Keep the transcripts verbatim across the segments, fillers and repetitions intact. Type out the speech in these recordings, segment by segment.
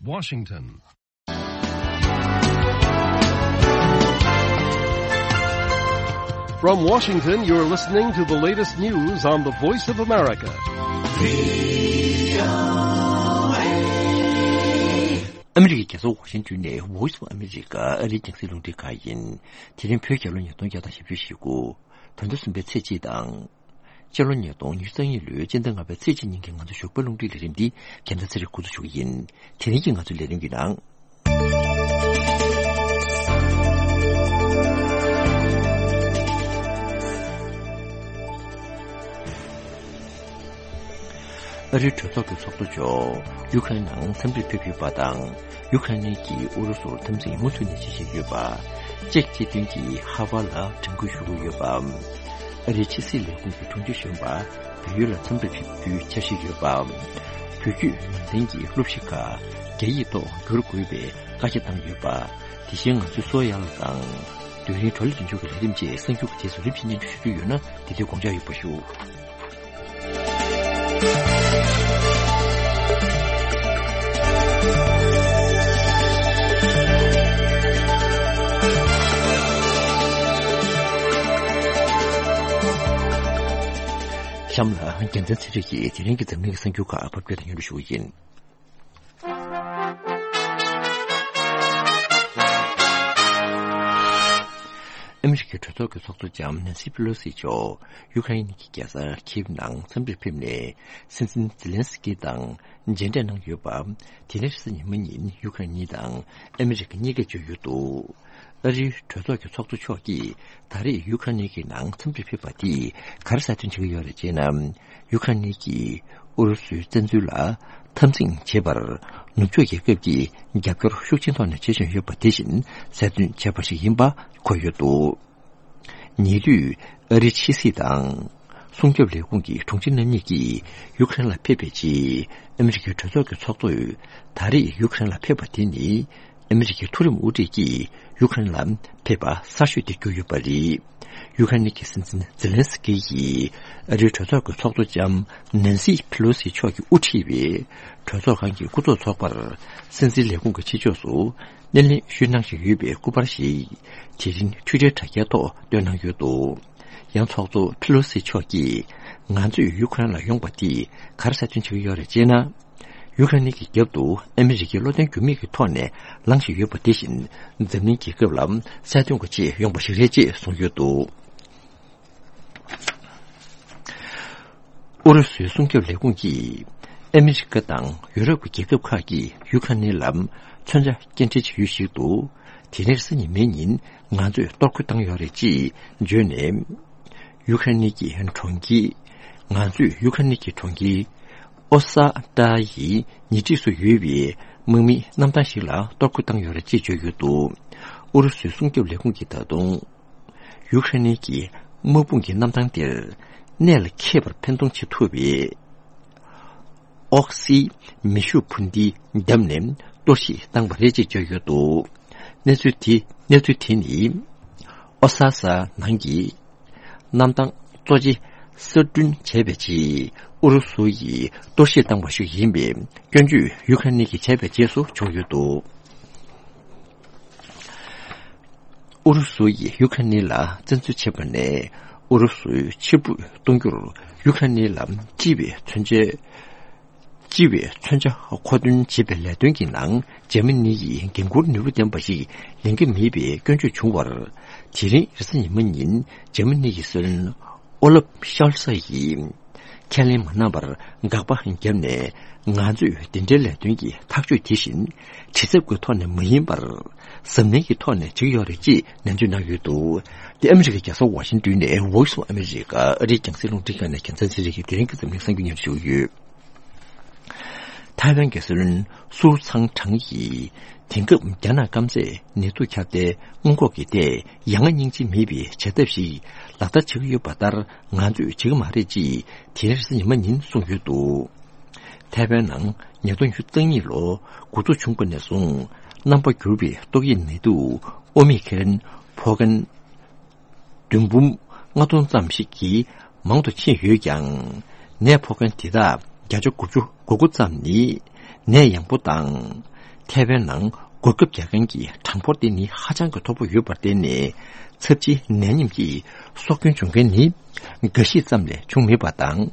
Washington. From Washington, you're listening to the latest news on the Voice of America. ཨ་མི་རི་ཀའི་རྒྱལ་ས་ཝ་ཤིང་ཏོན་ནས་Voice of America ཨ་རིའི་རྒྱང་སྲིང་རླུང་འཕྲིན་ཁང་ཡིན། དེ་རིང་བོད་རྒྱལ་ལོ་ཉིས་སྟོང་བརྒྱ་དང་བཞི་བཅུ་ཞེ་དགུ། ད་ལོ་གསུམ་པའི་ཚེས་གཅིག་དང་། སྤྱི་ལོ་ཉིས་སྟོང་ཉི་ཤུ་རྩ་གཉིས་ལོའི་སྤྱི་ཟླ་ལྔ་པའི་ཚེས་གཅིག་ཉིན་གྱི་ང་ཚོ་ཞོགས་པའི་རླུང་འཕྲིན་ལས་རིམ་འདི་རྒྱལ་མཚན་ཚེ་རིང་འགོ་འཛུགས་ཞུ་གི་ཡིན། དེ་རིང་གི་ང་ཚོའི་ལས་རིམ་གྱི་ནང་། ཨ་རིའི་གྲོས་ཚོགས་ཀྱི་ཚོགས་གཙོ་མཆོག་ཡུ་ཁ་རེན་ནང་འཚམས་འདྲིར་ཕེབས་ཡོད་པ་དང་། ཡུ་ཁ་རེན་གྱིས་ཨུ་རུ་སུར་འཐབ་འཛིང་མུ་མཐུད་ནས་བྱེད་བཞིན་ཡོད་པ། ཅེཀ་སྤྱི་མཐུན་གྱིས་ཧ་ཝ་ལ་དྲན་སྐུལ་ཞུ་གི་ཡོད་པ། ཨ་རིའི་ཕྱི་སྲིད་ལས་ཁུངས་ཀྱི་དྲུང་ཆེ་གཞོན་པ་བལ་ཡུལ་ལ་འཚམས་འདྲིར་ཕེབས་རྒྱུའི་འཆར་གཞི་ཡོད་པ། བོད་བརྒྱུད་ནང་བསྟན་གྱི་སློབ་གཞི་ཁག་རྒྱ་ཡིག་ཐོག་བསྒྱུར་དགོས་པའི་བཀའ་རྒྱ་བཏང་ཡོད་པ། དེ་བཞིན་ང་ཚོའི་སོ་ཡ་ལ་དང་། དུས་རིང་བགྲོ་གླེང་འདི་མཇུག་གི་ལས་རིམ་བཅས་གསར་འགྱུར་གྱི་རྗེས་སུ་རིམ་བཞིན་སྙན་སྒྲོན་ཞུ་རྒྱུ་ཡོད་ན། དེ་དུས་དགོངས་འཇགས་ཡོད་པ་ཞུ། གཤམ་ལ་རྒྱལ་མཚན་ཚེ་རིང་གིས་དེ་རིང་གི་འཛམ་གླིང་གི་གསར་འགྱུར་ཁག་ཕབ་སྒྱུར་དང་སྙན་སྒྲོན་ཞུ་བ་ཡིན། ཨ་མི་རི་ཀའི་གྲོས་ཚོགས་ཀྱི་ཚོགས་གཙོ་ལྕམ་ནན་སི་པེ་ལོ་སི་མཆོག་ཡུ་ཁ་རེན་གྱི་རྒྱལ་ས་ཁིབ་ནང་འཚམས་འདྲིར་ཕེབས་ནས། སྲིད་འཛིན་ཛེ་ལན་སི་ཀི་དང་མཇལ་འཕྲད་གནང་ཡོད་པ། དེ་རིང་རེས་གཟའ་ཉི་མ་ཉིན་ཡུ་ཁ་རེན་གཉིས་དང་ཨ་མི་རི་ཀ་གཉིས་ཀས་བརྗོད་ཡོད་འདུག་ཨ་རིའི་གྲོས་ཚོགས་ཀྱི་ཚོགས་གཙོ་མཆོག་གིས་ད་རེས་ཡུ་ཁ་རེན་གྱི་ནང་འཚམས་འདྲིར་ཕེབས་པ་དེས་ག་རེ་གསལ་སྟོན་བྱེད་ཀྱི་ཡོད་རེད་ཅེ་ན། ཡུ་ཁ་རེན་གྱིས་ཨུ་རུ་སུའི་བཙན་འཛུལ་ལ་འཐབ་འཛིང་བྱེད་པར་ནུབ་ཕྱོགས་རྒྱལ་ཁབ་ཀྱིས་རྒྱབ་སྐྱོར་ཤུགས་ཆེན་ཐོག་ནས་བྱེད་བཞིན་ཡོད་པ་དེ་བཞིན་གསལ་སྟོན་བྱས་པ་ཞིག་ཡིན་པ་འཁོད་ཡོད་འདུག་ཉེ་དུས་ཨ་རིའི་ཕྱི་སྲིད་དང་སྲུང་སྐྱོབ་ལས་ཁུངས་ཀྱི་དྲུང་ཆེ་རྣམ་གཉིས་ཀྱིས་ཡུ་ཁ་རེན་ལ་ཕེབས་པའི་རྗེས། ཨ་མི་རི་ཀའི་གྲོས་ཚོགས་ཀྱི་ཚོགས་གཙོས་ད་རེས་ཡུ་ཁ་རེན་ལ་ཕེབས་པ་དེ་ནི། ཨ་མི་རི་ཀའི་མཐོ་རིམ་དབུ་ཁྲིད་ཀྱིས་ཡུ་ཁ་རེན་ལ་ཕེབས་པ་གསར་ཤོས་དེ་གྱུར་ཡོད་པ་རེད། ཡུ་ཁ་རེན་གྱི་སྲིད་འཛིན་ཛེ་ལན་སི་ཀི་ཡིས་ཨ་རིའི་གྲོས་ཚོགས་ཀྱི་ཚོགས་གཙོ་ལྕམ་ནན་སི་ཕེ་ལོ་སི་མཆོག་གིས་དབུ་ཁྲིད་པའི་གྲོས་ཚོགས་ཁང་གི་སྐུ་ཚབ་ཚོགས་པར་སྲིད་འཛིན་ལས་ཁུངས་ཀྱི་ཕྱི་ཕྱོགས་སུ་སྣེ་ལེན་ཞུས་གནང་བཞིན་ཡོད་པའི་སྐུ་པར་ཞིག་དེ་རིང་ཊུའི་ཊར་དྲ་རྒྱའི་ཐོག་བཏོན་གནང་ཡོད་འདུག་ཡང་ཚོགས་གཙོ་ཕེ་ལོ་སི་མཆོག་གིས་ང་ཚོས་ཡུ་ཁ་རེན་ལ་ཡོང་པ་དེས་ག་རེ་གསལ་སྟོན་བྱེད་ཀྱི་ཡོད་རེད་ཅེ་ན། ཡུ་ཁ་རེན་གྱི་རྒྱབ་ཏུ་ཨ་མི་རི་ཀའི་བློ་བརྟན་འགྱུར་མེད་ཀྱི་ཐོག་ནས་ལངས་བཞིན་ཡོད་པ་དེ་བཞིན་འཛམ་གླིང་རྒྱལ་ཁབ་ལ་གསལ་སྟོན་དགོས་ཆེད་ཡོང་པ་ཞིག་རེད་ཅེས་གསུངས་ཡོད་འདུག་ཨུ་རུ་སུའི་སྲུང་སྐྱོབ་ལས་ཁུངས་ཀྱིས་ཨ་མི་རི་ཀ་དང་ཡུ་རོབ་ཀྱི་རྒྱལ་ཁབ་ཁག་གིས་ཡུ་ཁ་རེན་ལ་མཚོན་ཆ་སྐྱེལ་འདྲེན་བྱེད་ཡུལ་ཞིག་ཏུ་དེ་རིང་རེས་གཟའ་ཉི་མའི་ཉིན་ང་ཚོས་གཏོར་རྒོལ་བཏང་ཡོད་རེད་ཅེས་བརྗོད་ནས། ཡུ་ཁ་རེན་གྱི་གྲོང་ཁྱེར། ང་ཚོས་ཡུ་ཁ་རེན་གྱི་གྲོང་ཁྱེར་ཨོ་ས་ཏྲ་ཡི་ཉེ་འཁྲིས་སུ་ཡོད་པའི་དམག་མིའི་གནམ་ཐང་ཞིག་ལ་གཏོར་རྒོལ་བཏང་ཡོད་རེད་ཅེས་བརྗོད་ཡོད་འདུག་ཨུ་རུ་སུའི་སྲུང་སྐྱོབ་ལས་ཁུངས་ཀྱིས་ད་དུང་ཡུ་ཁ་རེན་གྱི་དམག་དཔུང་གི་གནམ་ཐང་དེར་གནད་ལ་འཁེལ་བར་འཕེན་གཏོང་བྱེད་ཐུབ་པའི་ཨོག་སི་མེ་ཤུགས་འཕུར་མདེལ་བརྒྱབ་ནས་གཏོར་བཤིག་བཏང་བ་རེད་ཅེས་བརྗོད་ཡོད་འདུག་གནས་ཚུལ་དེ་གནས་ཚུལ་དེ་ནི་ཨོ་ས་ས་ནང་གི་གནམ་ཐང་གཙོ་ཆེ་གསར་སྐྲུན་བྱས་པའི་རྗེས་ཨུ་རུ་སུ་ཡིས་གཏོར་བཤིག་བཏང་བ་ཞིག་ཡིན་པའི་སྐྱོན་བརྗོད་ཡུ་ཁ་རེན་གྱིས་བྱས་པའི་རྗེས་སུ་བྱུང་ཡོད་འདུག་ཨུ་རུ་སུ་ཡིས་ཡུ་ཁ་རེན་ལ་བཙན་འཛུལ་བྱས་པ་ནས་ཨུ་རུ་སུའི་ཕྱིར་འབུད་གཏོང་རྒྱུར་ཡུ་ཁ་རེན་ལ་སྤྱི་པའི་མཚོན་ཆ། སྤྱི་པའི་མཚོན་ཆ་མཁོ་འདོན་བྱེད་པའི་ལས་དོན་གྱི་ནང་འཇར་མ་ནི་ཡིས་འགན་འཁུར་ནུས་པ་ལྡན་པ་ཞིག་ལེན་གྱི་མེད་པའི་སྐྱོན་བརྗོད་བྱུང་བར། དེ་རིང་རེས་གཟའ་ཉི་མ་ཉིན་འཇར་མ་ནི་ཡི་སྲིད་བློན་ཨོ་ལབ་ཤོལ་ཚ་ཡིས་ཁས་ལེན་མ་གནང་བར་དགག་པ་བརྒྱབ་ནས། ང་ཚོས་འདི་འདྲའི་ལས་དོན་གྱི་ཐག་གཅོད་དེ་བཞིན་བྱེད་ཐབས་ཀྱི་ཐོག་ནས་མ་ཡིན་པར་གཟབ་ནན་གྱི་ཐོག་ནས་བྱེད་ཀྱི་ཡོད་རེད་ཅེས་ནན་བརྗོད་གནང་ཡོད་འདུག་དེ་ཨ་མི་རི་ཀའི་རྒྱལ་ས་ཝ་ཤིང་ཏོན་ནས་Voice of America ཨ་རིའི་རྒྱང་སྲིང་རླུང་འཕྲིན་ཁང་ནས་རྒྱལ་མཚན་ཚེ་རིང་གིས་དེ་རིང་གི་འཛམ་གླིང་གསར་འགྱུར་སྙན་སྒྲོན་ཞུ་གི་ཡོད། ཐའེ་ཝན་གྱི་སྲིད་བློན་སུའུ་ཚང་ཁྲང་གིས་དེང་སྐབས་རྒྱ་ནག་སྐམ་སས་ནད་དུག་ཁྱབ་གདལ་སྔོན་འགོག་གི་ཐད་ཡ་ང་སྙིང་རྗེ་མེད་པའི་བྱ་ཐབས་ཤིག་ལག་བསྟར་བྱེད་ཀྱི་ཡོད་པ་ལྟར་ང་ཚོས་བྱེད་ཀྱི་མ་རེད་ཅེས་དེ་རིང་རེས་གཟའ་ཉི་མ་ཉིན་གསུངས་ཡོད་འདུག་ཐའེ་ཝན་ནང་ཉིས་སྟོང་ཉི་ཤུ་རྩ་གཉིས་ལོ་འགོ་འཛུགས་བྱུང་བ་ནས་བཟུང་རྣམ་པ་འགྱུར་བའི་ཏོག་དབྱིབས་ནད་དུག་ཨོ་མི་ཁེ་རན་ཕོ་སྐྱོན་བདུན་འབུམ་ལྔ་སྟོང་ཙམ་ཞིག་གིས་མང་དུ་ཕྱིན་ཡོད་ཀྱང་། ནད་ཕོག་མཁན་དེ་དག་བརྒྱ་ཆ་དགུ་བཅུ་གོ་དགུ་ཙམ་ནི་ནད་ཡང་པོ་དང་། ཐའེ་ཝན་ནང་གོ་སྐབས་རྒྱག་མཁན་གྱི་གྲངས་འབོར་དེ་ནི་ཧ་ཅང་གི་མཐོ་པོ་ཡོད་པར་བརྟེན་ནས། ཚབས་ཆེའི་ནད་ཡམས་ཀྱི་སྲོག་སྐྱོན་བྱུང་མཁན་ནི་འགའ་ཞིག་ཙམ་ལས་བྱུང་མེད་པ་དང་།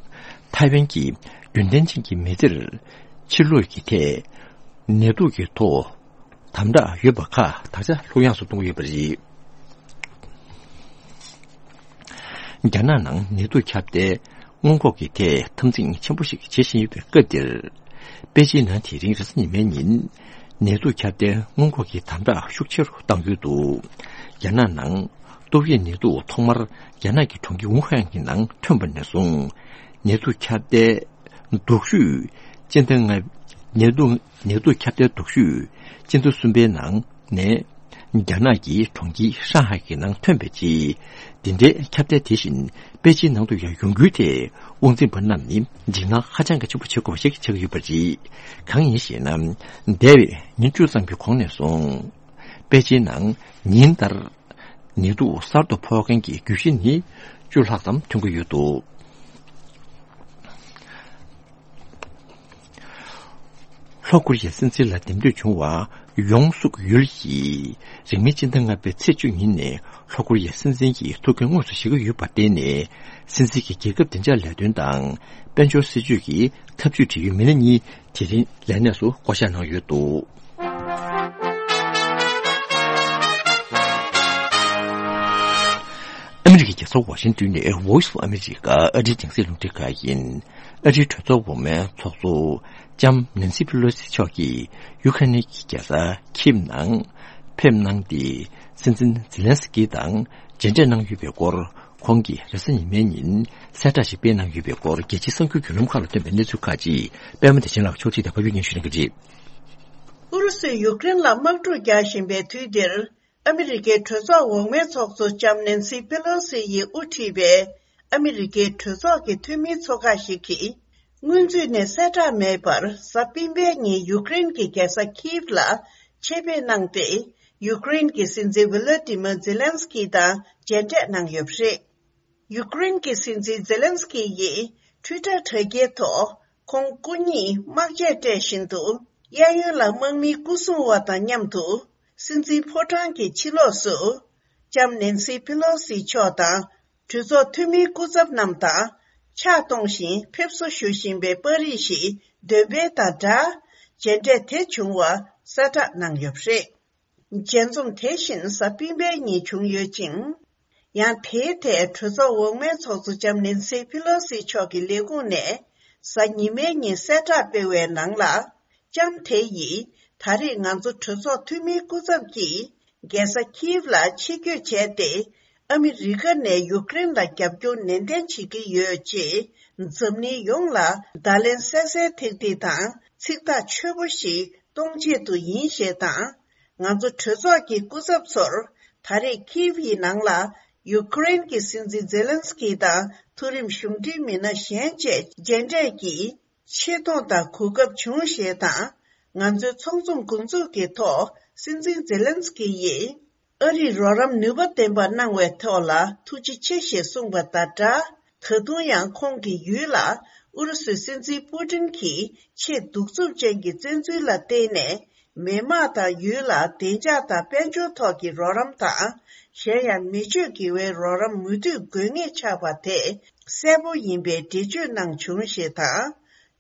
ཐའེ་ཝན་གྱི་རྒྱུན་ལྡན་ཅན་གྱི་མི་སེར་ཕྱིར་ལོག་གི་ཐད་ནད་དུག་གི་ཐོག་དམ་དྲག་ཡོད་པ་ཁག་དག་ཆ་ལྷུག་ཡངས་སུ་གཏོང་གི་ཡོད་པ་རེད། རྒྱ་ནག་ནང་ནད་དུག་ཁྱབ་གདལ་སྔོན་འགོག་གི་ཐད་འཐབ་འཛིང་ཆེན་པོ་ཞིག་བྱེད་བཞིན་ཡོད་པའི་སྐབས་འདིར། པེ་ཅིན་ནང་དེ་རིང་རེས་གཟའ་ཉི་མའི་ཉིན། ནད་དུག་ཁྱབ་གདལ་སྔོན་འགོག་གི་དམ་དྲག་ཤུགས་ཆེ་རུ་བཏང་ཡོད་འདུག་རྒྱ་ནག་ནང་ཏོག་དབྱིབས་ནད་དུག་ཐོག་མར་རྒྱ་ནག་གི་གྲོང་ཁྱེར་ཝུ་ཧན་གྱི་ནང་ཐོན་པ་ནས་བཟུང་། ནད་དུག་ཁྱབ་གདལ་སྡུག་ཤོས་སྤྱི་ཟླ་ལྔ། ནད་དུག་ནད་དུག་ཁྱབ་གདལ་སྡུག་ཤོས་སྤྱི་ཟླ་གསུམ་པའི་ནང་ནས། རྒྱ་ནག་གི་གྲོང་ཁྱེར་ཧྲང་ཧའེ་གི་ནང་ཐོན་པའི་རྗེས། འདི་འདྲའི་ཁྱབ་གདལ་དེ་བཞིན་པེ་ཅིན་ནང་དུ་ཡང་ཡོང་རྒྱུའི་ཐད་དབང་འཛིན་པ་རྣམས་ནི་འཇིགས་སྣང་ཧ་ཅང་གི་ཆེན་པོ་བྱེད་དགོས་པ་ཞིག་ཆགས་ཀྱི་ཡོད་པ་རེད། གང་ཡིན་ཞེ་ན། འདས་པའི་ཉིན་བཅུ་ཙམ་གྱི་གོང་ནས་བཟུང་། པེ་ཅིན་ནང་ཉིན་ལྟར་ནད་དུག་གསར་དུ་ཕོག་མཁན་གྱི་རྒྱུད་བཞི་ནི་བཅུ་ལྷག་ཙམ་ཐོན་གྱི་ཡོད་འདུག་ལྷོ་ཀོ་རི་ཡའི་སྲིད་འཛིན་ལ་འདེམས་ཐོན་བྱུང་བ་ཡོང་སུག་ཡུལ་གྱིས་རིང་མིན་སྤྱི་ཟླ་ལྔ་པའི་ཚེས་བཅུ་ཉིན་ནས་ལྷོ་ཀོ་རི་ཡའི་སྲིད་འཛིན་གྱི་ཐུགས་འགན་དངོས་སུ་བཞེས་ཀྱི་ཡོད་པར་བརྟེན་ནས། སྲིད་འཛིན་གྱི་རྒྱལ་ཁབ་བདེ་འཇགས་ལས་དོན་དང་དཔལ་འབྱོར་སྲིད་ཇུས་ཀྱི་ཐབས་ཇུས་འབྲེལ་ཡོད་མི་སྣ་གཉིས་དེ་རིང་ལས་གནས་སུ་བསྐོ་གཞག་གནང་ཡོད་འདུག་ཨ་མི་རི་ཀའི་རྒྱལ་ས་ཝ་ཤིང་ཏོན་ནས་Voice of America ཨ་རིའི་རྒྱང་སྲིང་རླུང་འཕྲིན་ཁང་ཡིན། ཨ་རིའི་གྲོས་ཚོགས་འོག་མའི་ཚོགས་གཙོ་ལྕམ་ནན་སི་པི་ལོ་སི་མཆོག་གིས་ཡུ་ཁ་ནི་གི་རྒྱལ་ས་ཁིབ་ནང་ཕེབས་གནང་སྟེ། སྲིད་འཛིན་ཛི་ལན་སི་ཀི་དང་མཇལ་འཕྲད་གནང་ཡོད་པའི་སྐོར། ཁོང་གིས་རེས་གཟའ་ཉི་མའི་ཉིན་གསལ་བསྒྲགས་ཤིག་སྤེལ་གནང་ཡོད་པའི་སྐོར། རྒྱལ་སྤྱིའི་གསར་འགྱུར་བརྒྱུད་ལམ་ཁག་ལ་ཐོན་པའི་གནས་ཚུལ་ཁག་ཅིག་པད་མ་བདེ་ཆེན་ལགས་ཕྱོགས་སྒྲིག་དང་ཕབ་སྒྱུར་སྙན་ཞུ་གནང་གི་རེད། ཨུ་རུ་སུས་ཡུཀ་རེན་ལ་དམག་འཁྲུག་རྒྱག་བཞིན་པའི་དུས་འདིར། ཨ་མི་རི་ཀའི་གྲོས་ཚོགས་འོག་མའི་ཚོགས་གཙོ་ལྕམ་ནན་སི་པེ་ལོ་སི་ཡིས་དབུ་ཁྲིད་པའི་ཨ་མི་རི་ཀའི་གྲོས་ཚོགས་ཀྱི་འཐུས་མིའི་ཚོགས་ཁག་ཞིག་གིས། སྔོན་ཚུད་ནས་གསལ་བསྒྲགས་མེད་པར། གཟའ་སྤེན་པའི་ཉིན་ཡུཀ་རེན་གྱི་རྒྱལ་ས་ཁིབ་ལ་ཆེད་ཕེབས་གནང་སྟེ། ཡུཀ་རེན་གྱི་སྲིད་འཛིན་ཝི་ལོ་ཏི་མོ་ཛེ་ལན་སི་ཀི་དང་མཇལ་འཕྲད་གནང་ཡོད་པ་རེད། ཡུཀ་རེན་གྱི་སྲིད་འཛིན་ཛེ་ལན་སི་ཀི་ཡིས་ཊུའི་ཊར་དྲ་རྒྱའི་ཐོག་ཁོང་སྐུ་ཉིད་དམག་ཆས་སྤྲས་བཞིན་དུ། གཡས་གཡོན་ལ་དམག་མིའི་སྐུ་སྲུང་བ་དང་མཉམ་དུ། སྲིད་འཛིན་ཕོ་བྲང་གི་ཕྱི་ལོགས་སུ། ལྕམ་ནན་སི་པེ་ལོ་སི་མཆོག་དང་། གྲོས་ཚོགས་འཐུས་མིའི་སྐུ་ཚབ་རྣམས་དང་ཕྱག་གཏོང་བཞིན་ཕེབས་བསུ་ཞུ་བཞིན་པའི་པར་རིས་ཤིག་འདོན་སྤེལ་དང་སྦྲགས། མཇལ་འཕྲད་དེ་བྱུང་བ་གསལ་བསྒྲགས་གནང་ཡོད་པ་རེད། མཇལ་འཛོམས་དེ་བཞིན་གཟའ་སྤེན་པའི་ཉིན་བྱུང་ཡོད་ཅིང་། ཡང་དེའི་ཐད་གྲོས་ཚོགས་འོག་མའི་ཚོགས་གཙོ་ལྕམ་ནན་སི་པེ་ལོ་སི་མཆོག་གི་ལས་ཁུངས་ནས་གཟའ་ཉི་མའི་ཉིན་གསལ་བསྒྲགས་སྤེལ་བའི་ནང་ལ། ལྕམ་དེ་ཡིས་ད་རེས་ང་ཚོ་གྲོས་ཚོགས་འཐུས་མིའི་སྐུ་ཚབ་ཀྱིས་རྒྱལ་ས་ཁིབ་ལ་ཆེད་བསྐྱོད་བྱས་ཏེ། ཨ་མི་རི་ཀ་ནས་ཡུཀ་རེན་ལ་རྒྱབ་སྐྱོར་ནན་ཏན་བྱེད་ཀྱི་ཡོད་ཅེས། འཛམ་གླིང་ཡོངས་ལ་བརྡ་ལན་གསལ་གསལ་ཐིག་ཐིག་དང་ཚིག་ཐག་ཆོད་པོ་ཞིག་གཏོང་ཆེད་དུ་ཡིན་ཞེས་དང་། ང་ཚོ་གྲོས་ཚོགས་ཀྱི་སྐུ་ཚབ་ཚོར་ད་རེས་ཁིབ་ཡི་ནང་ལ་ཡུ་ཀེ་རེན་གྱི་སྲིད་འཛིན་ཛེ་ལན་སི་ཀི་དང་མཐོ་རིམ་གཞུང་འབྲེལ་མི་སྣ་གཞན་བཅས་མཇལ་འཕྲད་ཀྱིས་ཆེ་མཐོང་དང་གོ་སྐབས་བྱུང་ཞེས་དང་། ང་ཚོའི་ཚོགས་འཛོམས་འགོ་འཛུགས་ཀྱི་ཐོག་སྲིད་འཛིན་ཛེ་ལན་སི་ཀི་ཡིས། ཨ་རིས་རོགས་རམ་ནུས་པ་ལྡན་པ་གནང་བའི་ཐོག་ལ་ཐུགས་རྗེ་ཆེ་ཞེས་གསུངས་པ་དང་སྦྲགས། ད་དུང་ཡང་ཁོང་གིས་ཡུལ་ལ་ཨུ་རུ་སུའི་སྲིད་འཛིན་པུ་ཏིན་གྱི་ཆེས་གདུག་རྩུབ་ཅན་གྱི་བཙན་འཛུལ་ལ་བརྟེན་ནས། མི་དམངས་དང་ཡུལ་ལ་བདེ་འཇགས་དང་དཔལ་འབྱོར་ཐོག་གི་རོགས་རམ་དང་། གཞན་ཡང་མི་སྤྱོད་དགེ་བའི་རོགས་རམ་མུ་མཐུད་དགོས་ངེས་ཆགས་པ་དེ་གསལ་པོ་ཡིན་པའི་འགྲེལ་བརྗོད་གནང་བྱུང་ཞེས་དང་།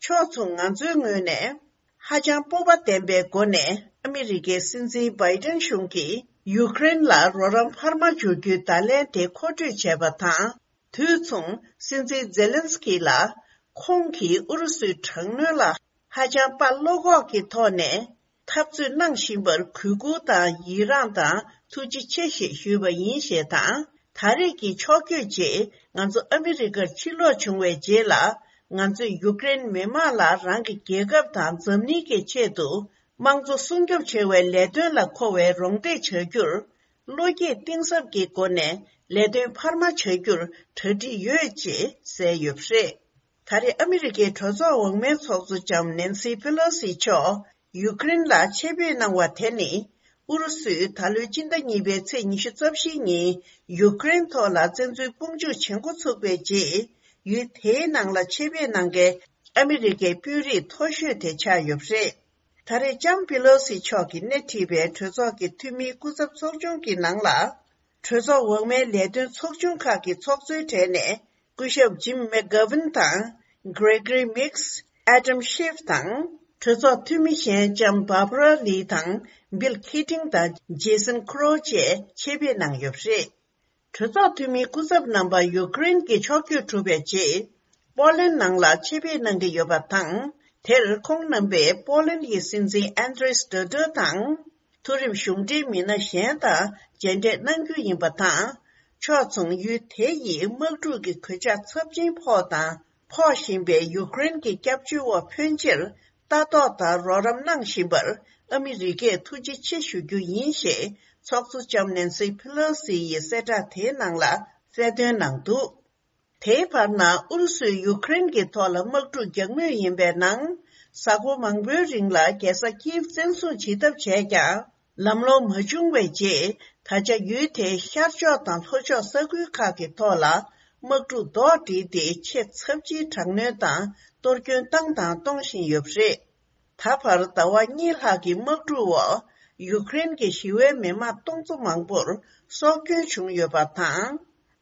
ཕྱོགས་མཚུངས་ང་ཚོའི་ངོས་ནས། ཧ་ཅང་སྤོབས་པ་ལྡན་པའི་སྒོ་ནས་ཨ་མི་རི་ཀའི་སྲིད་འཛིན་བྷའི་ཏན་གཞུང་གིས་ཡུཀ་རེན་ལ་རོགས་རམ་འཕར་མ་འཇོག་རྒྱུའི་བརྡ་ལན་དེ་མཁོ་སྤྲོད་བྱས་པ་དང་། དུས་མཚུངས་སྲིད་འཛིན་ཛེ་ལན་སི་ཀི་ལ་ཁོང་གིས་ཨུ་རུ་སུའི་དྲག་གནོན་ལ་ཧ་ཅང་དཔའ་བློ་ཁོག་གི་ཐོག་ནས་འཐབ་རྩོད་གནང་བཞིན་པར་གུས་བཀུར་དང་ཡི་རངས་དང་ཐུགས་རྗེ་ཆེ་ཞེས་ཞུས་པ་ཡིན་ཞེས་དང་། ད་རེས་ཀྱི་ཕྱོགས་བསྐྱོད་རྗེས་ང་ཚོ་ཨ་མི་རི་ཀར་ཕྱིར་ལོག་བྱུང་བའི་རྗེས་ལ། ང་ཚོས་ཡུཀ་རེན་མི་དམངས་ལ་རང་གི་རྒྱལ་ཁབ་དང་འཛམ་གླིང་གི་ཆེད་དུ་དམངས་གཙོ་སྲུང་སྐྱོབ་བྱ་བའི་ལས་དོན་ལ་མཁོ་བའི་རོགས་འདེགས་བྱ་རྒྱུར། བློ་སྐྱེད་གཏིང་ཟབ་ཀྱི་སྒོ་ནས་ལས་དོན་འཕར་མ་བྱ་རྒྱུར་གྲ་སྒྲིག་ཡོད་ཅེས་གསལ་ཡོད་པ་རེད། ད་རེས་ཨ་མི་རི་ཀའི་གྲོས་ཚོགས་འོག་མའི་ཚོགས་གཙོ་ལྕམ་ནན་སི་པེ་ལོ་སི་མཆོག་ཡུཀ་རེན་ལ་ཆེད་ཕེབས་གནང་བ་དེ་ནི། ཨུ་རུ་སུས་ད་ལོའི་སྤྱི་ཟླ་གཉིས་པའི་ཚེས་ཉི་ཤུ་རྩ་བཞིའི་ཉིན་ཡུཀ་རེན་ཐོག་ལ་བཙན་འཛུལ་དཔུང་འཇུག་བྱེད་འགོ་ཚུགས་པའི་རྗེས། ཡུལ་དེའི་ནང་ལ་ཆེད་ཕེབས་གནང་མཁན་ཨ་མི་རི་ཀའི་དཔོན་རིགས་མཐོ་ཤོས་དེ་ཆགས་ཡོད་པ་རེད། ད་རེས་ལྕམ་པི་ལོ་སི་མཆོག་གིས་སྣེ་ཁྲིད་པའི་གྲོས་ཚོགས་ཀྱི་འཐུས་མིའི་སྐུ་ཚབ་ཚོགས་ཆུང་གི་ནང་ལ། གྲོས་ཚོགས་འོག་མའི་ལས་དོན་ཚོགས་ཆུང་ཁག་གི་ཚོགས་གཙོའི་གྲས་ནས་སྐུ་ཞབས་ཇིམ་མེག་གྷ་ཝིན་དང་། གྷི་རེ་གྷི་རི་མིག་སི། ཨེ་ཌམ་ཤིབ་དང་། གྲོས་ཚོགས་འཐུས་མི་གཞན་ལྕམ་བྷར་བྷ་ར་ལི་དང་། བྷིལ་ཁི་ཏིང་དང་། ཇེ་སན་ཁོ་རོ་བཅས་ཆེད་ཕེབས་གནང་ཡོད་པ་རེད། གྲོས་ཚོགས་འཐུས་མིའི་སྐུ་ཚབ་རྣམ་པ་ཡུ་ཀེ་རེན་གྱི་ཕྱོགས་བསྐྱོད་གྲུབ་པའི་རྗེས། པོ་ལན་ནང་ལ་ཆེད་ཕེབས་གནང་གི་ཡོད་པ་དང་། དེར་ཁོང་རྣམ་པས་པོ་ལན་གྱི་སྲིད་འཛིན་ཨན་དྲེས་ཌོ་ཌོ་དང་། མཐོ་རིམ་གཞུང་འབྲེལ་མི་སྣ་གཞན་དང་མཇལ་འཕྲད་གནང་རྒྱུ་ཡིན་པ་དང་། ཕྱོགས་མཚུངས་ཡུལ་དེ་ཡི་དམག་འཁྲུག་གི་གོད་ཆག་ཚབས་ཆེན་ཕོག་དང་ཕོག་བཞིན་པའི་ཡུ་ཀེ་རེན་གྱི་སྐྱབས་བཅོལ་བ་ཕོན་ཆེར་ལྟ་རྟོག་དང་རོགས་རམ་གནང་བཞིན་པར་ཨ་མི་རི་ཀས་ཐུགས་རྗེ་ཆེ་ཞུ་རྒྱུ་ཡིན་ཞེས་ཚོགས་གཙོ་ལྕམ་ནན་སི་ཕི་ལོ་སི་ཡིས་གསལ་བསྒྲགས་དེའི་ནང་ལ་གསལ་སྟོན་གནང་འདུག་དེའི་བར་ན་ཨུ་རུ་སུས་ཡུ་ཀེ་རེན་གྱི་ཐོག་ལ་དམག་འཁྲུག་རྒྱག་མུས་ཡིན་པའི་ནང་། གཟའ་འཁོར་མང་པོའི་རིང་ལ་རྒྱལ་ས་ཀིབ་བཙན་བཟུང་བྱེད་ཐབས་བྱས་ཀྱང་། ལམ་ལྷོང་མ་བྱུང་བའི་རྗེས། ད་ཆ་ཡུལ་དེའི་ཤར་ཕྱོགས་དང་ལྷོ་ཕྱོགས་ས་ཁུལ་ཁག་གི་ཐོག་ལ་དམག་འཁྲུག་རྡོག་སྒྲིལ་ཏེ་ཆེས་ཚབས་ཆེའི་དྲག་གནོན་དང་གཏོར་སྐྱོན་བཏང་དང་གཏོང་བཞིན་ཡོད་པ་རེད། ད་བར་ཟླ་བ་གཉིས་ལྷག་གི་དམག་འཁྲུག་འོག་ཡུ་ཀེ་རེན་གྱི་ཞི་བའི་མི་མང་སྟོང་ཚོ་མང་པོར་སྲོག་སྐྱོན་བྱུང་ཡོད་པ་དང་།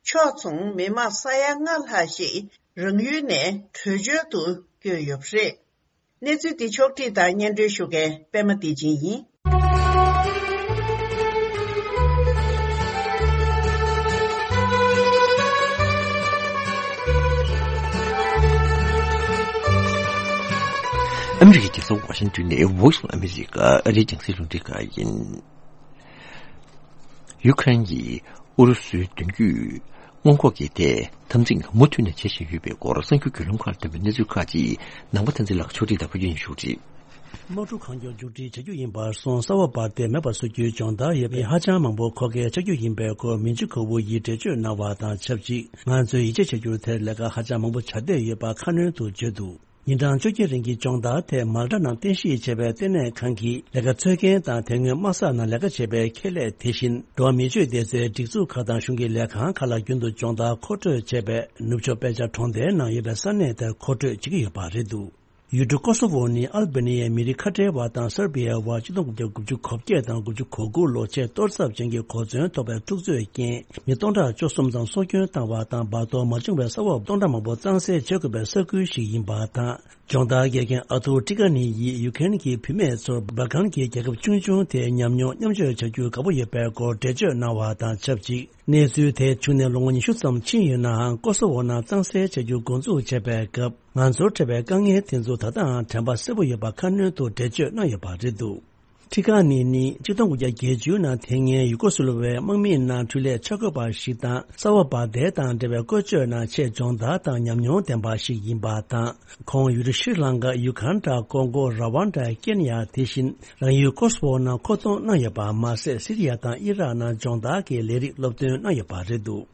ཕྱོགས་མཚུངས་མི་མང་ས་ཡ་ལྔ་ལྷག་ཞིག་རང་ཡུལ་ནས་བྲོས་བྱོལ་དུ་བསྐྱོད་ཡོད་པ་རེད། གནས་ཚུལ་འདི་ཕྱོགས་བསྒྲིགས་དང་སྙན་སྒྲོན་ཞུ་མཁན་པད་མ་བདེ་ཆེན་ཡིན། ཨ་མི་རི་ཀའི་རྒྱལ་ས་ཝ་ཤིང་ཏོན་ནས་Voice of America ཨ་རིའི་རྒྱང་སྲིང་རླུང་འཕྲིན་ཁང་ཡིན། ཡུ་ཁ་རེན་གྱིས་ཨུ་རུ་སུའི་མདུན་སྐྱོད་སྔོན་འགོག་གི་ཐད་འཐབ་འཛིང་མུ་མཐུད་ནས་བྱེད་བཞིན་ཡོད་པའི་སྐོར་གསར་འགྱུར་བརྒྱུད་ལམ་ཁག་ལ་ཐོན་པའི་གནས་ཚུལ་ཁག་ཅིག་ནང་པ་བསྟན་འཛིན་ལགས་ཕྱོགས་སྒྲིག་དང་ཕུལ་རྒྱུ་ཡིན། ཞུ་གཅིག་དམག་འཁྲུག་གང་མགྱོགས་མཇུག་སྒྲིལ་བྱ་རྒྱུ་ཡིན་པར་སོང་། ས་འོག་འབར་མདེལ་མེད་པར་བཟོ་རྒྱུའི་སྦྱོང་བརྡར་ཡོད་པའི་ཧ་ཅང་མང་པོ་མཁོ་གལ་ཆགས་རྒྱུ་ཡིན་པའི་སྐོར་མིན་ཅི་ཁོ་ཝུ་ཡིས་འགྲེལ་བརྗོད་གནང་བ་དང་ཆབས་ཅིག་ང་ཚོས་ཡིད་ཆེས་བྱ་རྒྱུར་དེར་ལས་ཀ་ཧ་ཅང་མང་པོ་བྱ་འདོད་ཡོད་པ་ཁ་སྣོན་དུ་བརྗོད་འདུག་ཉིན་གྲངས་བཅོ་བརྒྱད་རིང་གི་སྦྱོང་བརྡར་ཐད་མལ་གྲྭ་ནང་རྟེན་གཞི་བྱས་པའི་ལྟེ་གནས་ཁང་གི་ལས་ཀ་འཚོལ་མཁན་དང་དེ་སྔོན་དམག་ས་ནང་ལས་ཀ་བྱས་པའི་ཁེ་ལས། དེ་བཞིན་འགྲོ་བ་མིའི་སྤྱོད་སྡེ་ཚན་སྒྲིག་འཛུགས་ཁག་དང་གཞུང་གི་ལས་ཁང་ཁག་ལ་རྒྱུན་དུ་སྦྱོང་བརྡར་མཁོ་སྤྲོད་བྱས་པའི་ནུབ་ཕྱོགས་དཔེ་ཆ་གྲོང་རྡལ་ནང་ཡོད་པའི་ས་གནས་དེར་མཁོ་སྤྲོད་བྱེད་ཀྱི་ཡོད་པ་རེད་འདུག་ཡུལ་གྲུ་ཀོ་སོ་ཝོ་ནི་ཨལ་བྷེ་ནི་ཡའི་མི་རིགས་ཁ་བྲལ་བ་དང་སར་བྷི་ཡའི་དབར་ཆིག་སྟོང་དགུ་བརྒྱ་དགུ་བཅུ་གོ་བརྒྱད་དང་དགུ་བཅུ་གོ་དགུ་ལོ་ཆེས་གཏོར་ཚབས་ཅན་གྱི་གོ་མཚོན་ཐོགས་པའི་འཁྲུག་རྩོད་རྐྱེན་མི་སྟོང་ཕྲག་བཅུ་གསུམ་ཙམ་སྲོག་སྐྱོན་བཏང་བ་དང་། བར་དོ་མ་བྱུང་བའི་ས་འོག་སྟོང་ཕྲག་མང་པོ་གཙང་སེལ་བྱེད་དགོས་པའི་ས་ཁུལ་ཞིག་ཡིན་པ་དང་། སྦྱོང་བརྡར་དགེ་རྒན་ཨ་ཐུར་ཀྲི་ཀ་ནི་ཡིས་ཡུ་ཁེན་གྱི་བུད་མེད་ཚོར་སྦལ་ཀན་གྱི་རྒྱལ་ཁབ་ཆུང་ཆུང་དེའི་ཉམས་མྱོང་མཉམ་སྤྱོད་བྱ་རྒྱུར་དགའ་པོ་ཡོད་པའི་སྐོར་འགྲེལ་བརྗོད་གནང་བ་དང་ཆབས་ཅིག་གནས་ཚུལ་དེ་བྱུང་ནས་ལོ་ངོ་ཉི་ཤུ་ཙམ་ཕྱིན་ཡོད་ནའང་། ཀོ་སོ་ཝོ་ནང་གཙང་སེལ་བྱ་རྒྱུ་འགོ་འཛུགས་བྱས་པའི་སྐབས། ང་ཚོར་འཕྲད་པའི་དཀའ་ངལ་དེ་ཚོ་ད་ལྟའང་དྲན་པ་གསལ་པོ་ཡོད་པ་ཁ་སྣོན་དུ་འགྲེལ་བརྗོད་གནང་ཡོད་པ་རེད་འདུག་ཁྲི་ཀ་ནི་ནི་ཆིག་སྟོང་དགུ་བརྒྱ་བརྒྱད་ཅུ་ནང་དེ་སྔའི་ཡུ་ཀོ་སུ་ལུ་ཝའི་དམག་མིའི་ནང་འཕྲུལ་ལས་འཆར་འགོད་པ་ཞིག་དང་། ས་འོག་འབར་མདེལ་དང་འབྲེལ་བའི་བཀོལ་སྤྱོད་ནང་ཆེས་སྦྱོང་བརྡར་དང་ཉམས་མྱོང་ལྡན་པ་ཞིག་ཡིན་པ་དང་། ཁོང་ཡུལ་གྲུ་ཤྲི་ལང་ཀ། ཡུ་གྷན་ཌ། ཀོང་གོ། ར་ཝན་ཌ། ཀེན་ཡ། དེ་བཞིན་རང་ཡུལ་ཀོ་སོ་ཝོ་ནང་མཁོ་གཏོང་གནང་ཡོད་པ་མ་ཟད། སི་རི་ཡ་དང་ཨི་རག་ནང་སྦྱོང་བརྡར་གྱི་ལས་རིགས་སློབ་སྟོན་གནང་ཡོད་པ་རེད་འདུག་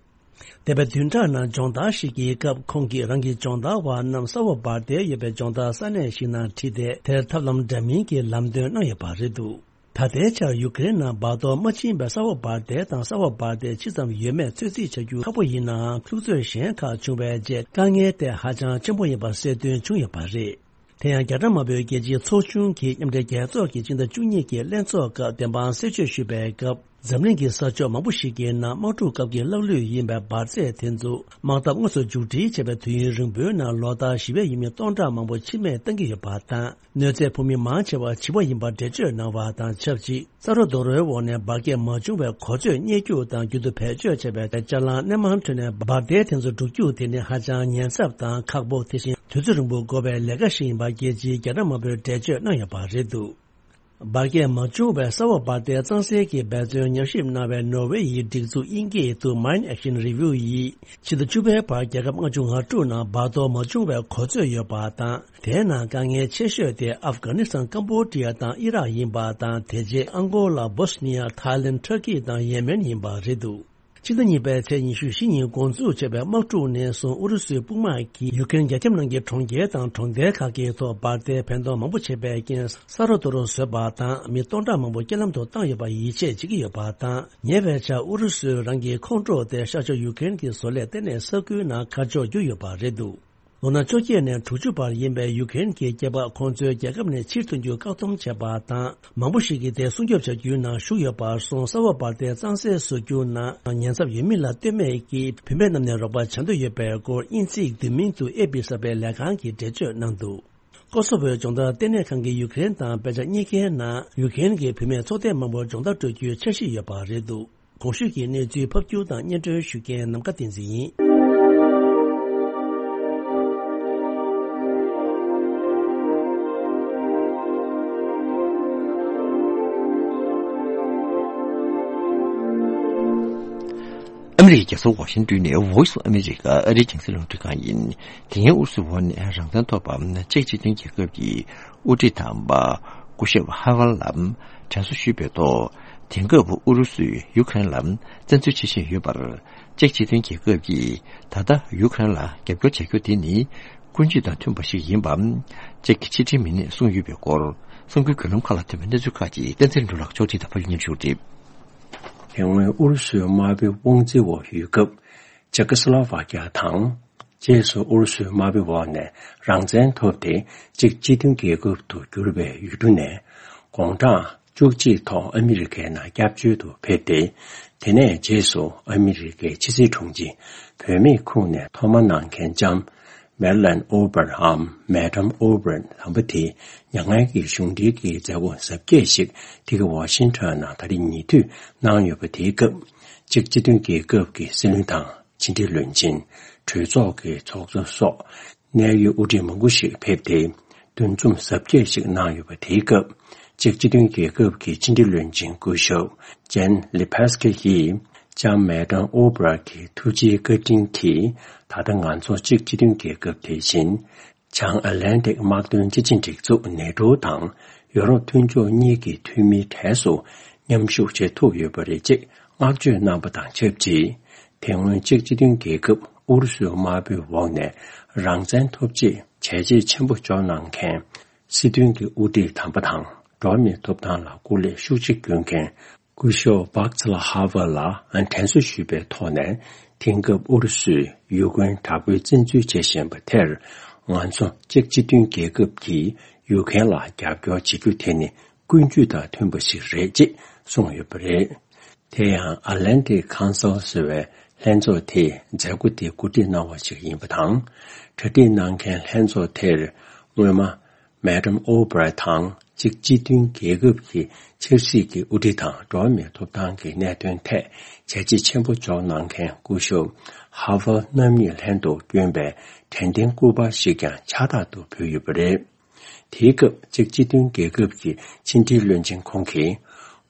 འདས་པའི་བདུན་ཕྲག་ནང་སྦྱོང་བརྡར་ཞིག་གི་སྐབས། ཁོང་གིས་རང་གི་སྦྱོང་བརྡར་བ་རྣམས་ས་འོག་འབར་མདེལ་ཡོད་པའི་སྦྱོང་བརྡར་ས་གནས་ཤིག་ནང་ཁྲིད་དེ། དེར་ཐབས་ལམ་འདྲ་མིན་གྱི་ལམ་སྟོན་གནང་ཡོད་པ་རེད་འདུག་ད་ལྟའི་ཆར་ཡུ་ཀེ་རེན་ནང་བར་དོ་མ་ཕྱིན་པའི་ས་འོག་འབར་མདེལ་དང་ས་འོག་འབར་མདེལ་ཇི་ཙམ་ཡོད་མེད་ཚོད་རྩིས་བྱ་རྒྱུ་ཁག་པོ་ཡིན་ནའང་། འཁྲུག་རྩོད་གཞན་ཁག་བྱུང་བའི་རྗེས་དཀའ་ངལ་དེ་ཧ་ཅང་ཆེན་པོ་ཡིན་པ་གསལ་སྟོན་བྱུང་ཡོད་པ་རེད། དེ་ཡང་རྒྱ་གྲམ་དམར་པོའི་རྒྱལ་སྤྱིའི་ཚོགས་ཆུང་གིས་མཉམ་འབྲེལ་རྒྱལ་ཚོགས་ཀྱི་སྤྱི་ཟླ་བཅུ་གཉིས་ཀྱི་ལྷན་ཚོགས་སྐབས་བདེན་དཔང་གསལ་བརྗོད་ཞུས་པའི་སྐབས། འཛམ་གླིང་གི་ས་ཕྱོགས་མང་པོ་ཞིག་གི་ནང་དམག་འཁྲུག་སྐབས་ཀྱི་ལྷག་ལུས་ཡིན་པའི་འབར་རྫས་དེ་ཚོ་དམག་འཐབ་དངོས་སུ་མཇུག་སྒྲིལ་བྱས་པའི་དུས་ཡུན་རིང་པོའི་ནང་ལོ་ལྟར་ཞི་བའི་ཡུལ་མི་སྟོང་ཕྲག་མང་པོ་འཆི་རྨས་བཏང་གི་ཡོད་པ་དང་། གནོད་འཚེ་ཕོག་མི་མང་ཆེ་བ་བྱིས་པ་ཡིན་པར་འགྲེལ་བརྗོད་གནང་བ་དང་ཆབས་ཅིག་རྩ་རོ་རྡོ་རོའི་འོག་ནས་འབར་གས་མ་བྱུང་བའི་གོ་ཚོད་རྙེད་རྒྱུ་དང་། རྒྱུན་དུ་བེད་སྤྱོད་བྱས་པའི་ཅ་ལག་སྣེ་མང་ཁྲོད་ནས་འབར་མདེལ་དེ་ཚོ་སྒྲུག་རྒྱུ་དེ་ནི་ཧ་ཅང་ཉེན་ཚབས་དང་ཁག་པོ། དེ་བཞིན་དུས་ཚོད་རིང་པོ་འགོར་བའི་ལས་ཀ་ཞིག་ཡིན་པ་རྒྱལ་སྤྱིའི་རྒྱ་གྲམ་དམར་པོས་འགྲེལ་བརྗོད་གནང་ཡོད་པ་རེད་འདུག་འབར་གས་མ་བྱུང་བའི་ས་འོག་འབར་མདེལ་གཙང་སེལ་གྱི་འབད་བརྩོན་ཉམས་ཞིབ་གནང་བའི་ནོར་ཝེ་ཡི་སྒྲིག་འཛུགས་དབྱིན་སྐད་དུ་Mine Action Review ཡིས། ཕྱི་ཟླ་བཅུ་པའི་བར་རྒྱལ་ཁབ་ལྔ་བཅུ་ང་དྲུག་ནང་བར་དོ་མ་བྱུང་བའི་གོ་ཚོད་ཡོད་པ་དང་། དེའི་ནང་དཀའ་ངལ་ཆེ་ཤོས་དེ་ཨབ་གྷ་ནི་སི་ཐན། ཀམ་བོ་ཌི་ཡ་དང་ཨི་རག་ཡིན་པ་དང་། དེ་རྗེས་ཨང་གོ་ལ། སྦོས་ནི་ཡ། ཐའི་ལེན། ཊར་ཀི་དང་ཡེ་མེན་ཡིན་པ་རེད་འདུག་ཕྱི་ཟླ་གཉིས་པའི་ཚེས་ཉི་ཤུ་བཞི་ཉིན་འགོ་འཛུགས་བྱས་པའི་དམག་འཁྲུག་ནས་བཟུང་ཨུ་རུ་སུའི་དཔུང་དམག་གིས་ཡུ་ཀེ་རེན་རྒྱལ་ཁབ་ནང་གི་གྲོང་ཁྱེར་དང་གྲོང་རྡལ་ཁག་གི་ཐོག་འབར་མདེལ་འཕེན་གཏོང་མང་པོ་བྱས་པའི་རྐྱེན། ས་རོ་རྡོ་རོ་བཟོས་པ་དང་། མི་སྟོང་ཕྲག་མང་པོ་རྐྱེན་ལམ་དུ་བཏང་ཡོད་པར་ཡིད་ཆེས་བྱེད་ཀྱི་ཡོད་པ་དང་། ཉེ་བའི་ཆར་ཨུ་རུ་སུས་རང་གི་ཁོངས་གཏོགས་ཏེ་ཤར་ཕྱོགས་ཡུ་ཀེ་རེན་གྱི་བཟོ་ལས་ལྟེ་གནས་ས་ཁུལ་ནང་ཁ་ཕྱོགས་བསྒྱུར་ཡོད་པ་རེད་འདུག་ལོ་ན་བཅོ་བརྒྱད་ནས་དྲུག་ཅུ་བར་ཡིན་པའི་ཡུ་ཀེ་རེན་གྱི་སྐྱེས་པ་ཁོང་ཚོའི་རྒྱལ་ཁབ་ནས་ཕྱིར་ཐོན་རྒྱུ་བཀག་སྡོམ་བྱས་པ་དང་། མང་པོ་ཞིག་གིས་དེ་སྲུང་སྐྱོབ་བྱ་རྒྱུའི་ནང་ཞུགས་ཡོད་པར་སོང་། གསར་བ་འབར་མདེལ་གཙང་སེལ་བཟོ་རྒྱུ་ནང་ཉེན་ཚབས་ཡོད་མིན་ལ་ལྟོས་མེད་ཀྱིས་བུད་མེད་རྣམས་ནས་རོགས་པ་བྱ་འདོད་ཡོད་པའི་སྐོར། དབྱིན་ཚིག་བསྡུས་མིང་དུ་ཨེ་བྷི་གསར་པའི་ལས་ཁང་གིས་འགྲེལ་བརྗོད་གནང་འདུག། ཀོ་སོ་བོའི་སྦྱོང་བརྡར་ལྟེ་གནས་ཁང་གིས་ཡུ་ཀེ་རེན་དང་དཔེ་ཆ་གཉིས་ཀའི་ནང་ཡུ་ཀེ་རེན་གྱི་བུད་མེད་ཚོགས་སྡེ་མང་པོར་སྦྱོང་བརྡར་སྤྲོད་རྒྱུའི་འཆར་གཞི་ཡོད་པ་རེད་འདུག། གོང་ཞུས་ཀྱི་གནས་ཚུལ་ཕབ་སྒྱུར་དང་སྙན་སྒྲོན་ཞུ་མཁན་ནམ་མཁའ་བསྟན་འཛིན་ཡིན། ཨ་མི་རི་ཀའི་རྒྱལ་ས་ཝ་ཤིང་ཏོན་ནས་Voice of America ཨ་རིའི་རྒྱང་སྲིང་རླུང་འཕྲིན་ཁང་ཡིན། དེ་སྔའི་ཨུ་རུ་སུའི་འོག་ནས་རང་བཙན་ཐོབ་པ་ཅེཀ་སྤྱི་མཐུན་རྒྱལ་ཁབ་ཀྱི་དབུ་ཁྲིད་དམ་པ་སྐུ་ཞབས་ཧ་ཝལ་ལ་དྲན་གསོ་ཞུས་པའི་ཐོག། དེང་སྐབས་ཨུ་རུ་སུས་ཡུ་ཀེ་རེན་ལ་བཙན་འཛུལ་བྱེད་བཞིན་ཡོད་པར། ཅེཀ་སྤྱི་མཐུན་རྒྱལ་ཁབ་ཀྱིས་ད་ལྟ་ཡུ་ཀེ་རེན་ལ་རྒྱབ་སྐྱོར་བྱ་རྒྱུ་དེ་ནི་ཀུན་སྤྱོད་དང་མཐུན་པ་ཞིག་ཡིན་པ། ཅེཀ་གི་ཕྱི་དྲིལ་མི་སྣས་གསུངས་ཡོད་པའི་སྐོར། གསར་འགྱུར་བརྒྱུད་ལམ་ཁག་ལ་ཐོན་པའི་གནས་ཚུལ་ཁག་ཅིག་བསྟན་འཛིན་འབྲུག་ལགས་ཕྱོགས་སྒྲིག་དང་ཕབ་སྒྱུར་སྙན་ཞུ་རེད། དེ་སྔོན་ཨུ་རུ་སུའི་དམར་པོའི་དབང་འཛིན་འོག་ཡོད་སྐབས། ཅེ་ཀོ་སི་ལོ་ཝ་ཀི་ཡ་དང་། རྗེས་སུ་ཨུ་རུ་སུའི་དམར་པོའི་འོག་ནས་རང་བཙན་ཐོབ་སྟེ་ཅེཀ་སྤྱི་མཐུན་རྒྱལ་ཁབ་ཏུ་གྱུར་པའི་ཡུལ་གྲུ་ནས་དགུང་གྲངས་བཅུ་གཅིག་ཐོག་ཨ་མི་རི་ཀའི་ནང་སྐྱབས་བཅོལ་དུ་ཕེབས་ཏེ། དེ་ནས་རྗེས་སུ་ཨ་མི་རི་ཀའི་ཕྱི་སྲིད་དྲུང་ཆེ་བུད་མེད་ཁོངས་ནས་ཐོག་མ་གནང་མཁན་ལྕམ་མེ་ལན་ཨོ་བྷར་འམ་Madam Albright དམ་པ་དེས་མྱ་ངན་གྱི་གཞུང་འབྲེལ་གྱི་མཛད་སྒོ་གཟབ་རྒྱས་ཤིག་འདི་ག་ཝ་ཤིང་ཊོན་ནང་ད་རེས་ཉེ་དུས་གནང་ཡོད་པ་དེའི་སྐབས། ཅེཀ་སྤྱི་མཐུན་རྒྱལ་ཁབ་ཀྱི་སྲིད་བློན་དང་། ཕྱི་འབྲེལ་བློན་ཆེན། གྲོས་ཚོགས་ཀྱི་ཚོགས་གཙོ་སོགས་གནད་ཡོད་དབུ་ཁྲིད་མང་པོ་ཞིག་ཕེབས་ཏེ། འདུ་འཛོམས་གཟབ་རྒྱས་ཤིག་གནང་ཡོད་པ་དེའི་སྐབས། ཅེཀ་སྤྱི་མཐུན་རྒྱལ་ཁབ་ཀྱི་ཕྱི་འབྲེལ་བློན་ཆེན་སྐུ་ཞབས་ཇན་ལི་པེ་སི་ཀི་ཡིས་ལྕམ་མེ་ཏམ་ཨོ་བྷར་གྱི་ཐུགས་རྗེའི་བཀའ་དྲིན་གྱིས། ད་ལྟ་ང་ཚོ་ཅེཀ་སྤྱི་མཐུན་རྒྱལ་ཁབ་དེ་བཞིན། བྱང་ཨེཊ་ལན་ཊིག་དམག་དོན་སྤྱི་ཆིངས་སྒྲིག་འཛུགས་ནེ་ཊོ་དང་ཡོ་རོབ་མཐུན་ཕྱོགས་གཉིས་ཀྱི་འཐུས་མིའི་གྲས་སུ་མཉམ་ཞུགས་བྱེད་ཐུབ་ཡོད་པ་རེད་ཅེས་བསྔགས་བརྗོད་གནང་པ་དང་ཆབས་ཅིག། དེ་སྔོན་ཅེཀ་སྤྱི་མཐུན་རྒྱལ་ཁབ་ཨུ་རུ་སུའི་དམར་པོའི་འོག་ནས་རང་བཙན་ཐོབ་ཆེད་བྱས་རྗེས་ཆེན་པོ་འཇོག་གནང་མཁན་སྲིད་དོན་གྱི་དབུ་ཁྲིད་དམ་པ་དང་འགྲོ་བ་མིའི་ཐོབ་ཐང་ལ་སྐུ་ལས་ཤུགས་ཆེ་བསྐྱོན་མཁན། སྐུ་ཞབས་བྷག་ཚ་ལ་ཧ་ཝ་ལ་དྲན་གསོ་ཞུས་པའི་ཐོག་ནས། དེང་སྐབས་ཨུ་རུ་སུས་ཡུ་ཀེ་རེན་དྲག་པོའི་བཙན་འཛུལ་བྱེད་བཞིན་པ་དེར། ང་ཚོ་ཅེཀ་སྤྱི་མཐུན་རྒྱལ་ཁབ་ཀྱིས་ཡུ་ཀེ་རེན་ལ་རྒྱབ་སྐྱོར་བྱེད་རྒྱུ་དེ་ནི་ཀུན་སྤྱོད་དང་མཐུན་པ་ཞིག་རེད་ཅེས་གསུངས་ཡོད་པ་རེད། དེ་ཡང་ཨེཊ་ལན་ཊིག་ཁོན་སིལ་ཟེར་བའི་ལྷན་ཚོགས་དེས་མཛད་སྒོ་དེ་གོ་སྒྲིག་གནང་བ་ཞིག་ཡིན་པ་དང་། གྲ་སྒྲིག་གནང་མཁན་ལྷན་ཚོགས་དེར་སྔོན་མ། མེ་ཏམ་ཨོ་བྷར་དང་ཅེཀ་སྤྱི་མཐུན་རྒྱལ་ཁབ་ཀྱི་ཆབ་སྲིད་ཀྱི་དབུ་ཁྲིད་དང་འགྲོ་བ་མིའི་ཐོབ་ཐང་གི་གནད་དོན་ཐད་བྱས་རྗེས་ཆེན་པོ་འཇོག་གནང་མཁན་སྐུ་ཞབས་ཧ་ཝལ་རྣམ་གཉིས་ལྷན་དུ་བསྐྱོན་པའི་དྲན་རྟེན་སྐུ་པར་ཞིག་ཀྱང་ཕྱག་རྟག་ཏུ་ཕུལ་ཡོད་པ་རེད། དེའི་སྐབས་ཅེཀ་སྤྱི་མཐུན་རྒྱལ་ཁབ་ཀྱི་ཕྱི་འབྲེལ་བློན་ཆེན་ཁོང་གིས།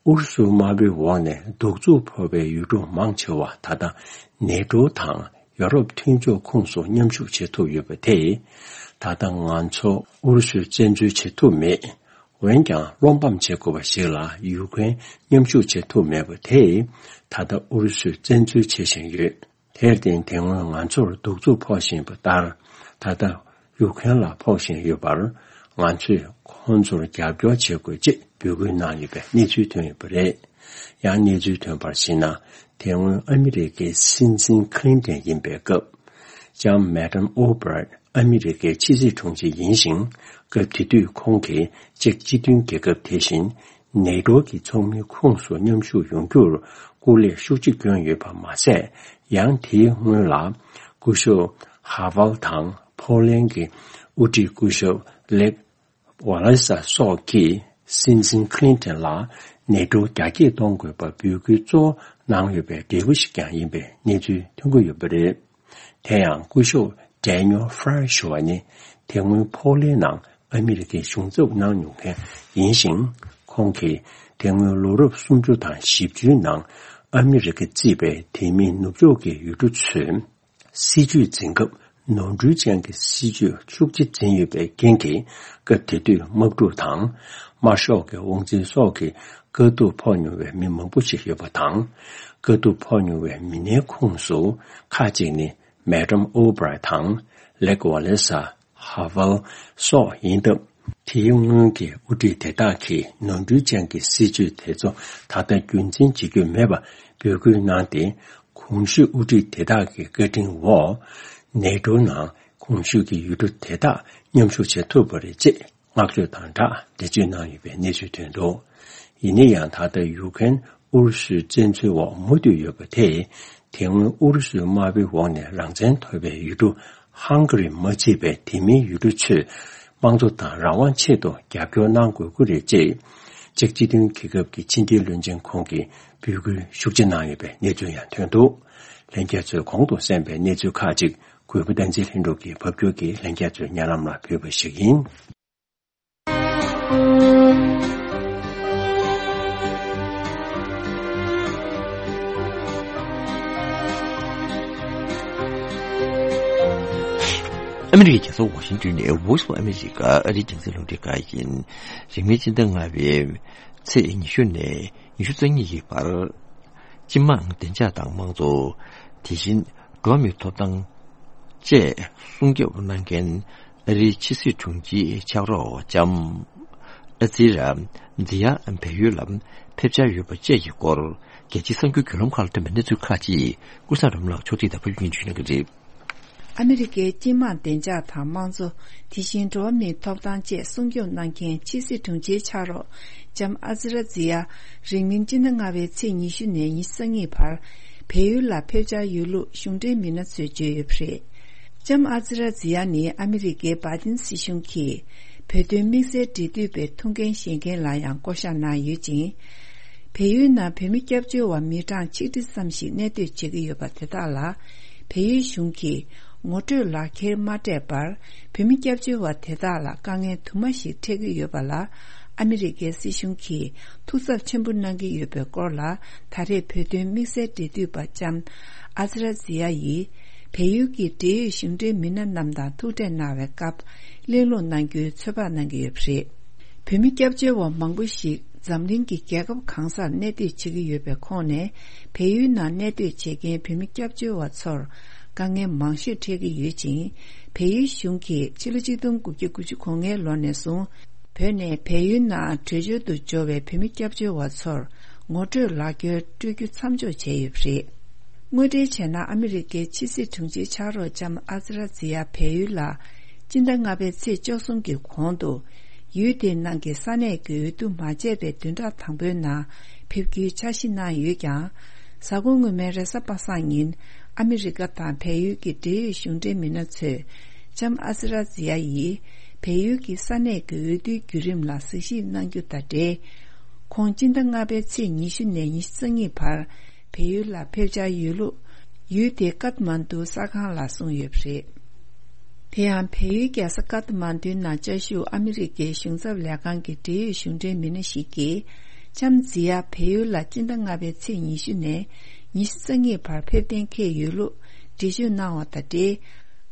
ཨུ་རུ་སུ་དམར་པོའི་འོག་ནས་གདུག་རྩུབ་ཕོག་པའི་ཡུལ་གྲུ་མང་ཆེ་བ་ད་ལྟ་ནེ་ཊོ་དང་། ཡོ་རོབ་མཐུན་ཕྱོགས་ཁོངས་སུ་མཉམ་ཞུགས་བྱེད་ཐུབ་ཡོད་པ་དེས། ད་ལྟ་ང་ཚོ་ཨུ་རུ་སུར་བཙན་འཛུལ་བྱེད་ཐུབ་མེད། འོན་ཀྱང་བློ་ཕམ་བྱེད་དགོས་པ་ཞིག་ལ་ཡུ་ཀེ་རེན་མཉམ་ཞུགས་བྱེད་ཐུབ་མེད་པ་དེས། ད་ལྟ་ཨུ་རུ་སུས་བཙན་འཛུལ་བྱེད་བཞིན་ཡོད། དེར་བརྟེན་དེ་སྔོན་ང་ཚོར་གདུག་རྩུབ་ཕོག་བཞིན་པ་ལྟར། ད་ལྟ་ཡུ་ཀེ་རེན་ལ་ཕོག་བཞིན་ཡོད་པར། ང་ཚོས་ཁོང་ཚོར་རྒྱབ་སྐྱོར་བྱེད་དགོས་ཅེས་འབོད་སྐུལ་གནང་ཡོད་པའི་གནས་ཚུལ་ཐོན་ཡོད་པ་རེད། ཡང་གནས་ཚུལ་ཐོན་པར་གཞིགས་ན། དེ་སྔོན་ཨ་མི་རི་ཀའི་སྲིད་འཛིན་ཁི་ལིན་ཏོན་ཡིན་པའི་སྐབས། ལྕམ་མེ་ཏམ་ཨོ་བྷར་ཨ་མི་རི་ཀའི་ཕྱི་སྲིད་དྲུང་ཆེ་ཡིན་ཞིང་། སྐབས་དེ་དུས་ཁོང་གིས་ཅེཀ་སྤྱི་མཐུན་རྒྱལ་ཁབ་དེ་བཞིན་ནེ་ཊོ་གི་ཚོགས་མིའི་ཁོངས་སུ་མཉམ་ཞུགས་ཡོང་རྒྱུར་སྐུ་ལས་ཤུགས་ཆེ་བསྐྱོན་ཡོད་པ་མ་ཟད། ཡང་དེའི་སྔོན་ལ་སྐུ་ཞབས་ཧ་ཝལ་དང་ཕོ་ལན་གྱི་དབུ་ཁྲིད་སྐུ་ཞབས་ལེག་ཝ་ལེ་ས་སོགས་ཀྱིས་སྲིད་འཛིན་ཁི་ལིན་ཏོན་ལ་ནེ་ཊོ་རྒྱ་སྐྱེད་གཏོང་དགོས་པར་འབོད་སྐུལ་གཙོ་བོ་གནང་ཡོད་པའི་འབྲས་བུ་ཞིག་ཀྱང་ཡིན་པའི་གནས་ཚུལ་ཐོན་གྱི་ཡོད་པ་རེད། དེ་ཡང་སྐུ་ཞབས་ཌེ་ནིལ་ཧྥ་རན་ཞུ་བ་ནི་དེ་སྔོན་ཕོ་ལན་ནང་ཨ་མི་རི་ཀའི་གཞུང་ཚབ་གནང་མྱོང་མཁན་ཡིན་ཞིང་། ཁོང་གིས་དེ་སྔོན་ལོ་རབས་སུམ་ཅུ་དང་བཞི་བཅུའི་ནང་ཨ་མི་རི་ཀ་བརྩིས་པའི་དེ་མིན་ནུབ་ཕྱོགས་ཀྱི་ཡུལ་གྲུ་ཚོས། སྲིད་ཇུས་འཛིན་སྐབས་ནོར་འཁྲུལ་ཅན་གྱི་སྲིད་ཇུས་ཤུགས་ཆེ་འཛིན་ཡོད་པའི་རྐྱེན་གྱིས། སྐབས་དེ་དུས་དམག་འཁྲུག་དང་། དམར་ཤོག་གི་དབང་འཛིན་སོགས་ཀྱི་དཀའ་སྡུག་ཕོག་མྱོང་བའི་མི་མང་པོ་ཞིག་ཡོད་པ་དང་། དཀའ་སྡུག་ཕོག་མྱོང་བའི་མི་སྣའི་ཁོངས་སུ་ཁག་ཅིག་ནི་མེ་ཏམ་ཨོ་བྷར་དང་། ལེག་ཝ་ལེ་ས་ཧ་ཝལ་སོགས་ཡིན་སྟབས། དེའི་སྔོན་གྱི་དབུ་ཁྲིད་དེ་དག་གིས་ནོར་འཁྲུལ་ཅན་གྱི་སྲིད་ཇུས་དེ་ཚོ་ད་ལྟ་རྒྱུན་འཛིན་བྱེད་རྒྱུ་མེད་པ་འབོད་སྐུལ་གནང་སྟེ། གོང་ཞུས་དབུ་ཁྲིད་དེ་དག་གི་བཀའ་དྲིན་འོག་ནེ་ཊོ་ནང་། གོང་ཞུས་ཀྱི་ཡུལ་གྲུ་དེ་དག་མཉམ་ཞུགས་བྱེད་ཐུབ་པ་རེད་ཅེས་མངགས་བཅོལ་དང་སྦྲགས་འགྲེལ་བརྗོད་གནང་ཡོད་པའི་གནས་ཚུལ་ཐོན་འདུག། ཡིན་ན་ཡང་ད་ལྟ་ཡུ་ཀེ་རེན་ཨུ་རུ་སུའི་བཙན་འཛུལ་འོག་མུ་མཐུད་ཡོད་པ་དེས། དེ་སྔོན་ཨུ་རུ་སུའི་དམར་པོའི་འོག་ནས་རང་བཙན་ཐོབ་པའི་ཡུལ་གྲུ་ཧང་ག་རི་མ་ཚུད་པའི་དེ་མིན་ཡུལ་གྲུ་ཚོས་དམངས་གཙོ་དང་རང་དབང་ཆེད་དུ་རྒྱབ་སྐྱོར་གནང་དགོས་ཀྱི་རེད་ཅེས། ཅེཀ་སྤྱི་མཐུན་རྒྱལ་ཁབ་ཀྱི་ཕྱི་འབྲེལ་བློན་ཆེན་ཁོང་གིས་འབོད་སྐུལ་ཤུགས་ཆེ་གནང་ཡོད་པའི་གནས་ཚུལ་ཡང་ཐོན་འདུག། ལྷན་རྒྱས་ཚོས་གོང་དུ་གསན་པའི་གནས་ཚུལ་ཁག་ཅིག་གུས་པ་བསྟན་འཛིན་ལྷུན་གྲུབ་ཀྱིས་ཕབ་སྒྱུར་གྱིས་ལྷན་རྒྱས་ཚོའི་སྙན་ལམ་ལ་ཕུལ་བ་ཞིག་ཡིན། ཨ་མི་རི་ཀའི་རྒྱལ་ས་ཝ་ཤིང་ཏོན་ནས་Voice of America ཨ་རིའི་རྒྱང་སྲིང་རླུང་འཕྲིན་ཁང་ཡིན། རིང་མིན་སྤྱི་ཟླ་ལྔ་པའི་ཚེས་ཉི་ཤུ་ནས་ཉི་ཤུ་རྩ་གཉིས་ཀྱི་བར། སྤྱི་དམངས་བདེ་འཇགས་དང་དམངས་གཙོ། དེ་བཞིན་འགྲོ་བ་མིའི་ཐོབ་ཐང་བཅས་སྲུང་སྐྱོབ་གནང་མཁན་ཨ་རིའི་ཕྱི་སྲིད་དྲུང་ཆེའི་ཕྱག་རོགས་ལྕམ་ཨ་ཛི་ར་ཛི་ཡ་བལ་ཡུལ་ལ་ཕེབས་འཆར་ཡོད་པ་བཅས་ཀྱི་སྐོར། རྒྱལ་སྤྱིའི་གསར་འགྱུར་བརྒྱུད་ལམ་ཁག་ལ་ཐོན་པའི་གནས་ཚུལ་ཁག་ཅིག་ཀུན་བཟང་རིན་པོ་ལགས་ཕྱོགས་སྒྲིག་དང་ཕབ་སྒྱུར་བྱུང་གནང་གི་རེད། ཨ་མི་རི་ཀའི་སྤྱི་དམངས་བདེ་འཇགས་དང་དམངས་གཙོ། དེ་བཞིན་འགྲོ་བ་མིའི་ཐོབ་ཐང་བཅས་སྲུང་སྐྱོབ་གནང་མཁན་ཕྱི་སྲིད་དྲུང་ཆེའི་ཕྱག་རོགས་ལྕམ་ཨ་ཛི་ར་ཛི་ཡ་རིང་མིན་སྤྱི་ཟླ་ལྔ་པའི་ཚེས་ཉི་ཤུ་ནས་ཉི་ཤུ་རྩ་གཉིས་བར་བལ་ཡུལ་ལ་ཕེབས་འཆར་ཡོད་ལུགས་གཞུང་འབྲེལ་མི་སྣ་ཚོས་བརྗོད་ཡོད་པ་རེད། ལྕམ་ཨ་ཛི་ར་ཛི་ཡ་ནི་ཨ་མི་རི་ཀའི་བྷའི་ཏིན་སྲིད་གཞུང་གིས་བོད་དོན་དམིགས་བསལ་འབྲེལ་མཐུད་པའི་ཐུགས་འགན་བཞེས་མཁན་ལ་ཡང་བསྐོ་བཞག་གནང་ཡོད་ཅིང་། བལ་ཡུལ་ནང་བོད་མི་སྐྱབས་བཅོལ་བ་མི་གྲངས་ཆིག་ཁྲི་ཙམ་ཞིག་གནས་སྡོད་བྱེད་ཀྱི་ཡོད་པ་དེ་དག་ལ། བལ་ཡུལ་གཞུང་གིས་ངོ་སྤྲོད་ལག་འཁྱེར་མ་སྤྲད་པར། བོད་མི་སྐྱབས་བཅོལ་བ་དེ་དག་ལ་དཀའ་ངལ་དུ་མ་ཞིག་འཕྲད་ཀྱི་ཡོད་པ་ལ། ཨ་མི་རི་ཀའི་སྲིད་གཞུང་གིས་ཐུགས་འཚབ་ཆེན་པོ་གནང་གི་ཡོད་པའི་སྐོར་ལ། ད་རེས་བོད་དོན་དམིགས་བསལ་འབྲེལ་མཐུད་པ་ལྕམ་ཨ་ཛི་ར་ཛི་ཡ་ཡིས། བལ་ཡུལ་གྱི་འབྲེལ་ཡོད་གཞུང་འབྲེལ་མི་སྣ་རྣམས་དང་ཐུག་འཕྲད་གནང་བའི་སྐབས། གླེང་སློང་གནང་རྒྱུའི་ཚོད་དཔག་གནང་གི་ཡོད་པ་རེད། བོད་མི་སྐྱབས་བཅོལ་བ་མང་པོ་ཞིག་འཛམ་གླིང་གི་རྒྱལ་ཁབ་གང་སར་གནས་སྡོད་བྱེད་ཀྱི་ཡོད་པའི་ཁོངས་ནས། བལ་ཡུལ་ནང་གནས་སྡོད་བྱེད་མཁན་བོད་མི་སྐྱབས་བཅོལ་བ་ཚོར་དཀའ་ངལ་མང་ཤོས་འཕྲད་ཀྱི་ཡོད་ཅིང་། བལ་ཡུལ་གཞུང་གིས་ཕྱི་ལོ་ཆིག་སྟོང་དགུ་བརྒྱ་དགུ་བཅུ་གོ་ལྔའི་ལོ་ནས་བཟུང་། བོད་ནས་བལ་ཡུལ་ནང་བྲོས་བྱོལ་དུ་འབྱོར་བའི་བོད་མི་སྐྱབས་བཅོལ་བ་ཚོར་ངོ་སྤྲོད་ལག་འཁྱེར་སྤྲོད་རྒྱུ་མཚམས་འཇོག་བྱས་ཡོད་པ་རེད། དངོས་འབྲེལ་བྱས་ན། ཨ་མི་རི་ཀའི་ཕྱི་སྲིད་དྲུང་ཆེའི་ཕྱག་རོགས་ལྕམ་ཨ་ཛི་ར་ཛི་ཡ་བལ་ཡུལ་ལ་སྤྱི་ཟླ་ལྔ་པའི་ཚེས་བཅུ་གསུམ་གྱི་གོང་དུ། ཡུལ་དེའི་ནང་གི་ས་གནས་ཀྱི་འོས་བསྡུ་མ་བྱས་པའི་བདུན་ཕྲག་དང་པོའི་ནང་ཕེབས་རྒྱུའི་འཆར་གཞི་གནང་ཡོད་ཀྱང་། གཟའ་འཁོར་སྔོན་མའི་རེས་གཟའ་པ་སངས་ཉིན། ཨ་མི་རི་ཀ་དང་བལ་ཡུལ་གྱི་འབྲེལ་ཡོད་གཞུང་འབྲེལ་མི་སྣ་ཚོས། ལྕམ་ཨ་ཛི་ར་ཛི་ཡ་ཡིས། བལ་ཡུལ་གྱི་ས་གནས་ཀྱི་འོས་བསྡུའི་བརྒྱུད་རིམ་ལ་གཟིགས་ཞིབ་གནང་རྒྱུ་དང་འབྲེལ། ཁོང་སྤྱི་ཟླ་ལྔ་པའི་ཚེས་ཉི་ཤུ་ནས་ཉི་ཤུ་རྩ་གཉིས་བར། བལ་ཡུལ་ལ་ཕེབས་འཆར་ཡོད་ལུགས། ཡུལ་དེའི་ཀཏ་མན་ཌུ་གསར་ཁང་ལ་གསུངས་ཡོད་པ་རེད། དེ་ཡང་། བལ་ཡུལ་རྒྱལ་ས་ཀཏ་མན་ཌུའི་ནང་བཅའ་བཞུགས་ཨ་མི་རི་ཀའི་གཞུང་ཚབ་ལས་ཁང་གི་འབྲེལ་ཡོད་གཞུང་འབྲེལ་མི་སྣ་ཞིག་གིས། ལྕམ་ཛི་ཡ་བལ་ཡུལ་ལ་སྤྱི་ཟླ་ལྔ་པའི་ཚེས་ཉི་ཤུ་ནས་ཉི་ཤུ་རྩ་གཉིས་བར་ཕེབས་གཏན་འཁེལ་ཡོད་ལུགས་འགྲེལ་བརྗོད་གནང་བ་དང་འབྲེལ།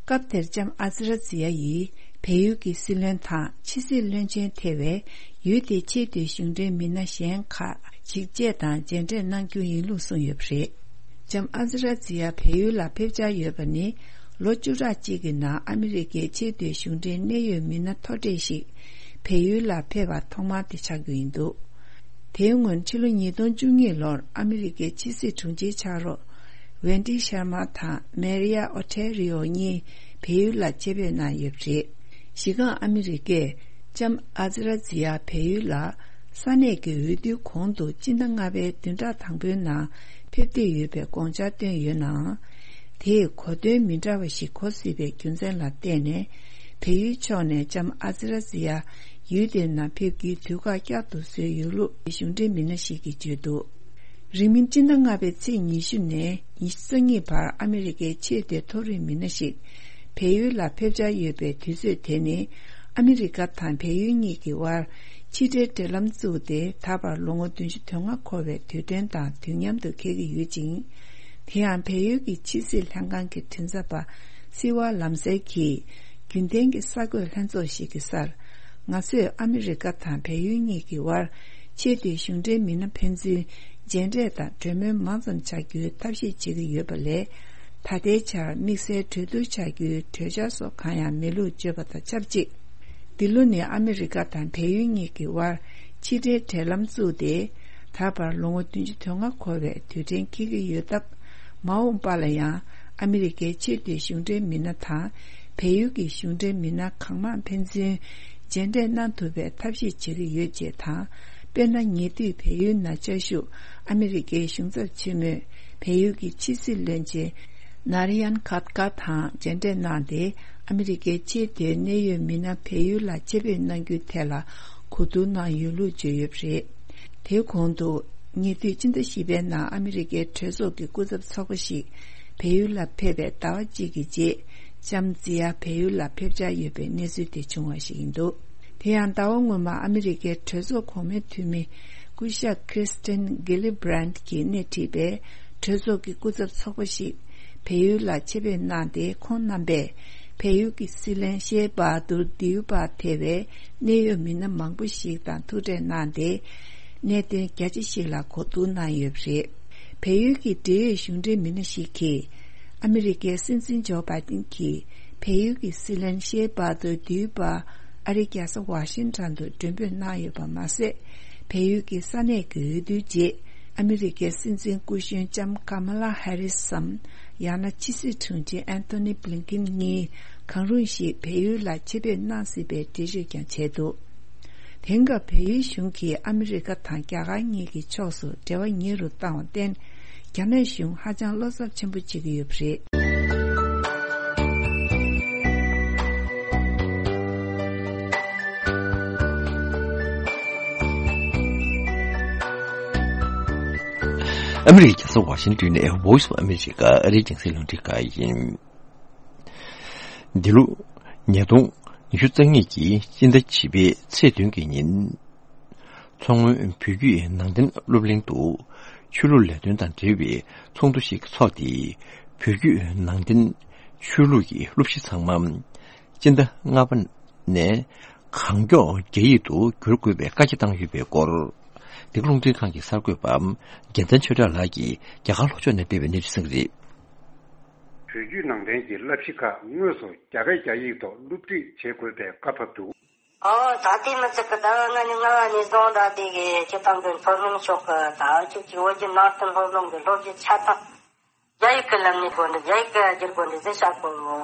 སྐབས་དེར་ལྕམ་ཨ་ཛི་ར་ཛི་ཡ་ཡིས་བལ་ཡུལ་གྱི་སྲིད་བློན་དང་ཕྱི་སྲིད་བློན་ཆེན་ཐེ་བའི་ཡུལ་དེའི་ཆེས་མཐོའི་གཞུང་འབྲེལ་མི་སྣ་གཞན་ཁག་ཅིག་བཅས་དང་མཇལ་འཕྲད་གནང་རྒྱུ་ཡིན་ལུགས་གསུངས་ཡོད་པ་རེད། ལྕམ་ཨ་ཛི་ར་ཛི་ཡ་བལ་ཡུལ་ལ་ཕེབས་འཆར་ཡོད་པ་ནི། ལོ་བཅུ་ཕྲག་གཅིག་གི་ནང་ཨ་མི་རི་ཀའི་ཆེས་མཐོའི་གཞུང་འབྲེལ་གནད་ཡོད་མི་སྣ་མཐོ་གྲས་ཤིག་བལ་ཡུལ་ལ་ཕེབས་པ་ཐོག་མ་དེ་ཆགས་རྒྱུ་ཡིན་འདུག། དེའི་སྔོན་ཕྱི་ལོ་ཉིས་སྟོང་བཅུ་གཉིས་ལོར་ཨ་མི་རི་ཀའི་ཕྱི་སྲིད་དྲུང་ཆེའི་ཕྱག་རོགས་ཝེན་ཏི་ཤར་མ་དང་མེ་རི་ཡ་ཨོ་ཐེ་རི་ཨོ་གཉིས་བལ་ཡུལ་ལ་ཆེད་ཕེབས་གནང་ཡོད་པ་རེད། གཞི་རྐང་ཨ་མི་རི་ཀས་ལྕམ་ཨ་ཛི་ར་ཛི་ཡ་བལ་ཡུལ་ལ་ས་གནས་ཀྱི་འོས་བསྡུའི་གོང་དུ་སྤྱི་ཟླ་ལྔ་པའི་བདུན་ཕྲག་དང་པོའི་ནང་ཕེབས་འདོད་ཡོད་པའི་དགོངས་འཆར་བཏོན་ཡོད་ནའང་། དེས་གོ་དོན་མི་འདྲ་བ་ཞིག་གོ་སྲིད་པའི་རྒྱུ་མཚན་ལ་བརྟེན་ནས། བལ་ཡུལ་ཕྱོགས་ནས་ལྕམ་ཨ་ཛི་ར་ཛི་ཡ་ཡུལ་དེའི་ནང་ཕེབས་རྒྱུའི་དུས་བཀག་བསྐྱར་དུ་བཟོས་ཡོད་ལུགས་གཞུང་འབྲེལ་མི་སྣ་ཞིག་གིས་བརྗོད་འདུག། རིང་མིན་སྤྱི་ཟླ་ལྔ་པའི་ཚེས་ཉི་ཤུ་ནས་ཉི་ཤུ་རྩ་གཉིས་བར་ཨ་མི་རི་ཀའི་ཆེས་མཐོའི་མཐོ་རིམ་མི་སྣ་ཞིག་བལ་ཡུལ་ལ་ཕེབས་འཆར་ཡོད་པའི་དུས་ཚོད་དེ་ནི། ཨ་མི་རི་ཀ་དང་བལ་ཡུལ་གཉིས་ཀྱི་དབར་ཕྱི་འབྲེལ་འབྲེལ་ལམ་བཙུགས་ཏེ། ད་བར་ལོ་ངོ་བདུན་ཅུ་དོན་ལྔ་འཁོར་བའི་དུས་དྲན་དང་དུས་མཉམ་དུ་འཁེལ་གྱི་ཡོད་ཅིང་། དེ་ཡང་བལ་ཡུལ་གྱི་ཕྱི་སྲིད་ལྷན་ཁང་གི་མགྲིན་ཚབ་པ་སིལ་ཝ་ལམ་སེ་གིས་རྒྱུན་ལྡན་གྱི་གསར་འགོད་ལྷན་ཚོགས་ཤིག་གི་སར། ང་ཚོས་ཨ་མི་རི་ཀ་དང་བལ་ཡུལ་གཉིས་ཀྱི་དབར་ཆེས་མཐོའི་གཞུང་འབྲེལ་མི་སྣ་ཕན་ཚུན་མཇལ་འཕྲད་དང་གྲོས་མོལ་མང་ཙམ་བྱ་རྒྱུའི་ཐབས་ཤེས་བྱེད་ཀྱི་ཡོད་པ་ལས། ད་ལྟའི་ཆར་དམིགས་བསལ་གྲོས་བསྡུར་བྱ་རྒྱུའི་གྲོས་འཆར་སོགས་གང་ཡང་མེད་ལུགས་བརྗོད་པ་དང་ཆབས་ཅིག། འདི་ལོ་ནི་ཨ་མི་རི་ཀ་དང་བལ་ཡུལ་གཉིས་ཀྱི་དབར་ཕྱི་འབྲེལ་འབྲེལ་ལམ་བཙུགས་ཏེ། ད་བར་ལོ་ངོ་བདུན་ཅུ་དོན་ལྔ་འཁོར་བའི་དུས་དྲན་འཁེལ་གྱི་ཡོད་སྟབས། མ་འོངས་པ་ལ་ཡང་ཨ་མི་རི་ཀའི་ཆེས་མཐོའི་གཞུང་འབྲེལ་མི་སྣ་དང་། བལ་ཡུལ་གྱི་གཞུང་འབྲེལ་མི་སྣ་གང་མང་ཕན་ཚུན་མཇལ་འཕྲད་གནང་ཐུབ་པའི་ཐབས་ཤེས་བྱེད་ཀྱི་ཡོད་ཅེས་དང་། དཔེར་ན། ཉེ་དུས་བལ་ཡུལ་ན་བཅའ་བཞུགས་ཨ་མི་རི་ཀའི་གཞུང་ཚབ་ཆེན་མོས་བལ་ཡུལ་གྱི་ཕྱི་སྲིད་བློན་ཆེན་ནཱ་རི་ཡན་ཁཱ་ཏཀ་དང་མཇལ་འཕྲད་གནང་སྟེ། ཨ་མི་རི་ཀའི་ཆེས་མཐོའི་གནད་ཡོད་མི་སྣ་བལ་ཡུལ་ལ་ཆེད་ཕེབས་གནང་རྒྱུའི་ཐད་ལ་གོ་བསྡུར་གནང་ཡོད་ལུགས་བརྗོད་ཡོད་པ་རེད། དེའི་གོང་དུ། ཉེ་དུས་ཕྱི་ཟླ་བཞི་པའི་ནང་ཨ་མི་རི་ཀའི་གྲོས་ཚོགས་ཀྱི་སྐུ་ཚབ་ཚོགས་པ་ཞིག་བལ་ཡུལ་ལ་ཕེབས་པའི་ཟླ་བ་གཅིག་གི་རྗེས། ལྕམ་ཛི་ཡ་བལ་ཡུལ་ལ་ཕེབས་འཆར་ཡོད་པའི་གནས་ཚུལ་དེ་བྱུང་བ་ཞིག་ཡིན་འདུག་དེ་ཡང་ཟླ་བ་སྔོན་མ་ཨ་མི་རི་ཀའི་གྲོས་ཚོགས་གོང་མའི་འཐུས་མི་སྐུ་ཞབས་Kirsten Gillibrand གྱིས་སྣེ་ཁྲིད་པའི་གྲོས་ཚོགས་ཀྱི་སྐུ་ཚབ་ཚོགས་པ་ཞིག་བལ་ཡུལ་ལ་ཆེད་ཕེབས་གནང་སྟེ། ཁོང་རྣམ་པས་བལ་ཡུལ་གྱི་སྲིད་བློན་ཤེ་བྷ་དུར་དིའུ་པ་ཐེ་བའི་གནད་ཡོད་མི་སྣ་མང་པོ་ཞིག་དང་ཐུག་འཕྲད་གནང་སྟེ། གནད་དོན་རྒྱ་ཆེ་ཞིག་ལ་གོ་བསྡུར་གནང་ཡོད་པ་རེད། བལ་ཡུལ་གྱི་འབྲེལ་ཡོད་གཞུང་འབྲེལ་མི་སྣ་ཞིག་གིས། ཨ་མི་རི་ཀའི་སྲིད་འཛིན་ཇོ་བྷའི་ཏིན་གྱིས་བལ་ཡུལ་གྱི་སྲིད་བློན་ཤེ་བྷ་དུར་དིའུ་པ་ཨ་རིའི་རྒྱལ་ས་ཝ་ཤིང་ཊོན་དུ་མགྲོན་འབོད་གནང་ཡོད་པ་མ་ཟད། བལ་ཡུལ་གྱི་ས་གནས་ཀྱི་འོས་བསྡུའི་རྗེས། ཨ་མི་རི་ཀའི་སྲིད་འཛིན་སྐུ་གཞོན་ལྕམ་ཀ་མ་ལ་ཧེ་རི་སམ། ཡང་ན་ཕྱི་སྲིད་དྲུང་ཆེ་ཨན་ཐོ་ནི་བྷི་ལིན་ཀིན་གཉིས་གང་རུང་ཞིག་བལ་ཡུལ་ལ་ཆེད་ཕེབས་གནང་སྲིད་པའི་འགྲེལ་བརྗོད་ཀྱང་བྱས་འདུག་དེང་སྐབས་བལ་ཡུལ་གཞུང་གིས་ཨ་མི་རི་ཀ་དང་རྒྱ་གར་གཉིས་ཀྱི་ཕྱོགས་སུ་འབྲེལ་བ་ཉེ་རུ་བཏང་བར་བརྟེན། རྒྱ་ནག་གཞུང་ཧ་ཅང་བློ་འཚབ་ཆེན་པོ་བྱེད་ཀྱི་ཡོད་པ་རེད། ཨ་མི་རི་ཀའི་རྒྱལ་ས་ཝ་ཤིང་ཏོན་ནས་Voice of America ཨ་རིའི་རྒྱང་སྲིང་རླུང་འཕྲིན་ཁང་ཡིན། འདི་ལོ་ཉིས་སྟོང་ཉི་ཤུ་རྩ་གཉིས་ཀྱི་སྤྱི་ཟླ་བཞི་པའི་ཚེས་བདུན་གྱི་ཉིན། མཚོ་སྔོན་བོད་བརྒྱུད་ནང་བསྟན་སློབ་གླིང་དུ་ཆོས་ལུགས་ལས་དོན་དང་འབྲེལ་བའི་ཚོགས་འདུ་ཞིག་འཚོགས་ཏེ། བོད་བརྒྱུད་ནང་བསྟན་ཆོས་ལུགས་ཀྱི་སློབ་གཞི་ཚང་མ་སྤྱི་ཟླ་ལྔ་པ་ནས་གང་མགྱོགས་རྒྱ་ཡིག་ཏུ་བསྒྱུར་དགོས་པའི་བཀའ་རྒྱ་བཏང་ཡོད་པའི་སྐོར། འདི་ག་རླུང་འཕྲིན་ཁང་གི་གསར་འགོད་པ་རྒྱལ་མཚན་ཆོས་གྲགས་ལགས་ཀྱིས་རྒྱ་གར་ལྷོ་ཕྱོགས་ནས་སྤེལ་བའི་གནས་ཚུལ་གསན་གྱི་རེད། བོད་བརྒྱུད་ནང་བསྟན་གྱི་བསླབ་གཞི་ཁག་དངོས་སུ་རྒྱ་སྐད་རྒྱ་ཡིག་ཐོག་སློབ་ཁྲིད་བྱེད་དགོས་པའི་བཀའ་ཕབ་འདུག་ཨོ་ད་ལྟའི་མི་ཚིག་གི་ཟླ་བ་ལྔ་ནས་ལྔ་བ་ནས་བཟུང་ད་ལྟའི་གི་སྤྱི་བཏང་གི་མཐོ་སློབ་ཕྱོགས་གི་ཟླ་བ་གཅིག་གི་བོད་བརྒྱུད་ནང་བསྟན་སློབ་གླིང་གི་སློབ་གཞི་ཆ་ཚང་རྒྱ་ཡིག་གི་ལམ་ནས་དགོས་འདུག་རྒྱ་ཡིག་གི་བསྒྱུར་དགོས་འདུག་ཟེར་བཤད་གོ།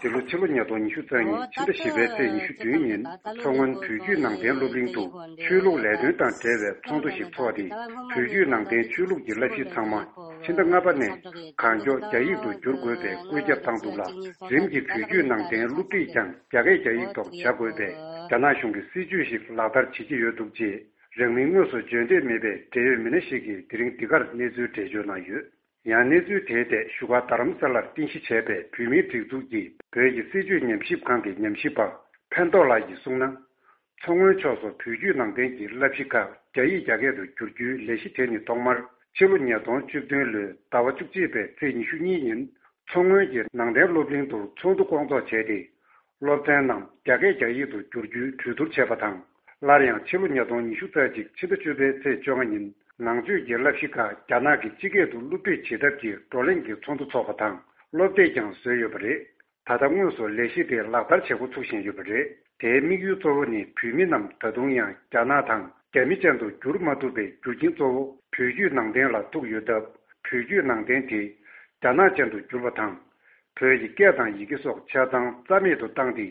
དེ་ལོ་ཕྱི་ལོ་ཉིས་སྟོང་ཉི་ཤུ་རྩ་གཉིས་ཕྱི་ཟླ་བཞི་པའི་ཚེས་ཉི་ཤུ་བདུན་ཉིན་མཚོ་སྔོན་བོད་བརྒྱུད་ནང་བསྟན་སློབ་གླིང་དུ་ཆོས་ལུགས་ལས་དོན་དང་འབྲེལ་བའི་ཚོགས་འདུ་ཞིག་འཚོགས་ཏེ། བོད་བརྒྱུད་ནང་བསྟན་ཆོས་ལུགས་ཀྱི་བསླབ་གཞི་ཚང་མ་ཕྱི་ཟླ་ལྔ་པ་ནས་གང་མགྱོགས་རྒྱ་ཡིག་ཏུ་བསྒྱུར་དགོས་པའི་བཀོད་ཁྱབ་བཏང་འདུག་ལ། རིམ་གྱིས་བོད་བརྒྱུད་ནང་བསྟན་སློབ་ཁྲིད་ཀྱང་རྒྱ་སྐད་རྒྱ་ཡིག་ཐོག་བྱ་དགོས་པའི་རྒྱ་ནག་གཞུང་གི་སྲིད་ཇུས་ཤིག་ལག་བསྟར་བྱེད་ཀྱི་ཡོད་འདུག་ཅེས། རང་མིང་དངོས་སུ་བརྗོད་འདོད་མེད་པའི་འབྲེལ་ཡོད་མི་སྣ་ཞིག་གིས་དེ་རིང་འདི་གར་གནས་ཚུལ་འགྲེལ་བརྗོད་གནང་ཡོད། ཡང་གནས་ཚུལ་དེའི་ཐད་བཞུགས་སྒར་རྡ་རམ་ས་ལར་རྟེན་གཞི་བྱས་པའི་བོད་མིའི་སྒྲིག་འཛུགས་ཀྱིས་བོད་ཀྱི་སྲིད་བྱུས་ཉམས་ཞིབ་ཁང་གི་ཉམས་ཞིབ་པ་ཕན་ཐོགས་ལགས་ཀྱིས་གསུངས་ན། མཚོ་སྔོན་ཕྱོགས་སུ་བོད་བརྒྱུད་ནང་བསྟན་གྱི་བསླབ་གཞི་ཁག་རྒྱ་ཡིག་རྒྱ་སྐད་དུ་བསྒྱུར་རྒྱུའི་ལས་གཞི་དེ་ནི་ཐོག་མར་ཕྱི་ལོ་ཉིས་སྟོང་བཅུ་བདུན་ལོའི་ཟླ་བ་བཅུ་གཅིག་པའི་ཚེས་ཉི་ཤུ་གཉིས་ཉིན་མཚོ་སྔོན་གྱི་ནང་བསྟན་སློབ་གླིང་དུ་ཚོགས་འདུ་སྐོང་ཚོགས་བྱས་ཏེ། སློབ་ཚན་རྣམས་རྒྱ་སྐད་རྒྱ་ཡིག་ཏུ་བསྒྱུར་རྒྱུའི་གྲོས་བསྡུར་བྱས་པ་དང་། སླར་ཡང་ཕྱི་ལོ་ཉིས་སྟོང་ཉི་ཤུ་རྩ་གཅིག་ཕྱི་ཟླ་བཅུ་པའི་ཚེས་བཅོ་ལྔ་ཉིན་ནང་ཆོས་ཀྱི་བསླབ་གཞི་ཁག་རྒྱ་ནག་གི་སྤྱི་སྐད་དུ་སློབ་ཁྲིད་བྱེད་ཐབས་ཀྱི་བགྲོ་གླེང་གི་ཚོགས་འདུ་འཚོགས་པ་དང་སློབ་དེབ་ཀྱང་བཟོས་ཡོད་པ་རེད། ད་ལྟ་དངོས་སུ་ལས་གཞི་དེ་ལག་བསྟར་བྱེད་འགོ་ཚུགས་བཞིན་ཡོད་པ་རེད། དེའི་དམིགས་ཡུལ་གཙོ་བོ་ནི་བོད་མི་རྣམས་ད་དུང་ཡང་རྒྱ་ནག་དང་རྒྱ་མི་ཅན་དུ་བསྒྱུར་མ་ཐུབ་པའི་རྒྱུ་རྐྱེན་གཙོ་བོ་བོད་བརྒྱུད་ནང་བསྟན་ལ་ཐུག་ཡོད་སྟབས། བོད་བརྒྱུད་ནང་བསྟན་དེ་རྒྱ་ནག་ཅན་དུ་བསྒྱུར་བ་དང་། བོད་ཀྱི་སྐད་དང་ཡི་གེ་སོགས་ཆ་ཚང་རྩ་མེད་དུ་བཏང་སྟེ།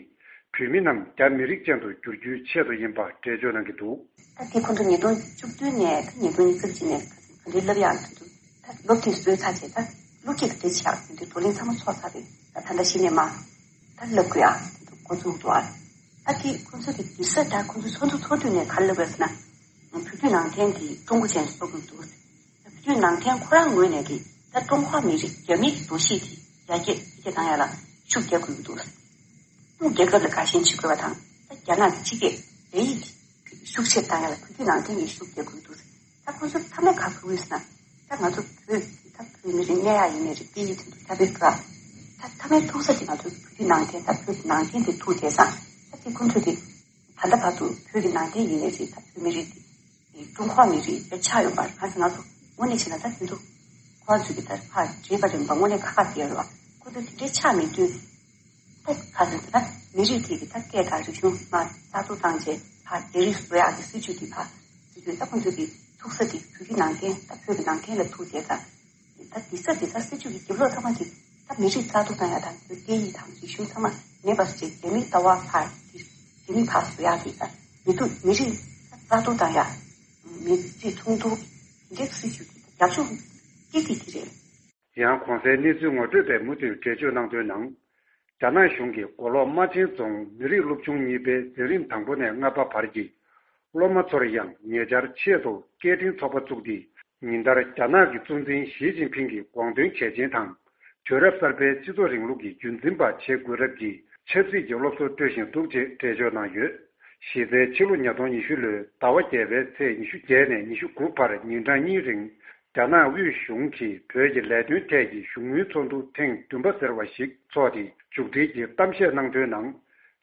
བོད་མི་རྣམས་རྒྱ་མི་རིགས་ཅན་དུ་བསྒྱུར་རྒྱུའི་ཆེད་དུ་ཡིན་པ་འགྲེལ་བརྗོད་གནང་གི་འདུག་ད་དེ་ཁོང་ཚོ་ཉིས་སྟོང་བཅུ་བདུན་ནས་ད་ཉིས་སྟོང་ཉི་ཤུ་གཅིག་ནས་ག་ཚོད་ག་འདྲའི་བསླབ་ཡག་དེ་ཚོ་ད་སློབ་ཁྲིད་བཟོས་ཚར་རྗེས་ད་སློབ་ཁྲིད་ག་འདྲ་བྱེད་ཡག་དེ་འདྲའི་བགྲོ་གླེང་ཚང་མ་ཚོགས་ཚར་རེད། ད་ད་ལྟ་གཞི་ནས་མ་ད་བསླབ་དགོས་ཡག་དེ་ཚོ་འགོ་འཛུགས་འདུག་ཨ། ད་དེ་ཁོང་ཚོ་གི་དུས་ས་ད་ཁོང་ཚོ་ཚོགས་འདུ་ཚོགས་དུས་ནས་ག་རེ་ལབ་ཡོད་ཟེར་ན། བོད་བརྒྱུད་ནང་བསྟན་གྱི་ཀྲུང་གོ་ཅན་བཟོ་དགོས་འདུག་བོད་བརྒྱུད་ནང་བསྟན་ཁོ་རང་ངོས་ནས་ཀྱི་ད་ཀྲུང་ཧྭ་མི་རིགས་རྒྱ་མིའི་འདུ་ཤེས་དེ་རྒྱ་སྐད་ཡིག་སྐད་བཏང་ཡ་ལ་ཤུགས་རྒྱག་དགོས་ཀྱི་འདུག་ད་རྒྱལ་ཁབ་ལ་དགའ་ཞེན་བྱེད་དགོས་པ་དང་ད་རྒྱ་ནག་གི་སྤྱི་སྐད་རྒྱ་ཡིག་དེ་ཤུགས་ཆེར་བཏང་ཡ་ལ་བོད་བརྒྱུད་ནང་བསྟན་གྱི་ཤུགས་རྒྱག་དགོས་ཀྱི་འདུག་ད་ཁོ་ཚོ་མཐའ་མའི་ག་ཕུལ་ཡོད་ཟེར་ན་ད་ང་ཚོ་བོད་ད་བོད་མི་རིགས་གནས་ཡ་ཡིན་ནའི་རེད་སྐད་ཡིག་དེ་ཚོ་ད་བོད་ཀ་ད་མཐའ་མའི་ཐུག་ས་དེ་ང་ཚོ་བོད་བརྒྱུད་ནང་བསྟན་ད་བོད་ནང་བསྟན་དེ་ཐུག་བསྡད་ཙང་ད་དེ་ཁོ་ཚོ་དེ། ད་ལྟ་བར་དུ་བོད་ཀྱི་ནང་བསྟན་ཡིན་ནའི་རེད་ད་བོད་མི་རིགས་དེ་ཀྲུང་ཧྭ་མི་རིགས་དཔེ་ཆགས་ཡོད་པ་རེད། གང་ཟེར་ང་ཚོ་དངོས་གནས་བྱས་ན་ད་དེ་ཚོ་ཁོ་རང་ཚོས་ཀྱི་ད་ཕར་བྲིས་པ་རིམ་པ་དངོས་གནས་ཁག་ཁག་བལྟས་ཡོད་པ་ཁོ་ཚོ་དེ་འདྲའི་ཆགས་མེད་དུས་ད་གང་ཟེར་ད་མི་རིགས་དེ་གི་ད་སྐད་དང་རིག་གཞུང་མ་རྩ་གཏོར་བཏང་རྗེས་ཕར་རྒྱ་རིགས་བཟོ་ཡག་གི་སྲིད་ཇུས་དེ་ཕར་སྲིད་ཇུས་ད་ཁོ་ཚོ་གི་ཐུག་ས་དེ་བོད་ཀྱི་ནང་བསྟན་ད་བོད་ཀྱི་ནང་བསྟན་ལ་ཐུག་བསྡད་ཙང་། ད་དེ་ས་དེ་ས་སྲིད་ཇུས་ཀྱི་རྒྱབ་ལོགས་ཚང་མ་དེ་ད་མི་རིགས་རྩ་གཏོར་བཏང་ཡ་དང་བོད་སྐད་ཡིག་དང་རིག་གཞུང་ཚང་མ་ མེད་པ་ཞིག་རྒྱ་མིའི་ལྟ་བ་ཕར་དེ་རྒྱ་མིའི་ཕར་བཟོ་ཡག་གི་ད་མི་འདུག་མི་རིགས་རྩ་གཏོར་དང་ཡ་མི་རིགས་ཚོང་འདུ་འདྲེ་སྲིད་ཇུས་ཀྱི་རྒྱབ་ལྗོངས་སྐྱིད་སྐྱིད་ཀྱི་རེད། ཡང་གོང་གསལ་གནས་ཚུལ་ངོ་སྤྲོད་པས་མུ་མཐུད་འགྲེལ་བརྗོད་གནང་དོན་ནང་། རྒྱ་ནག་གཞུང་གིས་མགོ་ལོག་རྨ་ཆེན་རྫོང་མི་རིགས་སློབ་ཆུང་གཉིས་པའི་འཛིན་རིམ་དང་པོ་ནས་ལྔ་པ་བར་གྱི་སློབ་མ་ཚོར་ཡང་ཉེ་ཆར་ཆེད་དུ་སྐད་འཕྲིན་ཚོགས་པ་བཙུགས་ཏེ། ཉིན་ལྟར་རྒྱ་ནག་གི་གཙོ་འཛིན་ཞི་ཅིན་ཕིང་གི་དགོངས་དོན་གལ་ཆེན་དང་། དུས་རབས་གསར་པའི་སྤྱི་ཚོགས་རིང་ལུགས་ཀྱི་རྒྱུན་འཛིན་པ་བྱེད་དགོས་རབས་ཀྱི་ཆབ་སྲིད་ཀྱི་སློབ་གསོ་སྤྲོད་བཞིན་འདུག་ཅེས་འགྲེལ་བརྗོད་གནང་ཡོད། གཞི་རྩའི་ཕྱི་ལོ་ཉིས་སྟོང་ཉི་ཤུ་ལོའི་ཟླ་བ་བརྒྱད་པའི་ཚེས་ཉི་ཤུ་བརྒྱད་ནས་ཉི་ཤུ་དགུ་བར་ཉིན་གྲངས་གཉིས་རིང་། རྒྱ་ནག་དབུས་གཞུང་གིས་བོད་ཀྱི་ལས་དོན་ཐད་ཀྱི་བཞུགས་མོལ་ཚོགས་འདུ་ཐེངས་བདུན་པ་ཟེར་བ་ཞིག་འཚོགས་ཏེ། མཇུག་སྒྲིལ་གྱིས་གཏམ་བཤད་གནང་དོན་ནང་།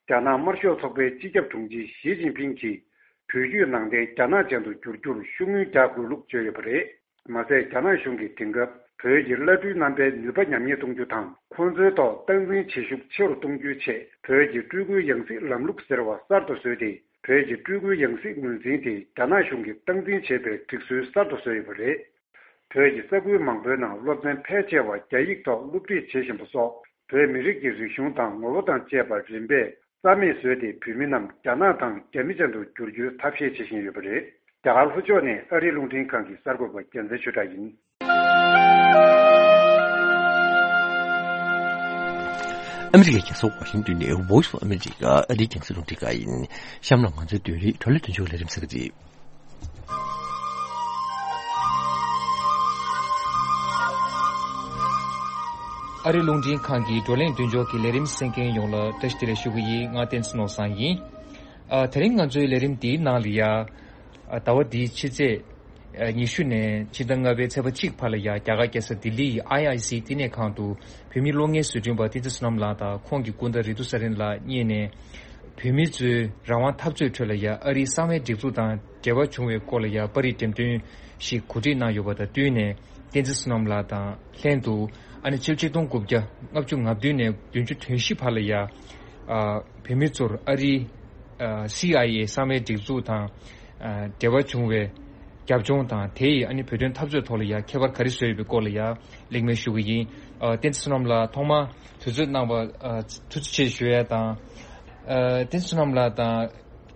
རྒྱ་ནག་དམར་ཤོག་ཚོགས་པའི་སྤྱི་ཁྱབ་དྲུང་ཆེ་ཞི་ཅིན་ཕིང་གིས་བོད་བརྒྱུད་ནང་བསྟན་རྒྱ་ནག་ཅན་དུ་བསྒྱུར་རྒྱུར་ཤུགས་སྣོན་རྒྱག་དགོས་ལུགས་བརྗོད་ཡོད་པ་རེད། མ་ཟད། རྒྱ་ནག་གཞུང་གིས་དེང་སྐབས་བོད་ཀྱི་བླ་སྤྲུལ་རྣམ་པའི་ནུས་པ་ཉམས་ཉེས་གཏོང་རྒྱུ་དང་། ཁོང་ཚོའི་ཐོག་སྟངས་འཛིན་བྱེད་ཤུགས་ཆེ་རུ་གཏོང་རྒྱུའི་ཆེད། བོད་ཀྱི་སྤྲུལ་སྐུའི་ཡང་སྲིད་ལམ་ལུགས་ཟེར་བ་གསར་དུ་བཟོས་ཏེ། བོད་ཀྱི་སྤྲུལ་སྐུའི་ཡང་སྲིད་ངོས་འཛིན་དེ་རྒྱ་ནག་གཞུང་གིས་སྟངས་འཛིན་བྱེད་པའི་སྒྲིག་སྲོལ་གསར་དུ་བཟོས་ཡོད་པ་རེད། བོད་ཀྱི་ས་ཁུལ་མང་པོའི་ནང་སློབ་ཚན་ཕལ་ཆེ་བ་རྒྱ་ཡིག་ཐོག་སློབ་ཁྲིད་བྱེད་བཞིན་པ་སོགས། བོད་མི་རིགས་ཀྱི་རིག་གཞུང་དང་ངོ་བོ་དང་བཅས་པ་རིམ་པས་རྩ་མེད་བཟོས་ཏེ། བོད་མི་རྣམས་རྒྱ་ནག་དང་རྒྱ་མི་ཅན་དུ་བསྒྱུར་རྒྱུའི་ཐབས་ཤེས་བྱེད་བཞིན་ཡོད་པ་རེད། རྒྱ་གར་ལྷོ་ཕྱོགས་ནས་ཨ་རིའི་རླུང་འཕྲིན་ཁང་གི་གསར་འགོད་པ་རྒྱལ་མཚན་ཆོས་གྲགས་ཡིན། ཨ་མི་རི་ཀའི་རྒྱལ་ས་ཝ་ཤིང་ཏོན་ནས་Voice of America ཨ་རིའི་རྒྱང་སྲིང་རླུང་འཕྲིན་ཁང་ཡིན། གཤམ་ལ་ང་ཚོའི་བོད་རིགས་བགྲོ་གླེང་མདུན་ལྗོངས་ཀྱི་ལས་རིམ་གསན་གྱི་རེད། ཨ་རིའི་རླུང་འཕྲིན་ཁང་གི་བགྲོ་གླེང་མདུན་ལྗོངས་ཀྱི་ལས་རིམ་གསན་མཁན་ཡོངས་ལ་བཀྲ་ཤིས་བདེ་ལེགས་ཞུ་གི་ཡིན། ང་བསྟན་འཛིན་ནོར་བཟང་ཡིན། ཨ། དེ་རིང་ང་ཚོའི་ལས་རིམ་འདིའི་ནང་ལ་ཡ། ཨ། ཟླ་བ་འདིའི་ཕྱི་ཚེས་ཨ། ཉི་ཤུ་ནས་ཕྱི་ཟླ་ལྔ་པའི་ཚེས་པ་གཅིག་བར་ལ་ཡ། རྒྱ་གར་རྒྱལ་ས་ལྡི་ལི་ཡི་ཨའི་ཨའི་སི་བསྟི་གནས་ཁང་དུ་བོད་མིའི་གློག་བརྙན་བཟོ་སྐྲུན་པ་བསྟན་འཛིན་བསོད་ནམས་ལགས་དང་ཁོང་གི་སྐུ་ཟླ་རེ་ཏུ་ས་རིན་ལགས་གཉིས་ནས། བོད་མི་ཚོའི་རང་དབང་འཐབ་རྩོད་ཁྲོད་ལ་ཡ། ཨ་རིའི་གསང་བའི་སྒྲིག་འཛུགས་དང་འབྲེལ་བ་བྱུང་བའི་སྐོར་ལ་ཡ། པར་རིས་འགྲེམས་སྟོན་ཞིག་གོ་སྒྲིག་གནང་ཡོད་པ་དང་བསྟུན་ནས། བསྟན་འཛིན་བསོད་ནམས་ལགས་དང་ལྷན་དུ། ཨ་ནི་ཕྱི་ལོ་ཆིག་སྟོང་དགུ་བརྒྱ་ལྔ་བཅུ་ང་བདུན་ནས་བདུན་ཅུ་དོན་བཞི་བར་ལ་ཡ། ཨ། བོད་མི་ཚོར་ཨ་རིའི། ཨ། སི་ཨའི་ཨེ་གསང་བའི་སྒྲིག་འཛུགས་དང་། ཨ། འབྲེལ་བ་བྱུང་བའི་རྒྱབ་ལྗོངས་དང་། དེ་ཡིས་ཨ་ནི་བོད་དོན་འཐབ་རྩོད་ཐོག་ལ་ཡ་ཁྱད་པར་ག་རེ་བཟོས་ཡོད་པའི་སྐོར་ལ་ཡ་གླེང་མོལ་ཞུ་གི་ཡིན། ཨ། བསྟན་འཛིན་བསོད་ནམས་ལགས་ཐོག་མར་དུས་ཚོད་གནང་བར། ཨ། ཐུགས་རྗེ་ཆེ་ཞུ་ཡ་དང་། ཨ། བསྟན་འཛིན་བསོད་ནམས་ལགས་དང་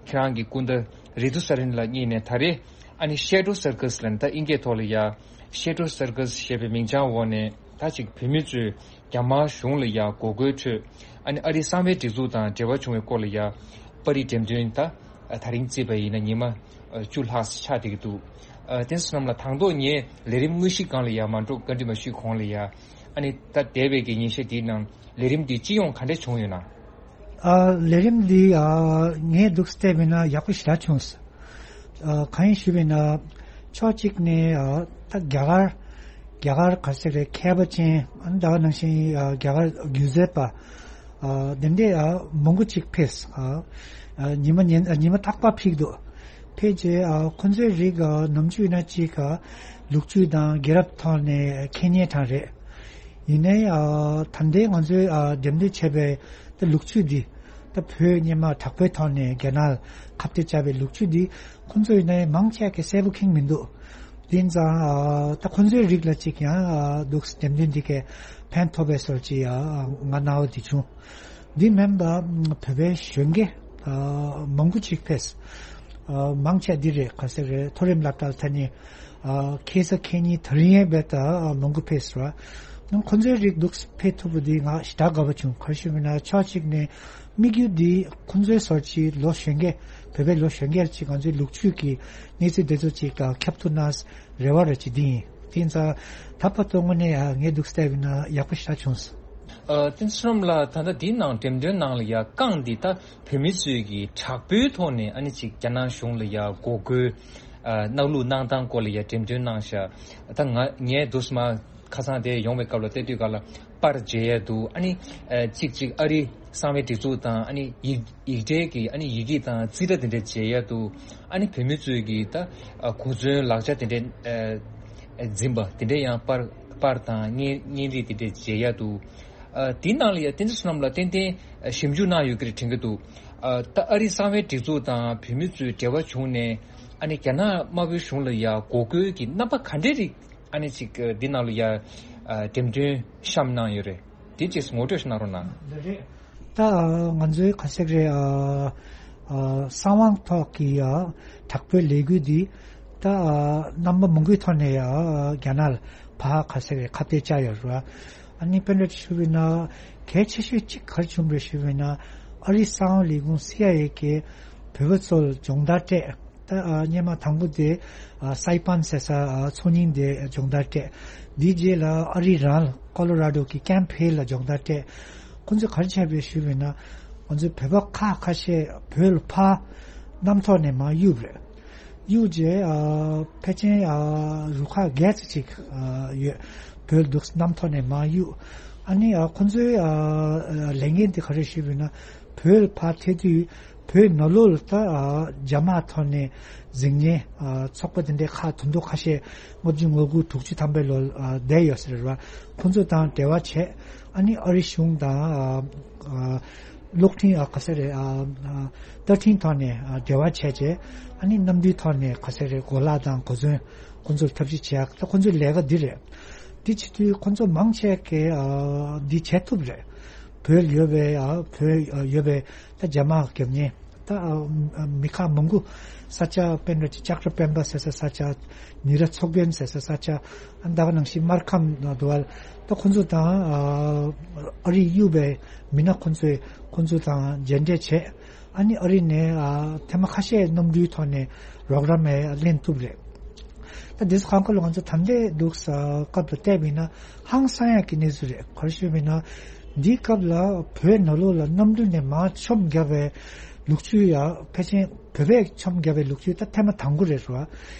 ཁྱེད་རང་གི་སྐུ་ཟླ་རེ་ཏུ་ས་རིན་ལགས་གཉིས་ནས་ད་རེས་ཨ་ནི་Shadow Circus ལབ་ནས། ད་ཨིན་སྐད་ཐོག་ལ་ཡ་Shadow Circus ཞེས་པའི་མིང་བྱང་འོག་ནས། ད་ཅིག་བོད་མི་ཚོས་རྒྱ་དམར་གཞུང་ལ་ཡ་འགོག་རྒོལ་ཁྲོད། ཨ་ནི་ཨ་རིའི་གསང་བའི་སྒྲིག་འཛུགས་དང་འབྲེལ་བ་བྱུང་བའི་སྐོར་ལ་ཡ། པར་རིས་འགྲེམས་སྟོན། ད་དེ་རིང་བརྩིས་པ་ཡིན་ན་ཉི་མ་བཅུ་ལྷག་ཆགས་བསྡད་ཀྱི་འདུག་ཨ། བསྟན་འཛིན་བསོད་ནམས་ལགས། དང་ཐོག་ངས་ལས་རིམ་དངོས་གཞིའི་སྒང་ལ་ཡ་མ་འགྲོ། བཀའ་འདྲི་མ་ཞུས་གོང་ལ་ཡ། ཨ་ནི་ད་འདས་པའི་གི་ཉིན་ཤས་འདིའི་ནང་ལས་རིམ་འདི་སྤྱི་ཡོངས་ག་འདྲ་བྱུང་ཡོད་ན། ཨ། ལས་རིམ་འདི། ཨ། ངས་འདུག་སེ་བལྟས་པ་ཡིན་ན་ཡག་པོ་ཞེ་དྲག་བྱུང་སོང་། ཨ། གང་ཡིན་ཞུས་པ་ཡིན་ན། ཕྱོགས་གཅིག་ནས། ཨ། ད་རྒྱ་གར། རྒྱ་གར་ག་ཟེར་རེད། མཁས་པ་ཅན། ཨ་ནི་ད་ག་ནང་བཞིན། ཨ། རྒྱ་གར་སྒྱུ་རྩལ་པ། ཨ། དེ་འདྲས། ཨ། མང་པོ་ཅིག་ཕེབས། ཨ། ཨ། ཉི་མ་ཉིན། ཨ། ཉི་མ་རྟག་པར་ཕེབས་འདུག་ཕལ་ཆེར། ཨ། ཁོང་ཚོའི་རིགས། ཨ། ནམ་རྒྱུན་ཡིན་ན་ཅིག་ཨ། ལོ་རྒྱུས་དང་རྒྱལ་རབས་ཐོག་ནས་མཁྱེན་མཁན་གྲས་རེད། ཡིན་ནའི། ཨ། ད་ལྟའི་ང་ཚོས། ཨ། འགྲེམས་སྟོན་བྱས་པའི་ད་ལོ་རྒྱུས་འདི། ད་བོད་སྔོན་མ་དྲག་པོའི་ཐོག་ནས་རྒྱ་ནག་ཁ་གཏད་བཅག་པའི་ལོ་རྒྱུས་འདི་ཁོང་ཚོ་ཡིན་ནའི་མང་ཆེ་གིས་གསལ་པོ་མཁྱེན་མི་འདུག་དེ་ཡིན་ཙང་། ཨ། ད་ཁོང་ཚོའི་རིགས་ལ་ཅིག་ཡང་། ཨ། འདུག་སེ་འགྲེམས་སྟོན་འདི་གས་ཕན་ཐོགས་པའི་བཟོ་ཅིག་ཨ། ང་སྣང་བ་འདི་བྱུང་། འདི་མིན་པ་བོད་པའི་གཞོན་སྐྱེས། ཨ། མང་པོ་ཅིག་ཕེབས། ཨ། མང་ཆེ་འདི་རེད། ག་ཟེར་རེད། མཐོ་རིམ་སློབ་གྲྭ་ལ་ཐོན་ནས། ཨ། ཁ་སང་ཁ་ཉིན་དེ་རིང་ཡང་རྦད་དེ་མང་པོ་ཕེབས་སོང་། ཁོང་ཚོའི་རིགས་འདུག་སེ་ཕེབས་ཐུབ་པ་འདི་ང་ཞེ་དྲག་དགའ་པོ་བྱུང་། ག་རེ་ཞུ་བ་ཡིན་ན་ཕྱོགས་གཅིག་ནས་དམིགས་ཡུལ་འདི་ཁོང་ཚོའི་བཟོ་ཅིག་ལོ་གཞོན་སྐྱེས། བོད་པའི་ལོ་གཞོན་སྐྱེས་ཅིག་ང་ཚོའི་ལོ་རྒྱུས་ཀྱི་གནས་ཚུལ་དེ་ཚོ་ཅིག་ཁྱབ་ཐུབ་ན་རེ་བ་རེ་ཅིག་འདི་ཡིན། དེ་ཡིན་ཙང་ད་བར་དུ་དངོས་གནས་ཡ་ངས་འདུག་སེ་བལྟས་པ་ཡིན་ན་ཡག་པོ་ཞེ་དྲག་བྱུང་སོང་། ཨ། བསྟན་འཛིན་བསོད་ནམས་ལགས། ད་ལྟ་འདིའི་ནང་འགྲེམས་སྟོན་ནང་ལ་ཡ་རྐང་འདི་ད་བོད་མི་ཚོས་ཀྱིས་དྲག་པོའི་ཐོག་ནས་ཨ་ནི་ཅིག་རྒྱ་ནག་གཞུང་ལ་ཡ་འགོག་རྒོལ། ཨ། གནང་ལུགས་གནང་སྟངས་སྐོར་ལ་ཡ་འགྲེམས་སྟོན་གནང་ཤག་ད་ང་ངས་འདུག་སེ་མར་ཁ་སང་དེ་ཡོང་བའི་སྐབས་ལ་བལྟ་དུས་སྒང་ལ་པར་མཇལ་ཡ་འདུག་ཨ་ནི། ཨ། གཅིག་གཅིག་ཨ་རིའི་གསང་བའི་སྒྲིག་འཛུགས་དང་། ཨ་ནི་ཡིག་ཡིག་འབྲེལ་གྱི། ཨ་ནི་ཡི་གེ་དང་རྩིས་ཁྲ་དེ་འདྲ་མཇལ་ཡ་འདུག་ཨ་ནི་བོད་མི་ཚོས་ཀྱིས་ད། ཨ། གོ་མཚོན་ལག་ཆ་དེ་འདྲ། ཨ། འཛིན་པ་དེ་འདྲ་ཡང་པར་པར་དང་བརྙན་བརྙན་རིས་དེ་འདྲ་མཇལ་ཡ་འདུག་ཨ། དེའི་ནང་ལ་ཡ་བསྟན་འཛིན་བསོད་ནམས་ལགས་ཏན་ཏན་ཞིབ་འཇུག་གནང་ཡོད་ཀྱི་རེད་དྲན་གྱི་འདུག་ཨ། ད་ཨ་རིའི་གསང་བའི་སྒྲིག་འཛུགས་དང་བོད་མི་ཚོའི་འབྲེལ་བ་བྱུང་ནས། ཨ་ནི་རྒྱ་ནག་དམར་པོའི་གཞུང་ལ་ཡ་འགོག་རྒོལ་གྱི་རྣམ་པ་ག་འདྲའི་རིགས། ཨ་ནི་ཅིག་འདི་ནང་ལ་ཡ། ཨ། འགྲེམས་སྟོན་བཤམས་གནང་ཡོད་རེད། དེ་ཅིག་ངོ་སྤྲོད་ཞིག་གནང་རོགས་གནང་། ལགས་རེད། ད་ང་ཚོའི་ག་ཟེར་རེད། ཨ་ཨ་གསང་བའི་ཐོག་གི་ཨ་དྲག་པོའི་ལས་འགུལ་འདི་ད་ཨ་རྣམ་པ་མང་པོའི་ཐོག་ནས་ཨ་རྒྱ་ནག་ལ་ཕར་ག་ཟེར་རེད། ཁ་གཏད་བཅག་ཡོད་རེད་བ། ཨ་ནི་དཔེར་ན་ཞུ་བ་ཡིན་ན་གལ་ཆེ་ཤོས་གཅིག་ག་རེ་བྱུང་རེད་ཞུ་བ་ཡིན་ན། ཨ་རིའི་གསང་བའི་ལས་ཁུངས་སི་ཨའི་ཨེ་གིས་བོད་པ་ཚོ་ལ་སྦྱོང་བརྡར་སྤྲད། ད་ཨ་སྔོན་མ་དང་པོ་དེ་ཨ་སའི་པན་ཟེར་ས་ཨ་མཚོ་སྙིང་དེ་སྦྱོང་བརྡར་སྤྲད། དེའི་རྗེས་ལ་ཨ་རིའི་རང་ལ་ཀོ་ལོ་ར་ཌོ་གི་ཀེམ་ཧིལ་ལ་སྦྱོང་བརྡར་སྤྲད། ཁོང་ཚོས་ག་རེ་བྱས་པ་རེད་ཞུས་པ་ཡིན་ན། ང་ཚོའི་བོད་པ་ཁག་ཁ་ཤས་བོད་ལ་ཕར་གནམ་ཐོག་ནས་མར་གཡུགས་པ་རེད། གཡུགས་རྗེས་ཨ་ཕལ་ཆེར་ཨ་རུ་ཁག་བརྒྱད་ཙམ་ཅིག་ཨ་ཡོད། བོད་འདུག་གནམ་ཐོག་ནས་མར་གཡུགས། ཨ་ནི་ཨ་ཁོང་ཚོའི་ཨ་ལས་འགན་དེ་ག་རེ་ཞུས་པ་ཡིན་ན། བོད་ལ་ཕར་ཐད་དུས་བོད་ནང་ལོགས་ལ་ད་ཨ་རྒྱ་དམག་ཐོག་ནས་འཛིང་ཉེན་ཨ་ཚོགས་པ་དེ་འདྲའི་ཁག་དོན་དུ་ཁ་ཤས་ལྔ་བཅུ་ང་དགུ་དྲུག་ཅུ་ཐམ་པའི་ལོ་ཨ་བསྡད་ཡོད་ས་རེད་བ། ཁོང་ཚོ་དང་འབྲེལ་བ་བྱས། ཨ་ནི་ཨ་རི་གཞུང་དང་ཨ་གློག་འཕྲིན་ཨ་ག་ས་རེད། ཨ་ཨ་བརྡ་འཕྲིན་ཐོག་ནས་ཨ་འབྲེལ་བ་བྱས་རྗེས། ཨ་ནི་གནམ་གྲུའི་ཐོག་ནས་ག་ས་རེད། གོ་ལག་དང་གོ་མཚོན་ཁོང་ཚོར་ཐབས་ཤེས་བྱེད་ཡག་ད་ཁོང་ཚོའི་ལས་ཀ་འདི་རེད། འདི་བྱེད་དུས་ཁོང་ཚོ་མང་ཆེ་གིས་ཨ་འདི་བྱེད་ཐུབ་རེད། བོད་ཡོད་པའི་ཨ་བོད་ཡོད་པའི་ད་རྒྱ་དམག་རྒྱབ་ཉེན། ད་ཨ་མི་ཁག་མང་པོ་ས་ཆ། དཔེར་ན་ཅིག་ལྕགས་རི་སྤེན་པ་ཟེར་ས་ས་ཆ། ཉི་ར་མཚོ་རྒན་ཟེར་ས་ས་ཆ། ཨ་ད་ག་ནང་བཞིན་སྨར་ཁམས་ན་འདུག་བ། ད་ཁོང་ཚོ་དང་ཨ་ཨ་རིས་གཡུགས་པའི་མི་སྣ་ཁོང་ཚོས་ཁོང་ཚོ་དང་མཇལ་འཕྲད་བྱས། ཨ་ནི་ཨ་རི་ནས་ཨ་ཐེངས་མ་ཁ་ཤས་གནམ་གྲུའི་ཐོག་ནས་རོགས་རམ་ལེན་ཐུབ་རེད། ད་དེ་ཚོ་གང་ག་ལ་ང་ཚོ་ད་ལྟའི་འདུག་ས་སྐབས་ལ་བལྟས་པ་ཡིན་ན་ཧང་སང་ཡག་གི་གནས་ཚུལ་རེད། ག་རེ་ཞུས་པ་ཡིན་ན། འདིའི་སྐབས་ལ་བོད་ནང་ལོགས་ལ་གནམ་གྲུ་ནས་མར་མཆོང་བརྒྱབ་པའི་ལུག་ཁྱུ་ཡ་ཕལ་ཆེར་བོད་པས་མཆོང་བརྒྱབ་པའི་ལུག་ཁྱུ་ད་ཐེངས་མ་དང་པོ་རེད་བ།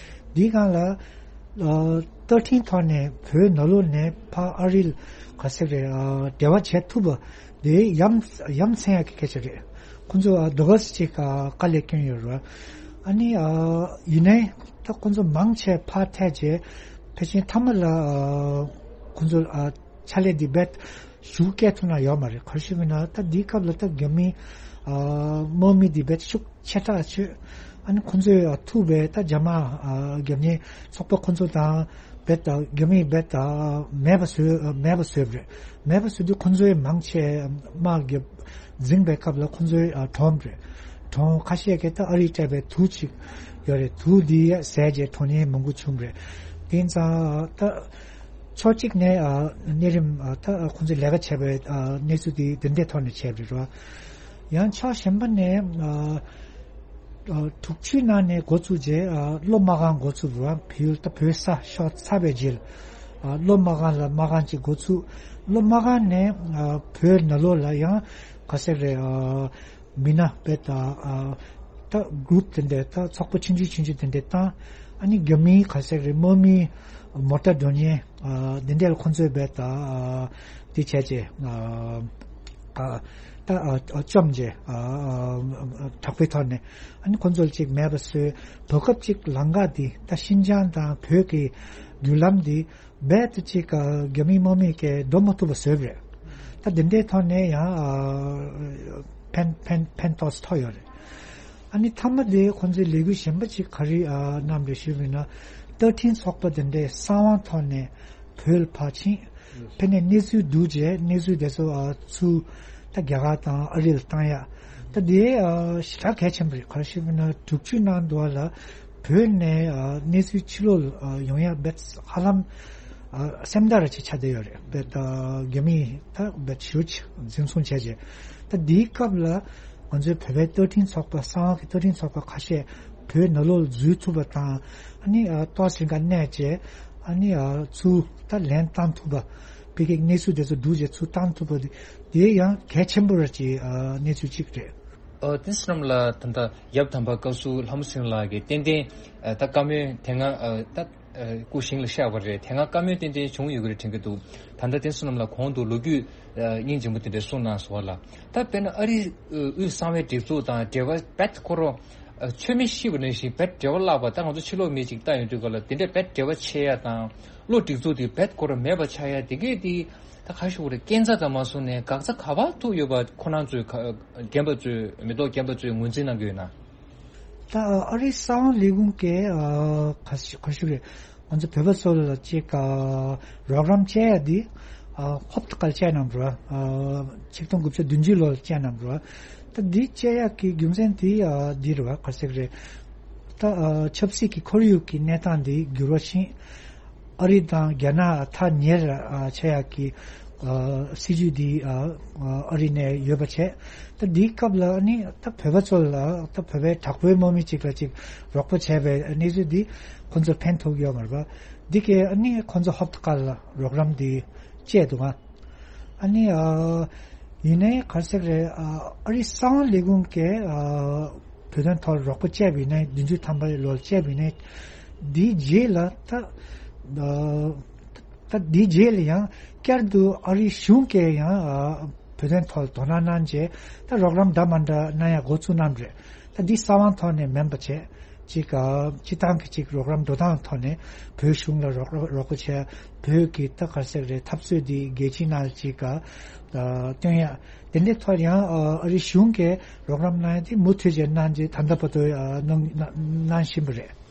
འདིའི་སྒང་ལ་ཨ་བརྡ་འཕྲིན་ཐོག་ནས་བོད་ནང་ལོགས་ནས་ཕར་ཨ་རི་ལ་ག་ཟེར་རེད། ཨ་འབྲེལ་བ་བྱེད་ཐུབ་པ་དེ་ཡ་མཚན་ཡ་མཚན་ཡག་གི་སྐད་ཆ་རེད། ཁོང་ཚོ་ཨ་འདི་ག་ཙམ་ཅིག་ཨ་དཀའ་ལས་བསྐྱོན་ཡོད་རེད་བ། ཨ་ནི་ཨ་ཡིན་ནའི་ད་ཁོང་ཚོ་མང་ཆེ་ཕར་ཐད་རྗེས་ཕལ་ཆེར་མཐའ་མ་ལ་ཨ་ཁོང་ཚོ་ཨ་ཕྱག་ལས་འདི་རྦད་ཤུགས་སྐྱེད་ཐུབ་ན་ཡོད་མ་རེད། ག་རེ་ཞུ་མིན་ན་ད་འདིའི་སྐབས་ལ་ད་རྒྱ་མི་ཨ་དམག་མི་འདི་རྦད་ཤུགས་ཆེ་དྲགས་བྱོས། ཨ་ནི་ཁོང་ཚོས་ཨ་ཐུག་པའི་ད་རྒྱ་དམག་ཨ་རྒྱབ་གཉེར་ཚོགས་པ་ཁོང་ཚོ་དང་རྦད་ད་རྒྱ་མིས་རྦད་ད་མེད་པ་བཟོས། མེད་པ་བཟོས་པ་རེད། མེད་པ་བཟོས་དུས་ཁོང་ཚོས་མང་ཆེ་དམག་རྒྱབ་འཛིང་པའི་སྐབས་ལ་ཁོང་ཚོས་ཨ་གྲོངས་པ་རེད། གྲོངས། ཁ་ཤས་ཀྱིས་ད་ཨ་རིས་སྤྲད་པའི་དུག་ཅིག་ཡོད་རེད། དུག་འདི་བཟས་རྗེས་གྲོངས་ཉེན་མང་པོ་བྱུང་བ་རེད། དེ་ཙང་ད་ཕྱོགས་གཅིག་ནས་ཨ་གནས་རིམ་ཨ་ད་ཁོང་ཚོས་ལས་ཀ་བྱས་པའི་ཨ་གནས་ཚུལ་དེ་དེ་འདྲའི་ཐོག་ནས་བྱས་པ་རེད་བ། ཡང་ཕྱོགས་གཞན་པ་ནས་ཨ་ཨ་དྲུག་ཅུའི་ནང་ནས་འགོ་བཙུགས་རྗེས་ཨ་གློ་དམར་ཁང་འགོ་བཙུགས་པ། བལ་ཡུལ་ད་བོད་ས་ཤོར་ཚར་བའི་རྗེས་ལ་ཨ་གློ་དམར་ཁང་ལ་དམར་ཁང་ཅིག་འགོ་བཙུགས། གློ་དམར་ཁང་ནས་ཨ་བོད་ནང་ལོགས་ལ་ཡང་ག་ཟེར་རེད། ཨ་མི་སྣ་རྦད་ད་ཨ་ད་གུ་རུབ་དེ་འདྲ་ད་ཚོགས་པ་ཆུང་ཆུང་ཆུང་ཆུང་དེ་འདྲ་བཏང་། ཨ་ནི་རྒྱ་མིའི་ག་ཟེར་རེད། དམག་མིའི་མོ་ཊ་འགྲོ་མཁན་ཨ་དེ་འདྲ་ལ་ཁོང་ཚོས་རྦད་ད་ཨ་དེ་བྱས་རྗེས་ཨ་ཨ་ད་ཨ་ཨ་བཅོམ་རྗེས་ཨ་ཨ་དྲག་པོའི་ཐོག་ནས་ཨ་ནི་ཁོང་ཚོ་ལ་ཅིག་མེད་པ་བཟོས། བར་སྐབས་ཅིག་ལམ་ཁ་འདི་ད་ཤིན་ཅང་དང་བོད་ཀྱི་བརྒྱུད་ལམ་འདི་རྦད་དེ་ཅིག་ཨ་རྒྱ་མིའི་དམག་མི་གིས་འགྲོ་མ་ཐུབ་པ་བཟོས་པ་རེད། ད་འདི་འདྲའི་ཐོག་ནས་ཡང་ཨ་ཕན་ཕན་ཕན་ཐོགས་ཐོགས་ཡོད་རེད། ཨ་ནི་མཐའ་མ་དེ་ཁོང་ཚོའི་ལས་འགུལ་གཞན་པ་ཅིག་ག་རེ་ཨ་གནང་རེད་ཞུས་པ་ཡིན་ན། རྟ་མགྲིན་ཚོགས་པ་དེ་འདྲའི་གསང་བའི་ཐོག་ནས་བོད་ལ་ཕར་ཕྱིན། ཕྱིན་ནས་གནས་ཚུལ་བསྡུས་རྗེས་གནས་ཚུལ་དེ་ཚོ་ཨ་ཚུར་ད་རྒྱ་གར་དང་ཨ་རི་ལ་བཏང་ཡ། ད་དེ་ཨ་ཞེ་དྲག་གལ་ཆེན་པོ་རེད། ག་རེ་ཞུས་པ་ཡིན་ན་དྲུག་ཅུའི་ནང་དུ་ལ་བོད་ནས་ཨ་གནས་ཚུལ་ཕྱི་ལོགས་ལ་ཨ་ཡོང་ཡ་རྦད་ཧ་ལམ་ཨ་སེམས་ཐག་ར་ཅིག་ཆགས་བསྡད་ཡོད་རེད། རྦད་ཨ་རྒྱ་མིས་ད་རྦད་ཞེ་པོ་ཅིག་འཛིན་བཟུང་བྱས་རྗེས། ད་འདིའི་སྐབས་ལ་ང་ཚོའི་བོད་པའི་རྟ་མགྲིན་ཚོགས་པ་གསང་བ་གི་རྟ་མགྲིན་ཚོགས་པ་ཁ་ཤས་བོད་ནང་ལོགས་ལ་འཛུལ་ཐུབ་པ་དང་། ཨ་ནི་ཨ་ཏོག་ཙམ་ག་གནས་བཅས་ཨ་ནི་ཨ་ཚུར་ད་ལན་བཏང་ཐུབ་པ། བོད་ཀྱི་གནས་ཚུལ་དེ་ཚོ་བསྡུས་རྗེས་ཚུར་བཏང་ཐུབ་པ་དེ་དེ་ཡང་གལ་ཆེན་པོ་རེད་ཅེས་ཨ་གནས་ཚུལ་གཅིག་རེད། ཨ་དེ་བསོད་ནམས་ལགས། ད་ལྟ་ཡབ་དམ་པ་བཀའ་ཟུར་ལྷ་མོ་སྲིན་ལགས་ཀྱིས་ཏན་ཏན་ཨ་ད་བཀའ་མོལ་དེ་སྔ་ཨ་ད་ཨ་སྐུ་ཞིང་ལ་གཤེགས་པ་རེད། དེ་སྔ་བཀའ་མོལ་ཏན་ཏན་བྱུང་ཡོད་ཀྱི་རེད་དྲན་གྱི་འདུག་ད་ལྟ་དེ་བསོད་ནམས་ལགས་གོང་དུ་ལོ་རྒྱུས་ཨ་སྙིང་རྗེ་མོ་དེ་འདྲ་གསུངས་གནང་སོང་བ་ལ། ད་དཔེར་ན་ཨ་རིའི་ཨ་དབུས་གསང་བའི་སྒྲིག་འཛུགས་དང་འབྲེལ་བ་རྦད་ཁོ་རང་ཨ་ཚོད་མེད་ཤེས་པ་ནང་བཞིན་རྦད་འབྲེལ་བ་བརླག་པ། ད་ང་ཚོ་ཕྱི་ལོགས་མི་ཅིག་ལྟ་ཡོང་དུས་ག་ལ་དེ་འདྲ་རྦད་འབྲེལ་བ་ཆད་ཡ་དང་བློ་སྒྲིག་འཛུགས་དེ་རྦད་ཁོ་རང་མེད་པ་ཆགས་ཡ་དེ་གས་དེ། ད་ག་ཞུ་དགོས་རེད། རྐྱེན་རྩ་ཙམ་མ་སོང་ནས་འགག་རྩ་ག་པར་ཐུག་ཡོད་པ་ཁོ་རང་ཚོས་ག་རྒན་པ་ཚོས་མི་ཐོག་རྒན་པ་ཚོས་ངོས་འཛིན་གནང་གི་ཡོད་ན། ད་ཨ་རིའི་གསང་བའི་ལས་ཁུངས་ཀྱིས་ཨ་ག་ཞུ་ག་ཞུ་རེད། ང་ཚོ་བོད་པ་ཚོ་ལ་ཅིག་ཨ་རོགས་རམ་བྱས་ཡ་འདི་ ཨ་ཧོབ་ཏེ་ཁ་ལ་བཅད་གནང་བ་རེད་བ། ཨ་ཆིག་སྟོང་དགུ་བརྒྱ་བདུན་ཅུ་ལོར་བཅད་གནང་བ་རེད་བ། ད་འདི་བཅད་ཡག་གི་རྒྱུ་མཚན་དེ་ཨ་འདི་རེད་བ། ག་རེ་ཟེར་གི་རེད། ད་ཨ་ཆབ་སྲིད་ཀྱི་ཁོར་ཡུག་གི་གནས་སྟངས་འདི་འགྱུར་བ་ཕྱིན། ཨ་རི་དང་རྒྱ་ནག་ཐག་ཉེ་རུ་ཨ་ཆགས་ཡག་གི་ཨ་སྲིད་ཇུས་འདི་ཨ་ཨ་རི་ནས་ཡོད་པ་བྱས། ད་འདིའི་སྐབས་ལ་ཨ་ནི་ད་བོད་པ་ཚོ་ལ་ད་བོད་པའི་དྲག་པོའི་དམག་མི་གཅིག་ལ་གཅིག་རོགས་པ་བྱས་པའི་གནས་ཚུལ་འདི་ཁོང་ཚོར་ཕན་ཐོགས་ཡོད་མ་རེད་པ། འདི་གས་ཨ་ནི་ཁོང་ཚོ་ཧོབ་ཏེ་ཁ་ལ་རོགས་རམ་འདི་བཅད་འདུག་ཨ། ཨ་ནི་ཨ་ཡིན་ནའི་ག་རེ་ཟེར་རེད། ཨ་ཨ་རི་གསང་བ་ལས་ཁུངས་ཀྱིས་ཨ་བོད་དོན་ཐོག་རོགས་པ་བཅད་པ་ཡིན་ནའི་བདུན་ཅུ་ཐམ་པ་ལོར་བཅད་པ་ཡིན་ནའི་འདིའི་རྗེས་ལ་ད་ཨ་ད་འདིའི་རྗེས་ལ་ཡང་བསྐྱར་དུ་ཨ་རི་གཞུང་གིས་ཡང་ཨ་བོད་དོན་ཐོག་དོ་སྣང་གནང་རྗེས་ད་རོགས་རམ་འདྲ་མ་འདྲ་གནང་ཡག་འགོ་བཙུགས་གནང་རེད། ད་འདི་གསང་བ་ཐོག་ནས་མིན་པ་བྱས། གཅིག་ཨ་སྤྱི་བཏང་གི་གཅིག་རོགས་རམ་འགྲོ་སྟངས་ཐོག་ནས་བོད་གཞུང་ལ་རོགས་རོགས་རོགས་པ་བྱས། བོད་ཀྱི་ད་ག་རེ་ཟེར་རེད། འཐབ་རྩོད་འདི་རྒྱལ་སྤྱིའི་ནང་གཅིག་ཨ་སྟོན་ཡ། དེ་འདྲའི་ཐོག་ཡང་ཨ་ཨ་རི་གཞུང་གིས་རོགས་རམ་གནང་ཡ་དེ་མུ་མཐུད་བྱས་གནང་རྗེས་ད་ལྟ་བར་དུ་ཨ་གནང་གནང་གནང་བཞིན་པ་རེད།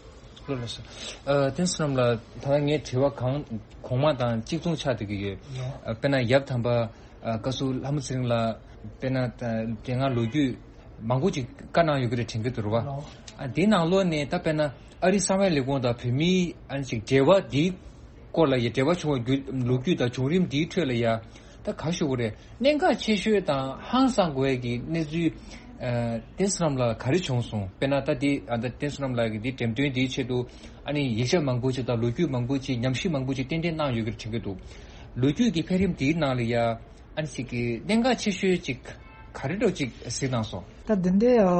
ལགས་སོ། ཨ་བསྟན་སྲིད་ལགས་ལ་ད་ལྟ་ངའི་དྲི་བ་གང་གོང་མ་དང་གཅིག་མཚུངས་ཆགས་བསྡད་ཀྱི་ཡོད། ཨ་དཔེར་ན་ཡབ་དམ་པ་ཨ་བཀའ་ཟུར་ལྷ་མོ་ཚེ་རིང་ལགས་དཔེར་ན་ད་དེ་སྔ་ལོ་རྒྱུས་མང་པོ་ཅིག་བཀའ་གནང་ཡོད་ཀྱི་རེད་དྲན་གྱི་འདུག་རེད་བ། ཨ་དེའི་ནང་ལོགས་ནས་ད་དཔེར་ན་ཨ་རིའི་གསང་བའི་ལས་ཁུངས་དང་བོད་མིའི་ཨ་ནི་ཅིག་འབྲེལ་བ་འདིའི་སྐོར་ལ་ཡ་འབྲེལ་བ་བྱུང་བའི་རྒྱུ་ལོ་རྒྱུས་དང་བྱུང་རིམ་འདིའི་ཁྲོད་ལ་ཡ་ད་ག་ཞུ་དགོས་རེད། གནད་འགག་ཆེ་ཤོས་དང་ཧང་སང་དགོས་ཡ་གི་གནས་ཚུལ་ཨ་བསྟན་སྲིད་ལགས་ལ་ག་རེ་བྱུང་སོང་། དཔེར་ན་ད་འདི་ཨ་ད་བསྟན་སྲིད་ལགས་ཀྱི་འདི་འགྲེམས་སྟོན་འདིའི་ཆེད་དུ་ཨ་ནི་ཡིག་ཆ་མང་པོ་ཅིག་དང་ལོ་རྒྱུས་མང་པོ་ཅིག་ཉམས་ཞིབ་མང་པོ་ཅིག་ཏན་ཏན་གནང་ཡོད་ཀྱི་རེད་དྲན་གྱི་འདུག་ལོ་རྒྱུས་ཀྱི་འཕེལ་རིམ་འདིའི་ནང་ལ་ཡ། ཨ་ནི་ཅིག་གི་གནད་འགག་ཆེ་ཤོས་ཅིག་ག་རེ་འདྲ་ཅིག་གཟིགས་གནང་སོང་། ད་འདི་འདྲའི་ཨ་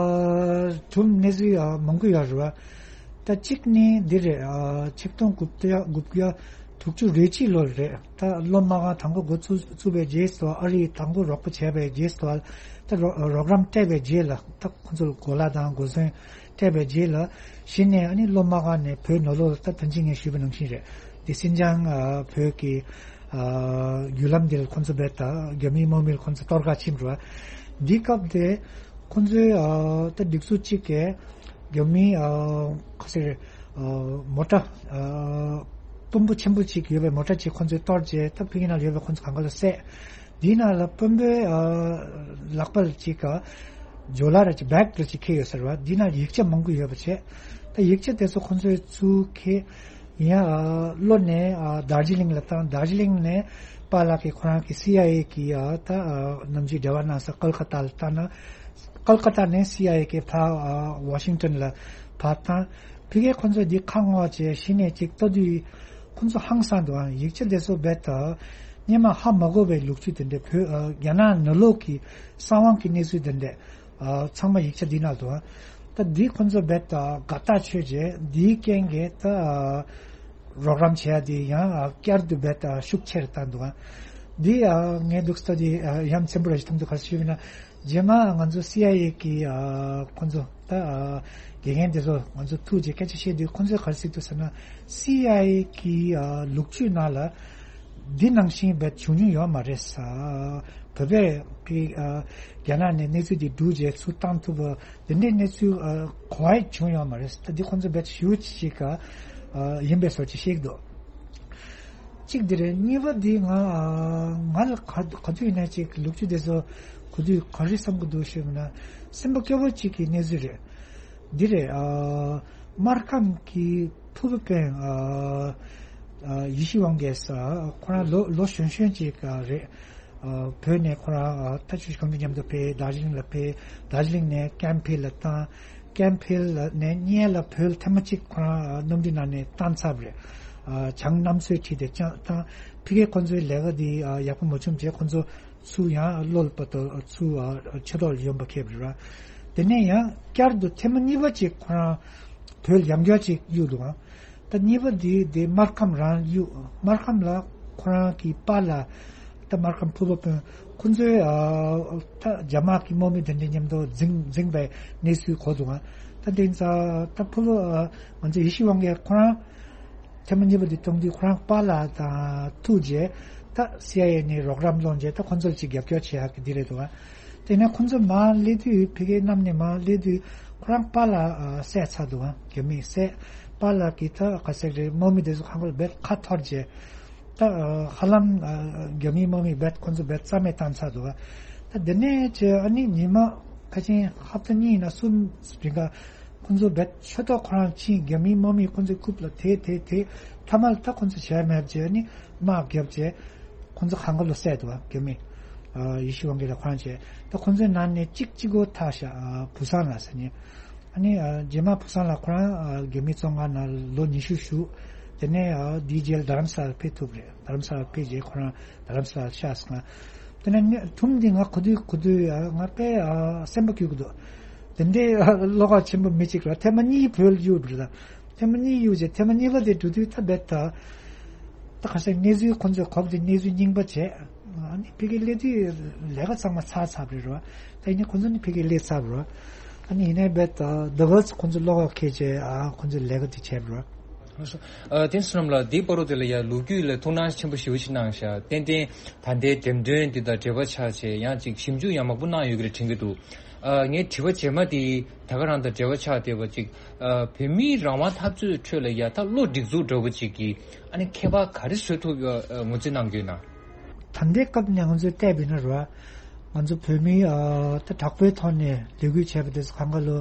གྲུབ་གནས་ཚུལ་ཨ་མང་པོ་ཡོད་རེད་བ། ད་གཅིག་ནི་འདི་རེད། ཨ་ཆིག་སྟོང་དགུ་བརྒྱ་དགུ་བརྒྱ་དྲུག་ཅུ་རེ་གཅིག་ལོར་རེད། ད་སློབ་མ་ཁང་དང་པོ་འགོ་བཙུགས་བཙུགས་པའི་རྗེས་སུ་ཨ་རིས་དང་པོ་རོགས་པ་བྱས་པའི་རྗེས་སུ་ད་རོགས་རོགས་རམ་སྤྲད་པའི་རྗེས་ལ་ད་ཁོ་ཚོར་གོ་ལ་དང་གོ་ཟོན་སྤྲད་པའི་རྗེས་ལ་གཞི་ནས་ཨ་ནི་སློབ་མ་ཁང་ནས་བོད་ནང་ལོགས་ལ་ད་ད་ཅི་ངས་ཞུས་པ་ནང་བཞིན་རེད། དེ་སིན་ཅང་ཨ་བོད་ཀྱི་ཨ་བརྒྱུད་ལམ་འདི་ལ་ཁོ་ཚོ་རྦད་དེ་རྒྱ་མིའི་དམག་མི་ལ་ཁོ་ཚོ་གཏོར་བརླག་ཕྱིན་པ་རེད་བ། འདི་སྐབས་དེ་ཁོ་ཚོའི་ཨ་ད་སྒྲིག་འཛུགས་གཅིག་གིས་རྒྱ་མིའི་ཨ་ག་ཟེར་ཨ་མོ་ཊ་ཨ་དཔོན་པོ་ཆེན་པོ་གཅིག་ཡོད་པའི་མོ་ཊ་གཅིག་ཁོ་ཚོས་གཏོར་རྗེས་ད་ཕ་གི་ནང་ལ་ཡོད་པའི་ཁོ་ཚོ་གང་ག་ལ་བསད། འདི་ནང་ལ་དཔོན་པོའི་ཨ་ལག་པ་ལ་གཅིག་ག་ཇོ་ལ་ར་གཅིག་བེག་ར་གཅིག་འཁྱེར་ཡོད་ཟེར་བ། འདི་ནང་ཡིག་ཆ་མང་པོ་ཡོད་པ་བྱས། ད་ཡིག་ཆ་དེ་ཚོ་ཁོ་ཚོའི་ཚུར་འཁྱེར་ཡིན་ཡ། ཨ་བློ་ནས་ཨ་དར་ཇི་ལིང་ལ་བཏང་། དར་ཇི་ལིང་ནས་པཱ་ལགས་ཀྱིས་ཁོ་རང་གི་སི་ཨའི་ཨེ་གི་ཨ་ད་ཨ་ནམ་རྒྱུན་འབྲེལ་བ་གནང་ས་ཀལ་ཀ་ཏཱ་ལ་བཏང་ན། ཀལ་ཀ་ཏཱ་ནས་སི་ཨའི་ཨེ་གི་ཕར་ཨ་ཝ་ཤིང་ཊོན་ལ་ཕར་བཏང་། ཕ་གིར་ཁོ་ཚོས་འདི་ཁ་སྔོག་བྱས་གཞི་ནས་ཅིག་ལྟ་དུས་ཁོ་ཚོ་ཧང་སང་འདུག་ཨ་ཡིག་ཆ་དེ་ཚོ་རྦད་དེ་སྔོན་མ་ཧ་མ་གོ་བའི་ལོ་རྒྱུས་དེ་འདྲ། བོད་ཨ་རྒྱ་ནག་ནང་ལོགས་ཀྱི་གསང་བ་གི་གནས་ཚུལ་དེ་འདྲ་ཨ་ཚང་མ་ཡིག་ཆ་འདི་ནང་འདུག་ཨ་ད་འདི་ཁོ་ཚོ་རྦད་དེ་དགའ་ཐག་ཆོད་བྱས། འདིའི་རྐྱེན་གྱིས་ད་ཨ་རོགས་རམ་བྱེད་ཡ་དེ་ཡང་ཨ་བསྐྱར་དུ་རྦད་དེ་ཤུགས་ཆེ་རུ་བཏང་འདུག་ཨ་འདི་ཨ་ངས་འདུག་ལྟ་དུས་ཨ་ཡ་མཚན་པོ་ར་ཞིག་མཐོང་འདུག་ག་རེ་ཞུས་པ་ཡིན་ན། རྗེས་མ་ང་ཚོ་སི་ཨའི་ཨེ་གི་ཨ་ཁོ་ཚོ་ད་ཨ་དགེ་རྒན་དེ་ཚོ་ང་ཚོ་ཐུག་རྗེས་སྐད་ཆ་བཤད་དུས་ཁོ་ཚོས་ག་རེ་ཟེར་འདུག་ཟེར་ན། སི་ཨའི་ཨེ་གི་ཨ་ལོ་རྒྱུས་ནང་ལ་འདི་ནང་བཞིན་རྦད་བྱུང་མྱོང་ཡོད་མ་རེད་ས། བོད་པས་ཀྱི་ཨ་རྒྱ་ནག་ནས་གནས་ཚུལ་འདི་བསྡུ་རྗེས་ཚུར་བཏང་ཐུབ་པ་འདི་འདྲའི་གནས་ཚུལ་ཨ་གོ་བ་བྱུང་ཡོད་མ་རེད་ས། ད་འདི་ཁོ་ཚོ་རྦད་ཞེ་པོ་ཅིག་ཨ་ཡིན་པའི་བཟོ་ཅིག་བཤད་ཀྱི་འདུག་གཅིག་འདི་རེད། གཉིས་པ་འདི་ང་ང་ལ་ག་ག་དུས་ཡིན་ན་ཅིག་ལོ་རྒྱུས་དེ་ཚོ་གོ་དུས་ག་རེ་བསམ་གྱི་འདུག་ཞུས་པ་ན། སེམས་པ་སྐྱོ་པོ་གཅིག་གི་གནས་ཚུལ་རེད། འདི་རེད། ཨ་སྨར་ཁམས་ཀྱི་ཕུར་བུ་དཔོན་ཨ་ཨ་ཡེ་ཤེས་དབང་རྒྱལ་ཟེར་ཁོ་རང་ལོ་ལོ་གཞོན་གཞོན་ཅིག་ཨ་རེད། ཨ་བོད་ནས་ཁོ་རང་ཨ་ད་ཆུ་ཁོང་ཚོ་མཉམ་དུ་ཕེབས། དར་ཇི་ལིང་ལ་ཕེབས། དར་ཇི་ལིང་ནས་ཀེམ་ཕིལ་ལ་བཏང་། ཀེམ་ཕིལ་ནས་སྔོན་ལ་བོད་ཐེངས་མ་གཅིག་ཁོ་རང་ཨ་གནམ་གྲུའི་ནང་ནས་བཏང་ཚར་བ་རེད། ཨ་བྱང་གནམ་མཚོའི་འཁྲིས་དེ་བཅངས་བཏང་། ཕ་གིར་ཁོ་ཚོའི་ལས་ཀ་འདི་ཨ་ཡག་པོ་མ་བྱུང་རྗེས་ཁོ་ཚོ་ཚུར་ཡང་ལོ་ལ་བར་དུ་ཚུར་ཨ་ཆོས་ཐོག་ལ་ཡོང་པ་ཁེལ་བ་རེད། དེ་ནས་ཡང་བསྐྱར་དུ་ཐེངས་མ་གཉིས་པ་གཅིག་ཁོ་རང་བོད་ལ་ཡང་བསྐྱར་གཅིག་གཡུགས་འདུག་ཨང་། ད་གཉིས་པ་འདི་དེ་སྨར་ཁམས་རང་གཡུགས། སྨར་ཁམས་ལ་ཁོ་རང་གི་པཱ་ལགས་ད་སྨར་ཁམས་ཕུར་བུ་དཔོན་ཁོ་ཚོའི་ཨ་ད་རྒྱ་དམག་གི་དམག་མི་དེ་འདྲ་མཉམ་དུ་འཛིང་འཛིང་པའི་གནས་ཚུལ་གོ་འདུག་ཨང་། ད་དེ་ཚ་ད་ཕུར་བུ་ཨ་ང་ཚོ་ཡེ་ཤེས་དབང་རྒྱལ་ཁོ་རང་ཐེངས་མ་གཉིས་པ་འདི་གཏོང་དུས་ཁོ་རང་པཱ་ལགས་དང་ཐུག་རྗེས་ད་སི་ཨའི་ཨེ་ནས་རོགས་རམ་སློང་རྗེས་ད་ཁོ་ཚོར་ཅིག་རྒྱབ་སྐྱོར་བྱེད་ཡག་གི་འདི་རེད་འདུག་ཨ། དེ་ནས་ཁོ་ཚོ་མར་སླེབས་དུས་ཕ་གིའི་གནམ་ནས་མར་སླེབས་དུས་ཁོ་རང་པཱ་ལགས་ཨ་བསད་ཚར་འདུག་ཨ། རྒྱ་མིས་བསད། པཱ་ལགས་ཀྱིས་ད་ག་ཟེར་རེད། དམག་མི་དེ་ཚོ་ཁང་པ་ལ་རྦད་ཁ་འཐོར་རྗེས་ ད་ཧ་ལམ་རྒྱ་མི་དམག་མི་རྦད་ཁོང་ཚོ་རྦད་རྩ་མེད་བཏང་ཚར་འདུག་ད་དེ་ནས་ཅི་ཨ་ནི་ཉི་མ་ཁ་ཆེན་ཧབ་ཏ་གཉིས་ཡིན་ན་གསུམ་རིང་ག་ཁོང་ཚོ་རྦད་ཆོད་ཐོག་ཁོ་རང་ཕྱིན། རྒྱ་མིའི་དམག་མི་ཁོང་ཚོའི་རྐུབ་ལ་དེད་དེད་དེད། མཐའ་མ་ལ་ད་ཁོང་ཚོ་བྱས་མེད་བྱས་ཨ་ནི་དམག་བརྒྱབ་བྱས་ཁོང་ཚོ་གང་ག་ལོ་བསད་འདུག་རྒྱ་མི་ཡེ་ཤུ་ཝང་གི་ལ་ཁོ་རང་བྱས། ད་ཁོང་ཚོའི་ནང་ནས་གཅིག་གཅིག་པོ་ཐར་ཤག་བུ་སང་ལ་ཟེར་ནས། ཨ་ནི་རྗེས་མ་བུ་སང་ལ་ཁོ་རང་རྒྱ་མི་བཙོན་ཁང་ནང་ལོ་ཉི་ཤུ་བཞུགས། དེ་ནས་དེའི་རྗེས་ལ་རྡ་རམ་ས་ལ་ཕེབས་ཐུབ་རེད། རྡ་རམ་ས་ལ་ཕེབས་རྗེས་ཁོ་རང་རྡ་རམ་ས་ལ་ཤག་སོང་། དེ་ནས་ནི་ཐུམ་འདི་ང་གོ་དུས་གོ་དུས་ང་དཔེ་སེམས་པ་སྐྱོ་གི་འདུག་དེ་འདྲའི་བློ་ཁོག་ཆེན་པོ་མི་གཅིག་ར་ཐེངས་མ་གཉིས་བོད་གཡུགས་རེད། ད་ཐེངས་མ་གཉིས་གཡུགས་རྗེས་ཐེངས་མ་གཉིས་པ་དེ་འགྲོ་དུས་ད་རྦད་ད། ད་ག་ས་གནས་ཚུལ་ཁོང་ཚོས་གོ་བ་དེ་གནས་ཚུལ་རྙིང་པ་བྱས། ཨ་ནི་ཕ་གིར་སླེབས་དུས་ལས་ཀ་ཚང་མ་ཚར་ཚར་བ་རེད་ར། ད་ཡིན་ནའི་ཁོང་ཚོ་ནི་ཕ་གིར་སླེབས་ཚར་བ་རེད། ཨ་ནི་ཡིན་ནའི་རྦད་ད་ཟླ་བ་ཁོང་ཚོ་བློ་ཁོག་ཁེལ་བྱས་ཨ་ཁོང་ཚོས་ལས་ཀ་དེ་བྱས་པ་རེད། ལགས་སོ། ཨ་དེ་བསོད་ནམས་ལགས་འདིའི་བར་དུ་དེ་ལ་ཡ་ལོ་རྒྱུས་ལ་ཐུགས་སྣང་ཆེན་པོ་ཞེ་པོ་ཞིག་གནང་ཤག་ཏན་ཏན་ད་ལྟའི་འགྲེམས་སྟོན་འདི་དང་འབྲེལ་བ་ཆགས་བྱས་ཡང་ཅིག་ཞིབ་འཇུག་ཡང་མང་པོ་གནང་ཡོད་ཀྱི་རེད་དྲན་གྱི་འདུག་ཨ་ངའི་དྲི་བ་རྗེས་མ་དེ་ད་ག་རང་དང་འབྲེལ་བ་ཆགས་བསྡད་པ་ཅིག་ཨ་བོད་མིའི་རང་དབང་འཐབ་རྩོད་ཁྲོད་ལ་ཡ་ད་བློ་སྒྲིག་འཛུགས་འདྲ་བོ་ཅིག་གིས་ཨ་ནི་ཁྱད་པར་ག་རེ་བཟོ་ཐུབ་ཡོད་ངོས་འཛིན་གནང་གི་ཡོད་ན། ད་ལྟའི་སྐབས་ནས་ང་ཚོས་བལྟས་པ་ཡིན་ན་རེད་བ། ང་ཚོ་བོད་མིའི་ཨ་ད་དྲག་པོའི་ཐོག་ནས་ལས་འགུལ་བྱས་པ་དེ་ཚོ་གང་ག་ལོ་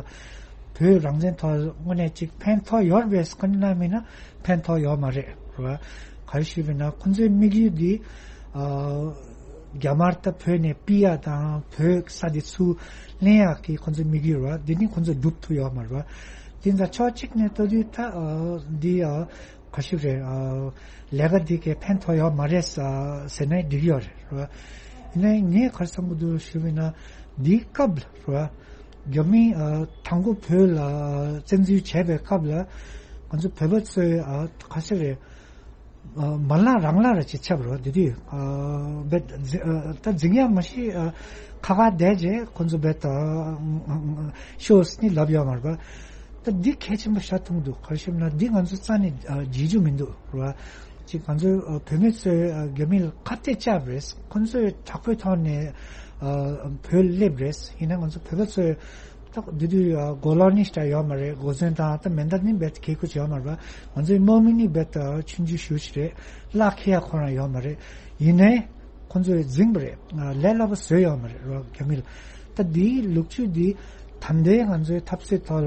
བོད་རང་བཙན་ཐོག་དངོས་གནས་ཅིག་ཕན་ཐོགས་ཡོད་རེད་པས་ཁོ་ན་མིན་ན་ཕན་ཐོགས་ཡོད་མ་རེད་རེད་བ། ག་རེ་ཞུས་པ་ཡིན་ན་ཁོ་ཚོའི་དམིགས་ཡུལ་འདི་ཨ་རྒྱ་དམར་ད་བོད་ནས་ཕུད་ཡག་དང་བོད་ས་དེ་ཚུར་ལེན་ཡག་གི་ཁོ་ཚོའི་དམིགས་ཡུལ་རེད་བ། འདི་ནི་ཁོ་ཚོ་སྒྲུབ་ཐུབ་ཡོད་མ་རེད་བ། དེ་ཚོ་ཕྱོགས་གཅིག་ནས་ལྟ་དུས་ད་ཨ་འདི་ཨ། ག་ཞིག་རེད། ཨ་ལས་ཀ་འདི་གས་ཕན་ཐོགས་ཡོད་མ་རེད་ཟེར་ནས་འགྲིག་ཡོད་རེད་རེད་བ། ཡིན་ནའི་ངས་ག་རེ་བསམ་གྱི་འདུག་ཞུས་པ་ཡིན་ན་འདིའི་སྐབས་ལ་རེད་བ། རྒྱ་མིས་ཨ་དང་པོ་བོད་ལ་བཙན་འཛུལ་བྱས་པའི་སྐབས་ལ་ང་ཚོ་བོད་པ་ཚོས་ཨ་ག་ཞིག་རེད། ཨ་མ་ལངས་རང་ལངས་ར་ཅིག་ཆགས་པ་རེད་བ། དེ་དུས་ཨ་བེད་འཛི་ཨ་ད་འཛིང་ཡག་མ་ཤེས་ཨ་ཁ་ཁ་བསྡད་རྗེས་ཁོ་ཚོ་བེད་ཨ་ཤོས་ནི་ལབ་ཡོད་མ་རེད་བ། ད་འདི་གལ་ཆེན་པོ་ཤ་ཐུང་འདུག་ག་རེ་ཞུ་ན་འདི་ང་ཚོ་རྩ་ནས་ཨ་བརྗེད་རྒྱུ་མི་འདུག་རེད་བ། ཅིག་ང་ཚོ་ཨ་བོད་མི་ཚོས་ཨ་རྒྱ་མི་ལ་ཁ་གཏད་བཅག་པ་རེད། ཁོ་ཚོས་དྲག་པོའི་ཐོག་ནས་ཨ་བོད་སླེབས་རེད། ཡིན་ན་ང་ཚོ་བོད་པ་ཚོས་ད་འདི་དུས་ཨ་མགོ་ལོག་ནི་ཞེ་དྲག་ཡོད་མ་རེད། མགོ་ཚོན་དང་ད་མེ་མདའ་ནི་རྦད་དེ་གྱོན་གྱི་ཡོད་མ་རེད་བ། ང་ཚོའི་དམག་མི་ནི་རྦད་དེ་ཆུང་ཆུང་ཞེ་པོ་ཅིག་རེད། གླགས་འཁེལ་ཡག་ཁོ་རང་ཡོད་མ་རེད། ཡིན་ནའི་ཁོ་ཚོས་འཛིང་པ་རེད། ལས་སླ་པོ་བཟོས་ཡོད་མ་རེད་རོ་རྒྱ་མི་ལ། ད་འདིའི་ལོ་རྒྱུས་འདི་ད་ལྟའི་ང་ཚོའི་འཐབ་རྩོད་ཐོག་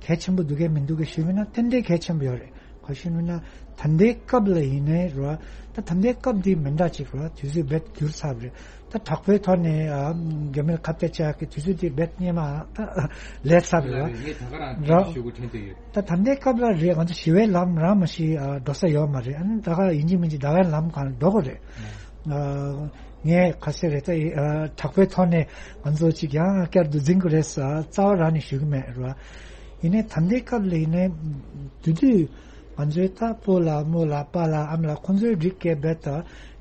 གལ་ཆེན་པོ་འདུག་གས་མི་འདུག་གས་ཞུས་པ་ཡིན་ན་ཏན་ཏན་གལ་ཆེན་པོ་ཡོད་རེད། ག་ཞུས་པ་ཡིན་ན་ད་ལྟའི་སྐབས་ལ་ཡིན་ནའི་རོ། ད་ད་ལྟའི་སྐབས་འདི་མི་འདྲ་ཅིག་རོ། དུས་ཚོད་རྦད་འགྱུར་ཚར་བ་རེད། ད་དྲག་པོའི་ཐོག་ནས་ཨ་རྒྱ་མི་ལ་ཁ་གཏད་བཅག་གི་དུས་ཚོད་དེ་རྦད་སྔོན་མ་ད་ལས་ཚར་བ་རེད། ངས་ད་ག་རང་རོ། དེ་ཞུ་དགོས་དྲན་དུ་ཡོད། ད་ད་ལྟའི་སྐབས་ལ་རེད། ང་ཚོ་ཞི་བའི་ལམ་རང་མ་ཤི་ཨ་འགྲོ་ས་ཡོད་མ་རེད། ཨ་ནི་ད་ག་ཡིན་གཅིག་མིན་གཅིག་ད་ག་ལམ་གང་འགྲོ་དགོས་རེད། ཨ་ངས་ག་ཟེར་རེད། ད་ཨ་དྲག་པོའི་ཐོག་ནས་ང་ཚོ་ཅིག་ཡང་བསྐྱར་དུ་འཛིང་དགོས་རེད་ཟེར་རྩ་བ་རང་ནས་ཞུ་གི་མེད་རེད་བ། ཡིན་ནའི་ད་ལྟའི་སྐབས་ལ་ཡིན་ནའི་དེ་དུས་ང་ཚོའི་ད་སྤོ་ལགས་རྨོ་ལགས་པཱ་ལགས་ཨ་མ་ལགས་ཁོང་ཚོའི་རིགས་སྐད་རྦད་དེ་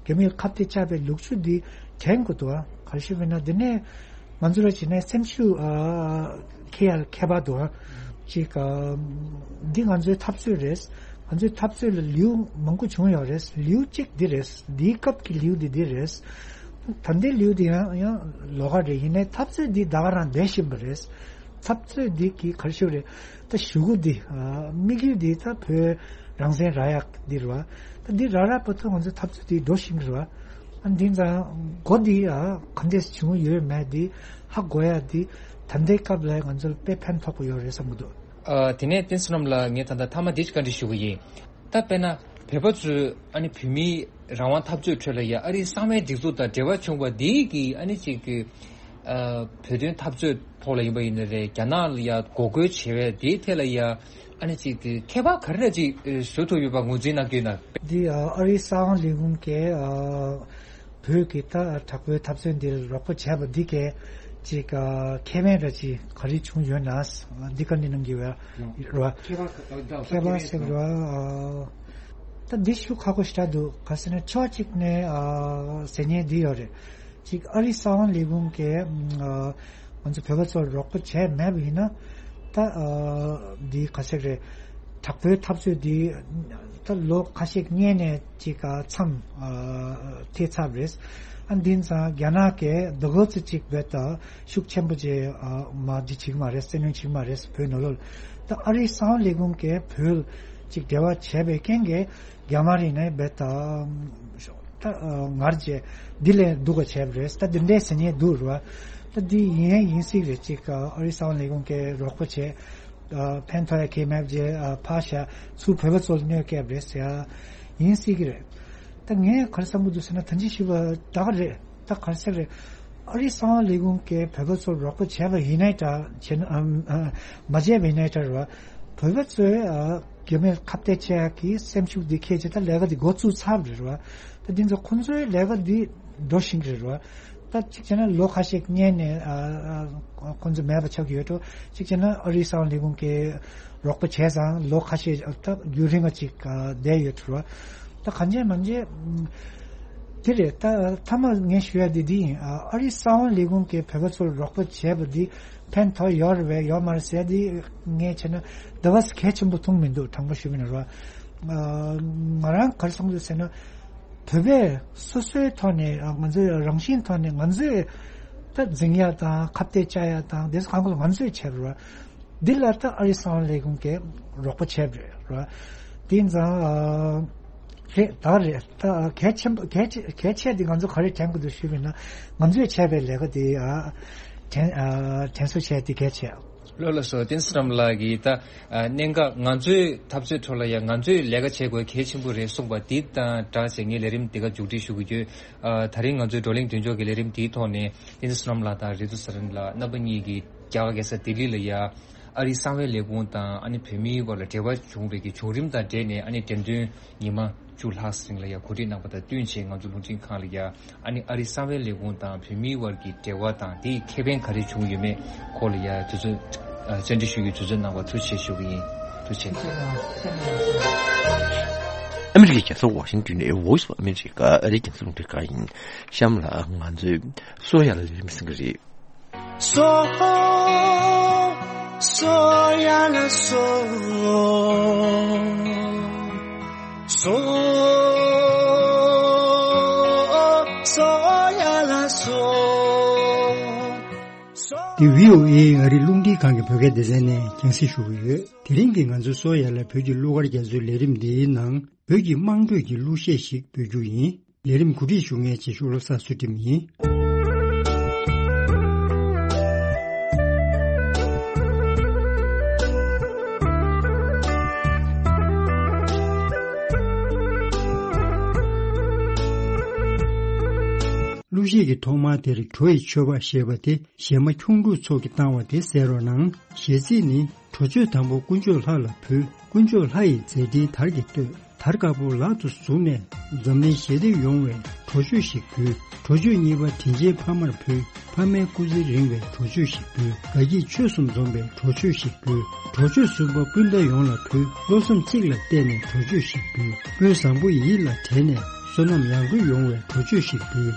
རྒྱ་མིར་ཁ་གཏད་བཅག་པའི་ལོ་རྒྱུས་འདི་དྲན་དགོས་འདུག་ཨ། ག་རེ་ཞུ་བས་ན་འདི་ནས་ང་ཚོ་ལ་བྱས་ན་སེམས་ཤུགས་ཨ་འཁྱེར་ཡ་ལ་ཁྱད་པར་འདུག་ཨ། ཅིག་ཨ་འདི་ང་ཚོའི་འཐབ་རྩོད་རེད། ང་ཚོའི་འཐབ་རྩོད་ལ་ལེའུ་མང་པོ་བྱུང་ཡོད་རེད། ལེའུ་གཅིག་འདི་རེད། འདིའི་སྐབས་ཀྱི་ལེའུ་འདི་འདི་རེད། ད་ལྟའི་ལེའུ་འདི་ཡང་ཡང་ལོགས་ཀ་རེད། ཡིན་ནའི་འཐབ་རྩོད་འདི་ད་ག་རང་བསྡད་བཞིན་པ་རེད། འཐབ་རྩོད་འདི་གི་ག་རེ་ཞུ་རེད། ད་གཞུག་གུ་འདི་ཨ་དམིགས་ཡུལ་འདི་ད་བོད་རང་བཙན་རག་ཡག་འདི་རེད་བ། ད་འདི་རག་རག་བར་དུ་ང་ཚོ་འཐབ་རྩོད་འདི་འགྲོ་བཞིན་རེད་བ། ཨ་འདི་ཙང་འགོ་འདི་ཨ་ག་འདྲས་བྱུང་ཡོད་མེད་འདི་ཧ་གོ་ཡག་འདི་ད་ལྟའི་སྐབས་ལ་ང་ཚོར་དཔེ་ཕན་ཐོགས་པོ་ཡོད་རེད་བསམ་གྱི་འདུག་ཨ་དེ་ནས་བསྟན་བསོད་ནམས་ལགས་ངས་ད་ལྟ་མཐའ་མ་འདི་ཅིག་བཀའ་འདྲི་ཞུ་གི་ཡིན། ད་དཔེར་ན་བོད་པ་ཚོས་ཨ་ནི་བོད་མིའི་རང་དབང་འཐབ་རྩོད་ཁྲོད་ལ་ཡ་ཨ་རིའི་གསང་བའི་སྒྲིག་འཛུགས་དང་འབྲེལ་བ་བྱུང་བ་འདི་གིས་ཨ་ནི་ཅིག་གི་ཨ་བོད་དོན་འཐབ་རྩོད་ཐོག་ལ་ཡིན་པ་ཡིན་ན་རེད། རྒྱ་ནག་ལ་ཡ་འགོག་རྒོལ་བྱེད་པའི་དེའི་ཐད་ལ་ཡ་ཨ་ནི་ཅིག་གི་ཁྱད་པར་ག་རེ་ཅིག་བཟོ་ཐུབ་ཡོད་པ་ངོས་འཛིན་གནང་གི་ཡོད་ན། འདི་ཨ་རིའི་གསང་བ་ལས་ཁུངས་ཀྱིས་ཨ་བོད་ཀྱི་ད་དྲག་པོའི་འཐབ་རྩོད་འདིར་རོགས་པ་བྱས་པ་འདི་གས་ཅིག་ཨ་ཁེ་ཕན་ར་ཅིག་ག་རེ་བྱུང་ཡོད་ན་འདི་བཀའ་འདྲི་གནང་གི་ཡོད་ར། ཁྱད་པར་ཁྱད་པར་ཟེར་ར་ཨ་ད་འདི་ཞུ་ཁག་པོ་ཞེ་དྲག་འདུག་ག་ཟེར་ན་ཕྱོགས་གཅིག་ནས་ཨ་ཟེར་མཁན་འདི་ཡོད་རེད། གཅིག་ཨ་རིའི་གསང་བ་ལས་ཁུངས་ཀྱིས་ཨ་ང་ཚོ་བོད་པ་ཚོར་རོགས་པ་བྱས་མེད་པ་ཡིན་ན་ད་ཨ་འདི་ག་ཟེར་རེད། དྲག་པོའི་འཐབ་རྩོད་འདི་ད་ལོ་ཁ་ཤས་སྔོན་ནས་ཅིག་ཨ་མཚམས་ཨ་ཐེབས་ཚར་བ་རེད། ཨ་འདི་ཙང་རྒྱ་ནག་གིས་ཟླ་གོ་ཙི་གཅིག་བོད་ད་ཤུགས་ཆེན་པོ་ཅིག་ཨ་མ་འདི་བྱེད་ཀྱི་མ་རེད། བཙན་གནོན་བྱེད་ཀྱི་མ་རེད་བོད་ནང་ལོགས་ལ། ད་ཨ་རིའི་གསང་བ་ལས་ཁུངས་ཀྱིས་བོད་ ཅིག་འབྲེལ་བ་བྱས་པའི་རྐྱེན་གྱིས་རྒྱ་དམར་ཡིན་ནའི་རྦད་དེ་ད་ངར་བྱས་འདི་ལས་སྡུག་ག་བྱས་པ་རེད། ད་འདི་འདྲའི་ཟེར་མཁན་འདུག་རེད་བ། ད་འདི་ཡིན་ཡང་ཡིན་སྲིད་རེད། ཅིག་ཨ་རིའི་གསང་བ་ལས་ཁུངས་ཀྱིས་རོགས་པ་བྱས། ཨ་ཕན་ཐོགས་ཡ་གང་ཡང་མེད་པ་བྱས། ཨ་ཕར་བཞག་ཚུར་བོད་པ་ཚོ་ལ་གནོད་སྐྱེལ་བ་རེད་ཟེར་ཡ་ཡིན་སྲིད་ཀྱི་རེད། ད་ངས་ག་རེ་བསམ་གྱི་འདུག་ཟེར་ན། ད་ཅི་ཞུས་པ་ད་ག་རེད། ད་ག་རེ་ཟེར་རེད། ཨ་རིའི་གསང་བ་ལས་ཁུངས་ཀྱིས་བོད་པ་ཚོར་རོགས་པ་བྱས་པ་ཡིན་ནའི་འདྲ། བྱས་ན་ཨ་ཨ་མ་བྱས་པ་ཡིན་ནའི་འདྲ་རེད་བ། བོད་པ་ཚོས་ཨ་རྒྱ་མིར་ཁ་གཏད་བཅག་ཡག་གི་སེམས་ཤུགས་འདི་འཁྱེར་བྱས་ད་ལས་ཀ་འདི་འགོ་བཙུགས་ཚར་བ་རེད་བ། ད་འདི་ཚོ་ཁོང་ཚོའི་ལས་ཀ་འདི་འགྲོ་བཞིན་གྱི་རེད་བ། ད་གཅིག་བྱས་ན་ལོ་ཁ་ཤས་སྔོན་ནས་ཨ་ཨ་ཁོང་ཚོ་མེད་པ་ཆགས་ཀྱི་ཡོད་འགྲོ། གཅིག་བྱས་ན་ཨ་རིའི་གསང་བ་ལས་ཁུངས་ཀྱིས་རོགས་པ་བྱས་ཙང་ལོ་ཁ་ཤས་ད་རྒྱུན་རིང་བ་ཅིག་ཨ་བསྡད་ཡོད་འགྲོ། ད་གང་བྱས་མང་བྱས་དེ་རེད། ད་མཐའ་མ་ངས་ཞུ་ཡ་དེ་འདི་ཡིན། ཨ་ཨ་རིའི་གསང་བ་ལས་ཁུངས་ཀྱིས་བོད་པ་ཚོར་རོགས་པ་བྱས་པ་འདི་ཕན་ཐོགས་ཡོད་རེད་པས་ཡོད་མ་རེད་ཟེར་དེ་ངས་བྱས་ན་ད་བར་གལ་ཆེན་པོ་མཐོང་མི་འདུག། དྲང་པོ་ཞུ་བ་ཡིན་ན་རེད་བ། ང་རང་ག་རེ་བསམ་གྱི་འདུག་ཟེར་ན། བོད་པས་སོ་སོའི་ཐོག་ནས་ང་ཚོའི་རང་བཞིན་ཐོག་ནས་ང་ཚོས་ད་འཛིང་ཡ་དང་ཁ་གཏད་བཅག་ཡ་དང་དེ་ཚོ་གང་ག་ལ་ང་ཚོས་བྱས་པ་རེད་བ། འདི་ལ་ད་ཨ་རིའི་གསང་བ་ལས་ཁུངས་ཀྱིས་རོགས་པ་བྱས་པ་རེད་བ། དེ་ཡིན་ཙང་ཨ་རེད་ད་རེད། ད་གལ་ཆེན་པོ་གལ་ཆེ་གལ་ཆེ་དེ་ང་ཚོ་ག་རེ་དྲན་དགོས་འདུག་ཞུས་པ་ཡིན་ན། ང་ཚོས་བྱས་པའི་ལས་ཀ་དེ་ཨ་དྲན་ཨ་དྲན་གསོ་བྱས་དེ་གལ་ཆེ། ལགས་སོ། བསྟན་འཛིན་བསོད་ནམས་ལགས་ཀྱིས་ད་ཨ་གནད་འགག་ང་ཚོའི་འཐབ་རྩོད་ཁྲོད་ལ་ཡང་ང་ཚོས་ལས་ཀ་བྱེད་དགོས་གལ་ཆེན་པོ་རེད་གསུངས་པ་འདི་དང་སྦྲགས་བྱས་ངས་ལས་རིམ་འདི་ག་མཇུག་སྒྲིལ་ཞུ་གི་ཡོད། ཨ་ད་རིང་ང་ཚོའི་བགྲོ་གླེང་མདུན་ལྕོག་གི་ལས་རིམ་འདིའི་ཐོག་ནས་བསྟན་འཛིན་བསོད་ནམས་ལགས་དང་རིག་འཛིན་ཚེ་རིང་ལགས་རྣམ་པ་གཉིས་ཀྱིས་རྒྱ་གར་རྒྱལ་ས་ལྡི་ལི་ལ་ཡ་ཨ་རིའི་གསང་བའི་ལས་ཁུངས་དང་ཨ་ནི་བོད་མིའི་བར་ལ་འབྲེལ་བ་བྱུང་བའི་གི་བྱུང་རིམ་དང་འབྲེལ་ནས་ཨ་ནི་འགྲེམས་སྟོན་ཉི་མ་བཅུ་ལྷག་རིང་ལ་ཡ་གོ་སྒྲིག་གནང་པ་དང་བསྟུན་བྱས་ང་ཚོ་རླུང་འཕྲིན་ཁང་ལ་ཡ་ཨ་ནི་ཨ་རིའི་གསང་བའི་ལས་ཁུངས་དང་བོད་མིའི་བར་གྱི་འབྲེལ་བ་དང་དེའི་ཁེ་ཕན་ག་རེ་བྱུང་ཡོད་མེད་སྐོར་ལ་ཡ་དུས་ཚོད་ཨ་བཅར་འདྲི་ཞུ་རྒྱུའི་དུས་ཚོད་གནང་བར་ཐུགས་རྗེ་ཆེ་ཞུ་གི་ཡིན། ཐུགས་རྗེ་ཆེ། ཨ་མི་རི་ཀའི་རྒྱལ་ས་ཝ་ཤིང་ཏོན་ནས་Voice of America ཨ་རིའི་རྒྱང་སྲིང་རླུང་འཕྲིན་ཁང་ཡིན། གཤམ་ལ་ང་ཚོས་གསོ་ཡ་ལ་ལས་རིམ་གསན་གྱི་རེད། སོ་སོ་ཡ་ལ་སོ། སོ་སོ་ཡ་ལ་སོ། འདི་བྷི་ཨོ་ཨེ་ཨ་རིའི་རླུང་འཕྲིན་ཁང་གི་བོད་སྐད་སྡེ་ཚན་ནས་རྒྱང་སྲིང་ཞུ་གི་ཡོད། དེ་རིང་གི་ང་ཚོའི་སོ་ཡ་ལ་བོད་ཀྱི་གླུ་གར་རྒྱ་མཚོའི་ལས་རིམ་འདིའི་ནང་བོད་ཀྱི་དམངས་ཁྲོད་ཀྱི་གླུ་གཞས་ཤིག་སྤེལ་རྒྱུ་ཡིན། ལས་རིམ་གོ་སྒྲིག་ཞུ་མཁན་བྱེད་ཤོག་བློ་བཟང་ཚུལ་ཁྲིམས་ཡིན། གླུ་གཞས་ཀྱི་ཐོག་མ་དེར་བྲོ་ཡི་མཆོད་པ་ཞེས་པ་དེ་གཞས་མ་ཁྱུང་འབྲུག་མཚོ་གིས་བཏང་བ་དེ་གསན་རོགས་གནང་། གཞས་ཚིག་ནི། བྲོ་མཆོད་དང་པོ་དཀོན་མཆོག་ལྷ་ལ་ཕུལ། དཀོན་མཆོག་ལྷ་ཡི་མཛད་འཕྲིན་དར་གྱིས་བསྟོད། དར་དཀར་པོ་ལག་ཏུ་བཟུང་ནས། འཛམ་གླིང་ཞི་བདེ་ཡོང་བའི་བྲོ་མཆོད་ཞིག་ཕུལ། བྲོ་མཆོད་གཉིས་པ་དྲིན་ཅན་ཕ་མར་ཕུལ། ཕ་མའི་སྐུ་ཚེ་རིང་བའི་བྲོ་མཆོད་ཞིག་ཕུལ། དགའ་སྐྱིད་ཆོས་གསུམ་འཛོམས་པའི་བྲོ་མཆོད་ཞིག་ཕུལ། བྲོ་མཆོད་གསུམ་པ་སྤུན་ཟླ་ཡོངས་ལ་ཕུལ། བློ་བཟང་ཚིག་ལ་གཏད་ནས་བྲོ་མཆོད་ཞིག་ཕུལ། སྤུན་བཟང་པོ་ཡིད་ལ་དྲན་ནས། བསོད་ནམས་ཡར་འགྲོ་ཡོང་བའི་བྲོ་མཆོད་ཞིག་ཕུལ།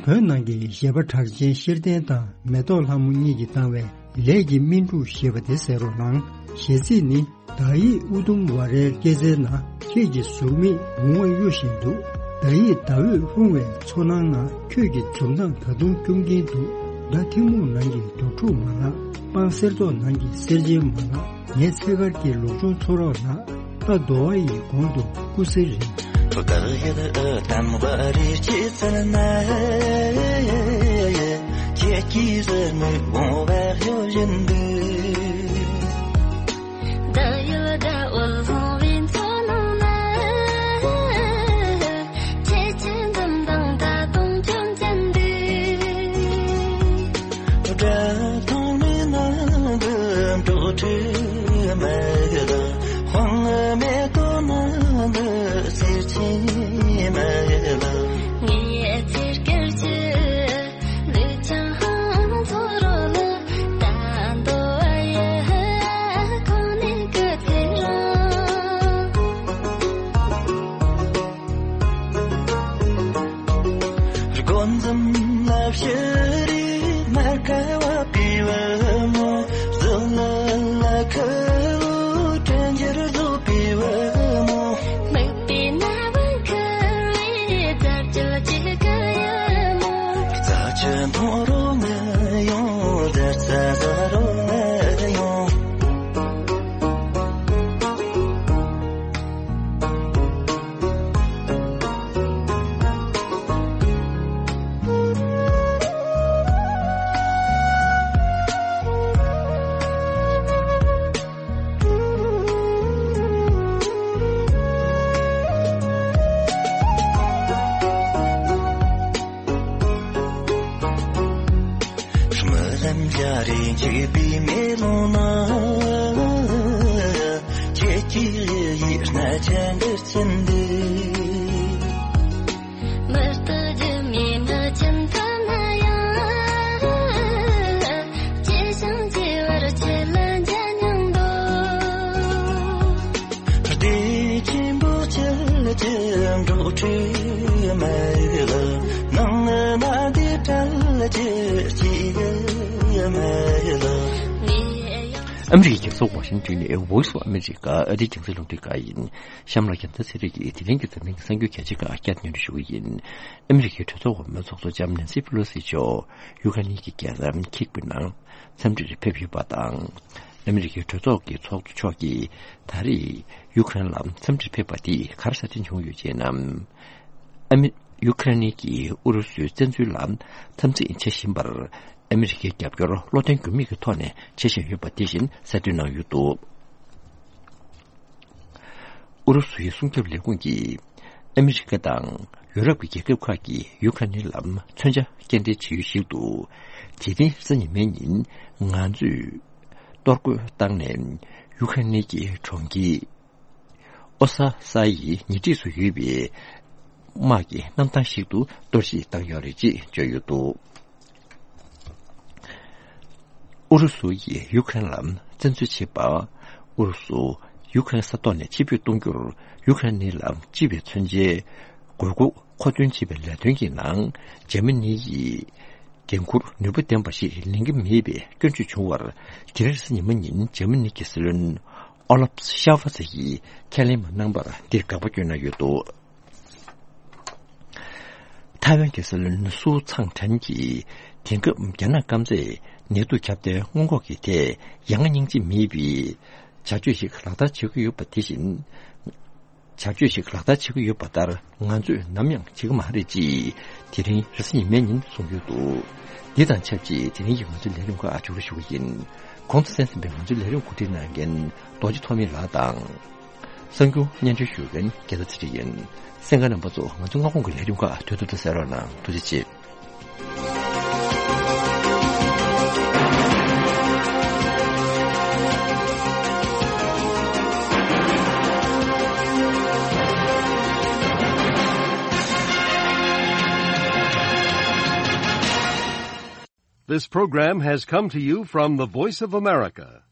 བོད་ནང་གི་གཞས་པ་གྲགས་ཅན་ཤེར་བསྟན་དང་མེ་ཏོག་ལྷ་མོ་གཉིས་ཀྱིས་བཏང་བའི་ལས་ཀྱི་སྨིན་དྲུག་ཞེས་པ་དེ་གསན་རོགས་གནང་། གཞས་ཚིག་ནི། བདག་ཡིད་ཨུ་དུམ་ཝ་རའི་སྐྱེད་ཚལ་ན། ཁྱེད་ཀྱི་ཟུར་མིག་མུ་བ་གཡོ་བཞིན་འདུག། བདག་ཡིད་ཟླ་འོད་ལྷུང་བའི་མཚོ་ནང་ན། ཁྱོད་ཀྱི་འཛུམ་མདངས་ད་དུང་སྐྱོང་གིན་འདུག། ཟླ་ཐིག་མུག་ནང་གི་འབྲོག་ཕྲུག་མ་ལགས། སྤང་གསེར་མདོག་ནང་གི་གསེར་ཆེན་མ་ལགས། ངའི་ཚེ་སྐར་གྱི་ལུག་ཆུང་ཚོ་རོགས་ལགས། རྟ་འདོ་བ་ཡི་གོང་དུ་སྐུ་གཟེར་རིང་། བདག་ཡིད་དམ་པ་རི་སྐྱེད་ཚལ་ན། ཁྱེད་ཀྱི་ཟུར་མིག་མུ་བ་གཡོ་བཞིན་འདུག། བདག་ཡིད་ཟླ་འོད་ལྷུང་བའི་མཚོ་ནང་ན། ཁྱེད་ཀྱི་འཛུམ་མདངས་ད་དུང་སྐྱོང་གིན་འདུག། སྒྲ་དང་མི་སྣང་འདི་འབྲོག་ཁྲོས་མ་ལགས། དཔང་མེ་ཏོག་ནང་འདི་གསེར་ཆེན་མ་ལགས། ངའི་ཚེ་སྐར་གྱི་ལུས་ཀྱང་ཚོ་རོགས་ལ། ད་འདོ་བ་ཡི་གོང་ནས་སྐུ་ཚེ་རིང་། དགོད་འཛུམ་ལ་ཕྱི་རིག་མ་དགའ་བ་པི་བ་མོ། བཟོད་ལ་ལ་ཁ་ལོ་དྲན་འགྱུར་བཟོ་པི་བ་མོ། མིག་པའི་ན་བུན་ཁུར་བའི་རྫ་རྒྱུད་ཅིག་གི་ཡ་མོ། རྩ་ཆུ་མཐོང་རོགས་ང་ཡོང་། རྫ་རྩ་ཟ་རོགས་ང་ཡོང་། སྨི་ལམ་རྒྱ་རེ་འཇིགས་པའི་མེ་ལོང་ན། ཁྱེད་ཀྱི་ཡིད་སྣ་ཆེན་འདིར་ཕྱིན་འདུག། མི་རྟག་སྒྱུ་མའི་མི་ཆེན་ཐ་ན་ཡང་། སྐྱེ་ཞིང་སྐྱེ་བར་ཆེ་ལ་འཇའ་སྙིང་འདོད། བདེ་ཆེན་པོ་ཁྱེད་ཀྱི་འབྲོག་ཁྲོས་མ་ལགས། ནང་ན་བདེ་བྲལ་གྱི་སྐྱིད་མ་ལགས། ཨ་མི་རི་ཀའི་རྒྱལ་ས་ཝ་ཤིང་ཏོན་ནས་Voice of America ཨ་རིའི་རྒྱང་སྲིང་རླུང་འཕྲིན་ཁང་ཡིན། གཤམ་ལ་རྒྱལ་མཚན་ཚེ་རིང་གིས་དེ་རིང་གི་འཛམ་གླིང་གི་གསར་འགྱུར་གལ་ཆེ་ཁག་བསྐྱར་སྙན་སྒྲོན་ཞུ་གི་ཡིན། ཨ་མི་རི་ཀའི་གྲོས་ཚོགས་འོག་མའི་ཚོགས་གཙོ་ལྕམ་ནན་སི་པེ་ལོ་སི་མཆོག་ཡུ་ཁ་ནི་གི་རྒྱལ་ས་ཁིབ་ནང་འཚམས་འདྲིར་ཕེབས་ཡོད་པ་དང་། ཨ་མི་རི་ཀའི་གྲོས་ཚོགས་ཀྱི་ཚོགས་གཙོ་མཆོག་གིས་ད་རེས་ཡུ་ཁ་རེན་ལ་འཚམས་འདྲིར་ཕེབས་པ་དེས་ག་རེ་གསར་འཕྲིན་བྱུང་ཡོད་ཅེ་ན། ཨ་མི། ཡུ་ཁ་རེན་གྱིས་ཨུ་རུ་སུའི་བཙན་འཛུལ་ལ་འཚམས་གཟིགས་བྱེད་བཞིན་པར། ཨ་མི་རི་ཀའི་རྒྱབ་སྐྱོར་བློ་བརྟན་འགྱུར་མེད་ཀྱི་ཐོག་ནས་བྱེད་བཞིན་ཡོད་པ་དེ་བཞིན་གསལ་སྟོན་གནང་ཡོད་འདུག། ཨུ་རུ་སུའི་སྲུང་སྐྱོབ་ལས་ཁུངས་ཀྱིས་ཨ་མི་རི་ཀ་དང་ཡུ་རོབ་ཀྱི་རྒྱལ་ཁབ་ཁག་གིས་ཡུ་ཁ་རེན་ལ་མཚོན་ཆ་སྐྱེལ་འདྲེན་བྱེད་ཡུལ་ཞིག་ཏུ། དེ་རིང་རེས་གཟའ་ཉི་མའི་ཉིན་ང་ཚོས་གཏོར་རྒོལ་བཏང་ནས་ཡུ་ཁ་རེན་གྱི་གྲོང་ཁྱེར་ཨོ་ས་ས་ཡི་ཉེ་འཁྲིས་སུ་ཡོད་པའི་དམག་གི་གནམ་ཐང་ཞིག་ཏུ་གཏོར་བཤིག་བཏང་ཡོད་རེད་ཅེས་བརྗོད་ཡོད་འདུག། ཨུ་རུ་སུ་ཡིས་ཡུ་ཁ་རེན་ལ་བཙན་འཛུལ་བྱས་པ། ཨུ་རུ་སུ་ཡུ་ཁ་རེན་ས་ཐོག་ནས་ཕྱིར་འབུད་གཏོང་རྒྱུར་ཡུ་ཁ་རེན་ལ་སྤྱི་པའི་མཚོན་ཆའི་དགོས་མཁོ་མཁོ་འདོན་བྱེད་པའི་ལས་དོན་གྱི་ནང་འཇར་མ་ནི་ཡིས་འགན་འཁུར་ནུས་པ་ལྡན་པ་ཞིག་ལེན་གྱི་མེད་པའི་སྐྱོན་བརྗོད་བྱུང་བར། དེ་རིང་རེས་གཟའ་ཉི་མ་ཉིན་འཇར་མ་ནི་གི་སྲིད་བློན་ཨོ་ལབ་ཤ་ཝ་ཛེ་ཡིས་ཁས་ལེན་མ་གནང་བར་འདིར་དགག་པ་བསྐྱོན་གནང་ཡོད་འདུག། ཐའེ་ཝན་གྱི་སྲིད་བློན་སུའུ་ཚང་ཁྲན་གྱིས་དེང་སྐབས་རྒྱ་ནག་སྐམ་སས་ནད་དུག་ཁྱབ་གདལ་སྔོན་འགོག་གི་ཐད་ཡ་ང་སྙིང་རྗེ་མེད་པའི་བྱ་སྤྱོད་ཞིག་ལག་བསྟར་བྱེད་ཀྱི་ཡོད་པ་དེ་བཞིན། བྱ་སྤྱོད་ཞིག་ལག་བསྟར་བྱེད་ཀྱི་ཡོད་པ་ལྟར་ང་ཚོས་ནམ་ཡང་བྱེད་ཀྱི་མ་རེད་ཅེས་དེ་རིང་རེས་གཟའ་ཉི་མའི་ཉིན་གསུངས་ཡོད་འདུག། འདི་དང་ཆབས་ཅིག་དེ་རིང་གི་ང་ཚོའི་ལས་རིམ་ཁག་མཇུག་སྒྲིལ་ཞུ་གི་ཡིན། གོང་དུ་གསན་ཟིན་པའི་ང་ཚོའི་ལས་རིམ་གོ་སྒྲིག་གནང་མཁན་རྡོ་རྗེ་ཐོགས་མེད་ལགས་དང་། གསར་འགྱུར་སྙན་སྒྲོན་ཞུ་མཁན་རྒྱལ་མཚན་ཚེ་རིང་ཡིན། གསན་མཁན་རྣམ་པ་ཚོ་ང་ཚོ་སྔ་དགོང་གི་ལས་རིམ་ཁག་དོན་དུ་དུ་གསན་རོགས་གནང་། ཐུགས་རྗེ་ཆེ། This program has come to you from the Voice of America,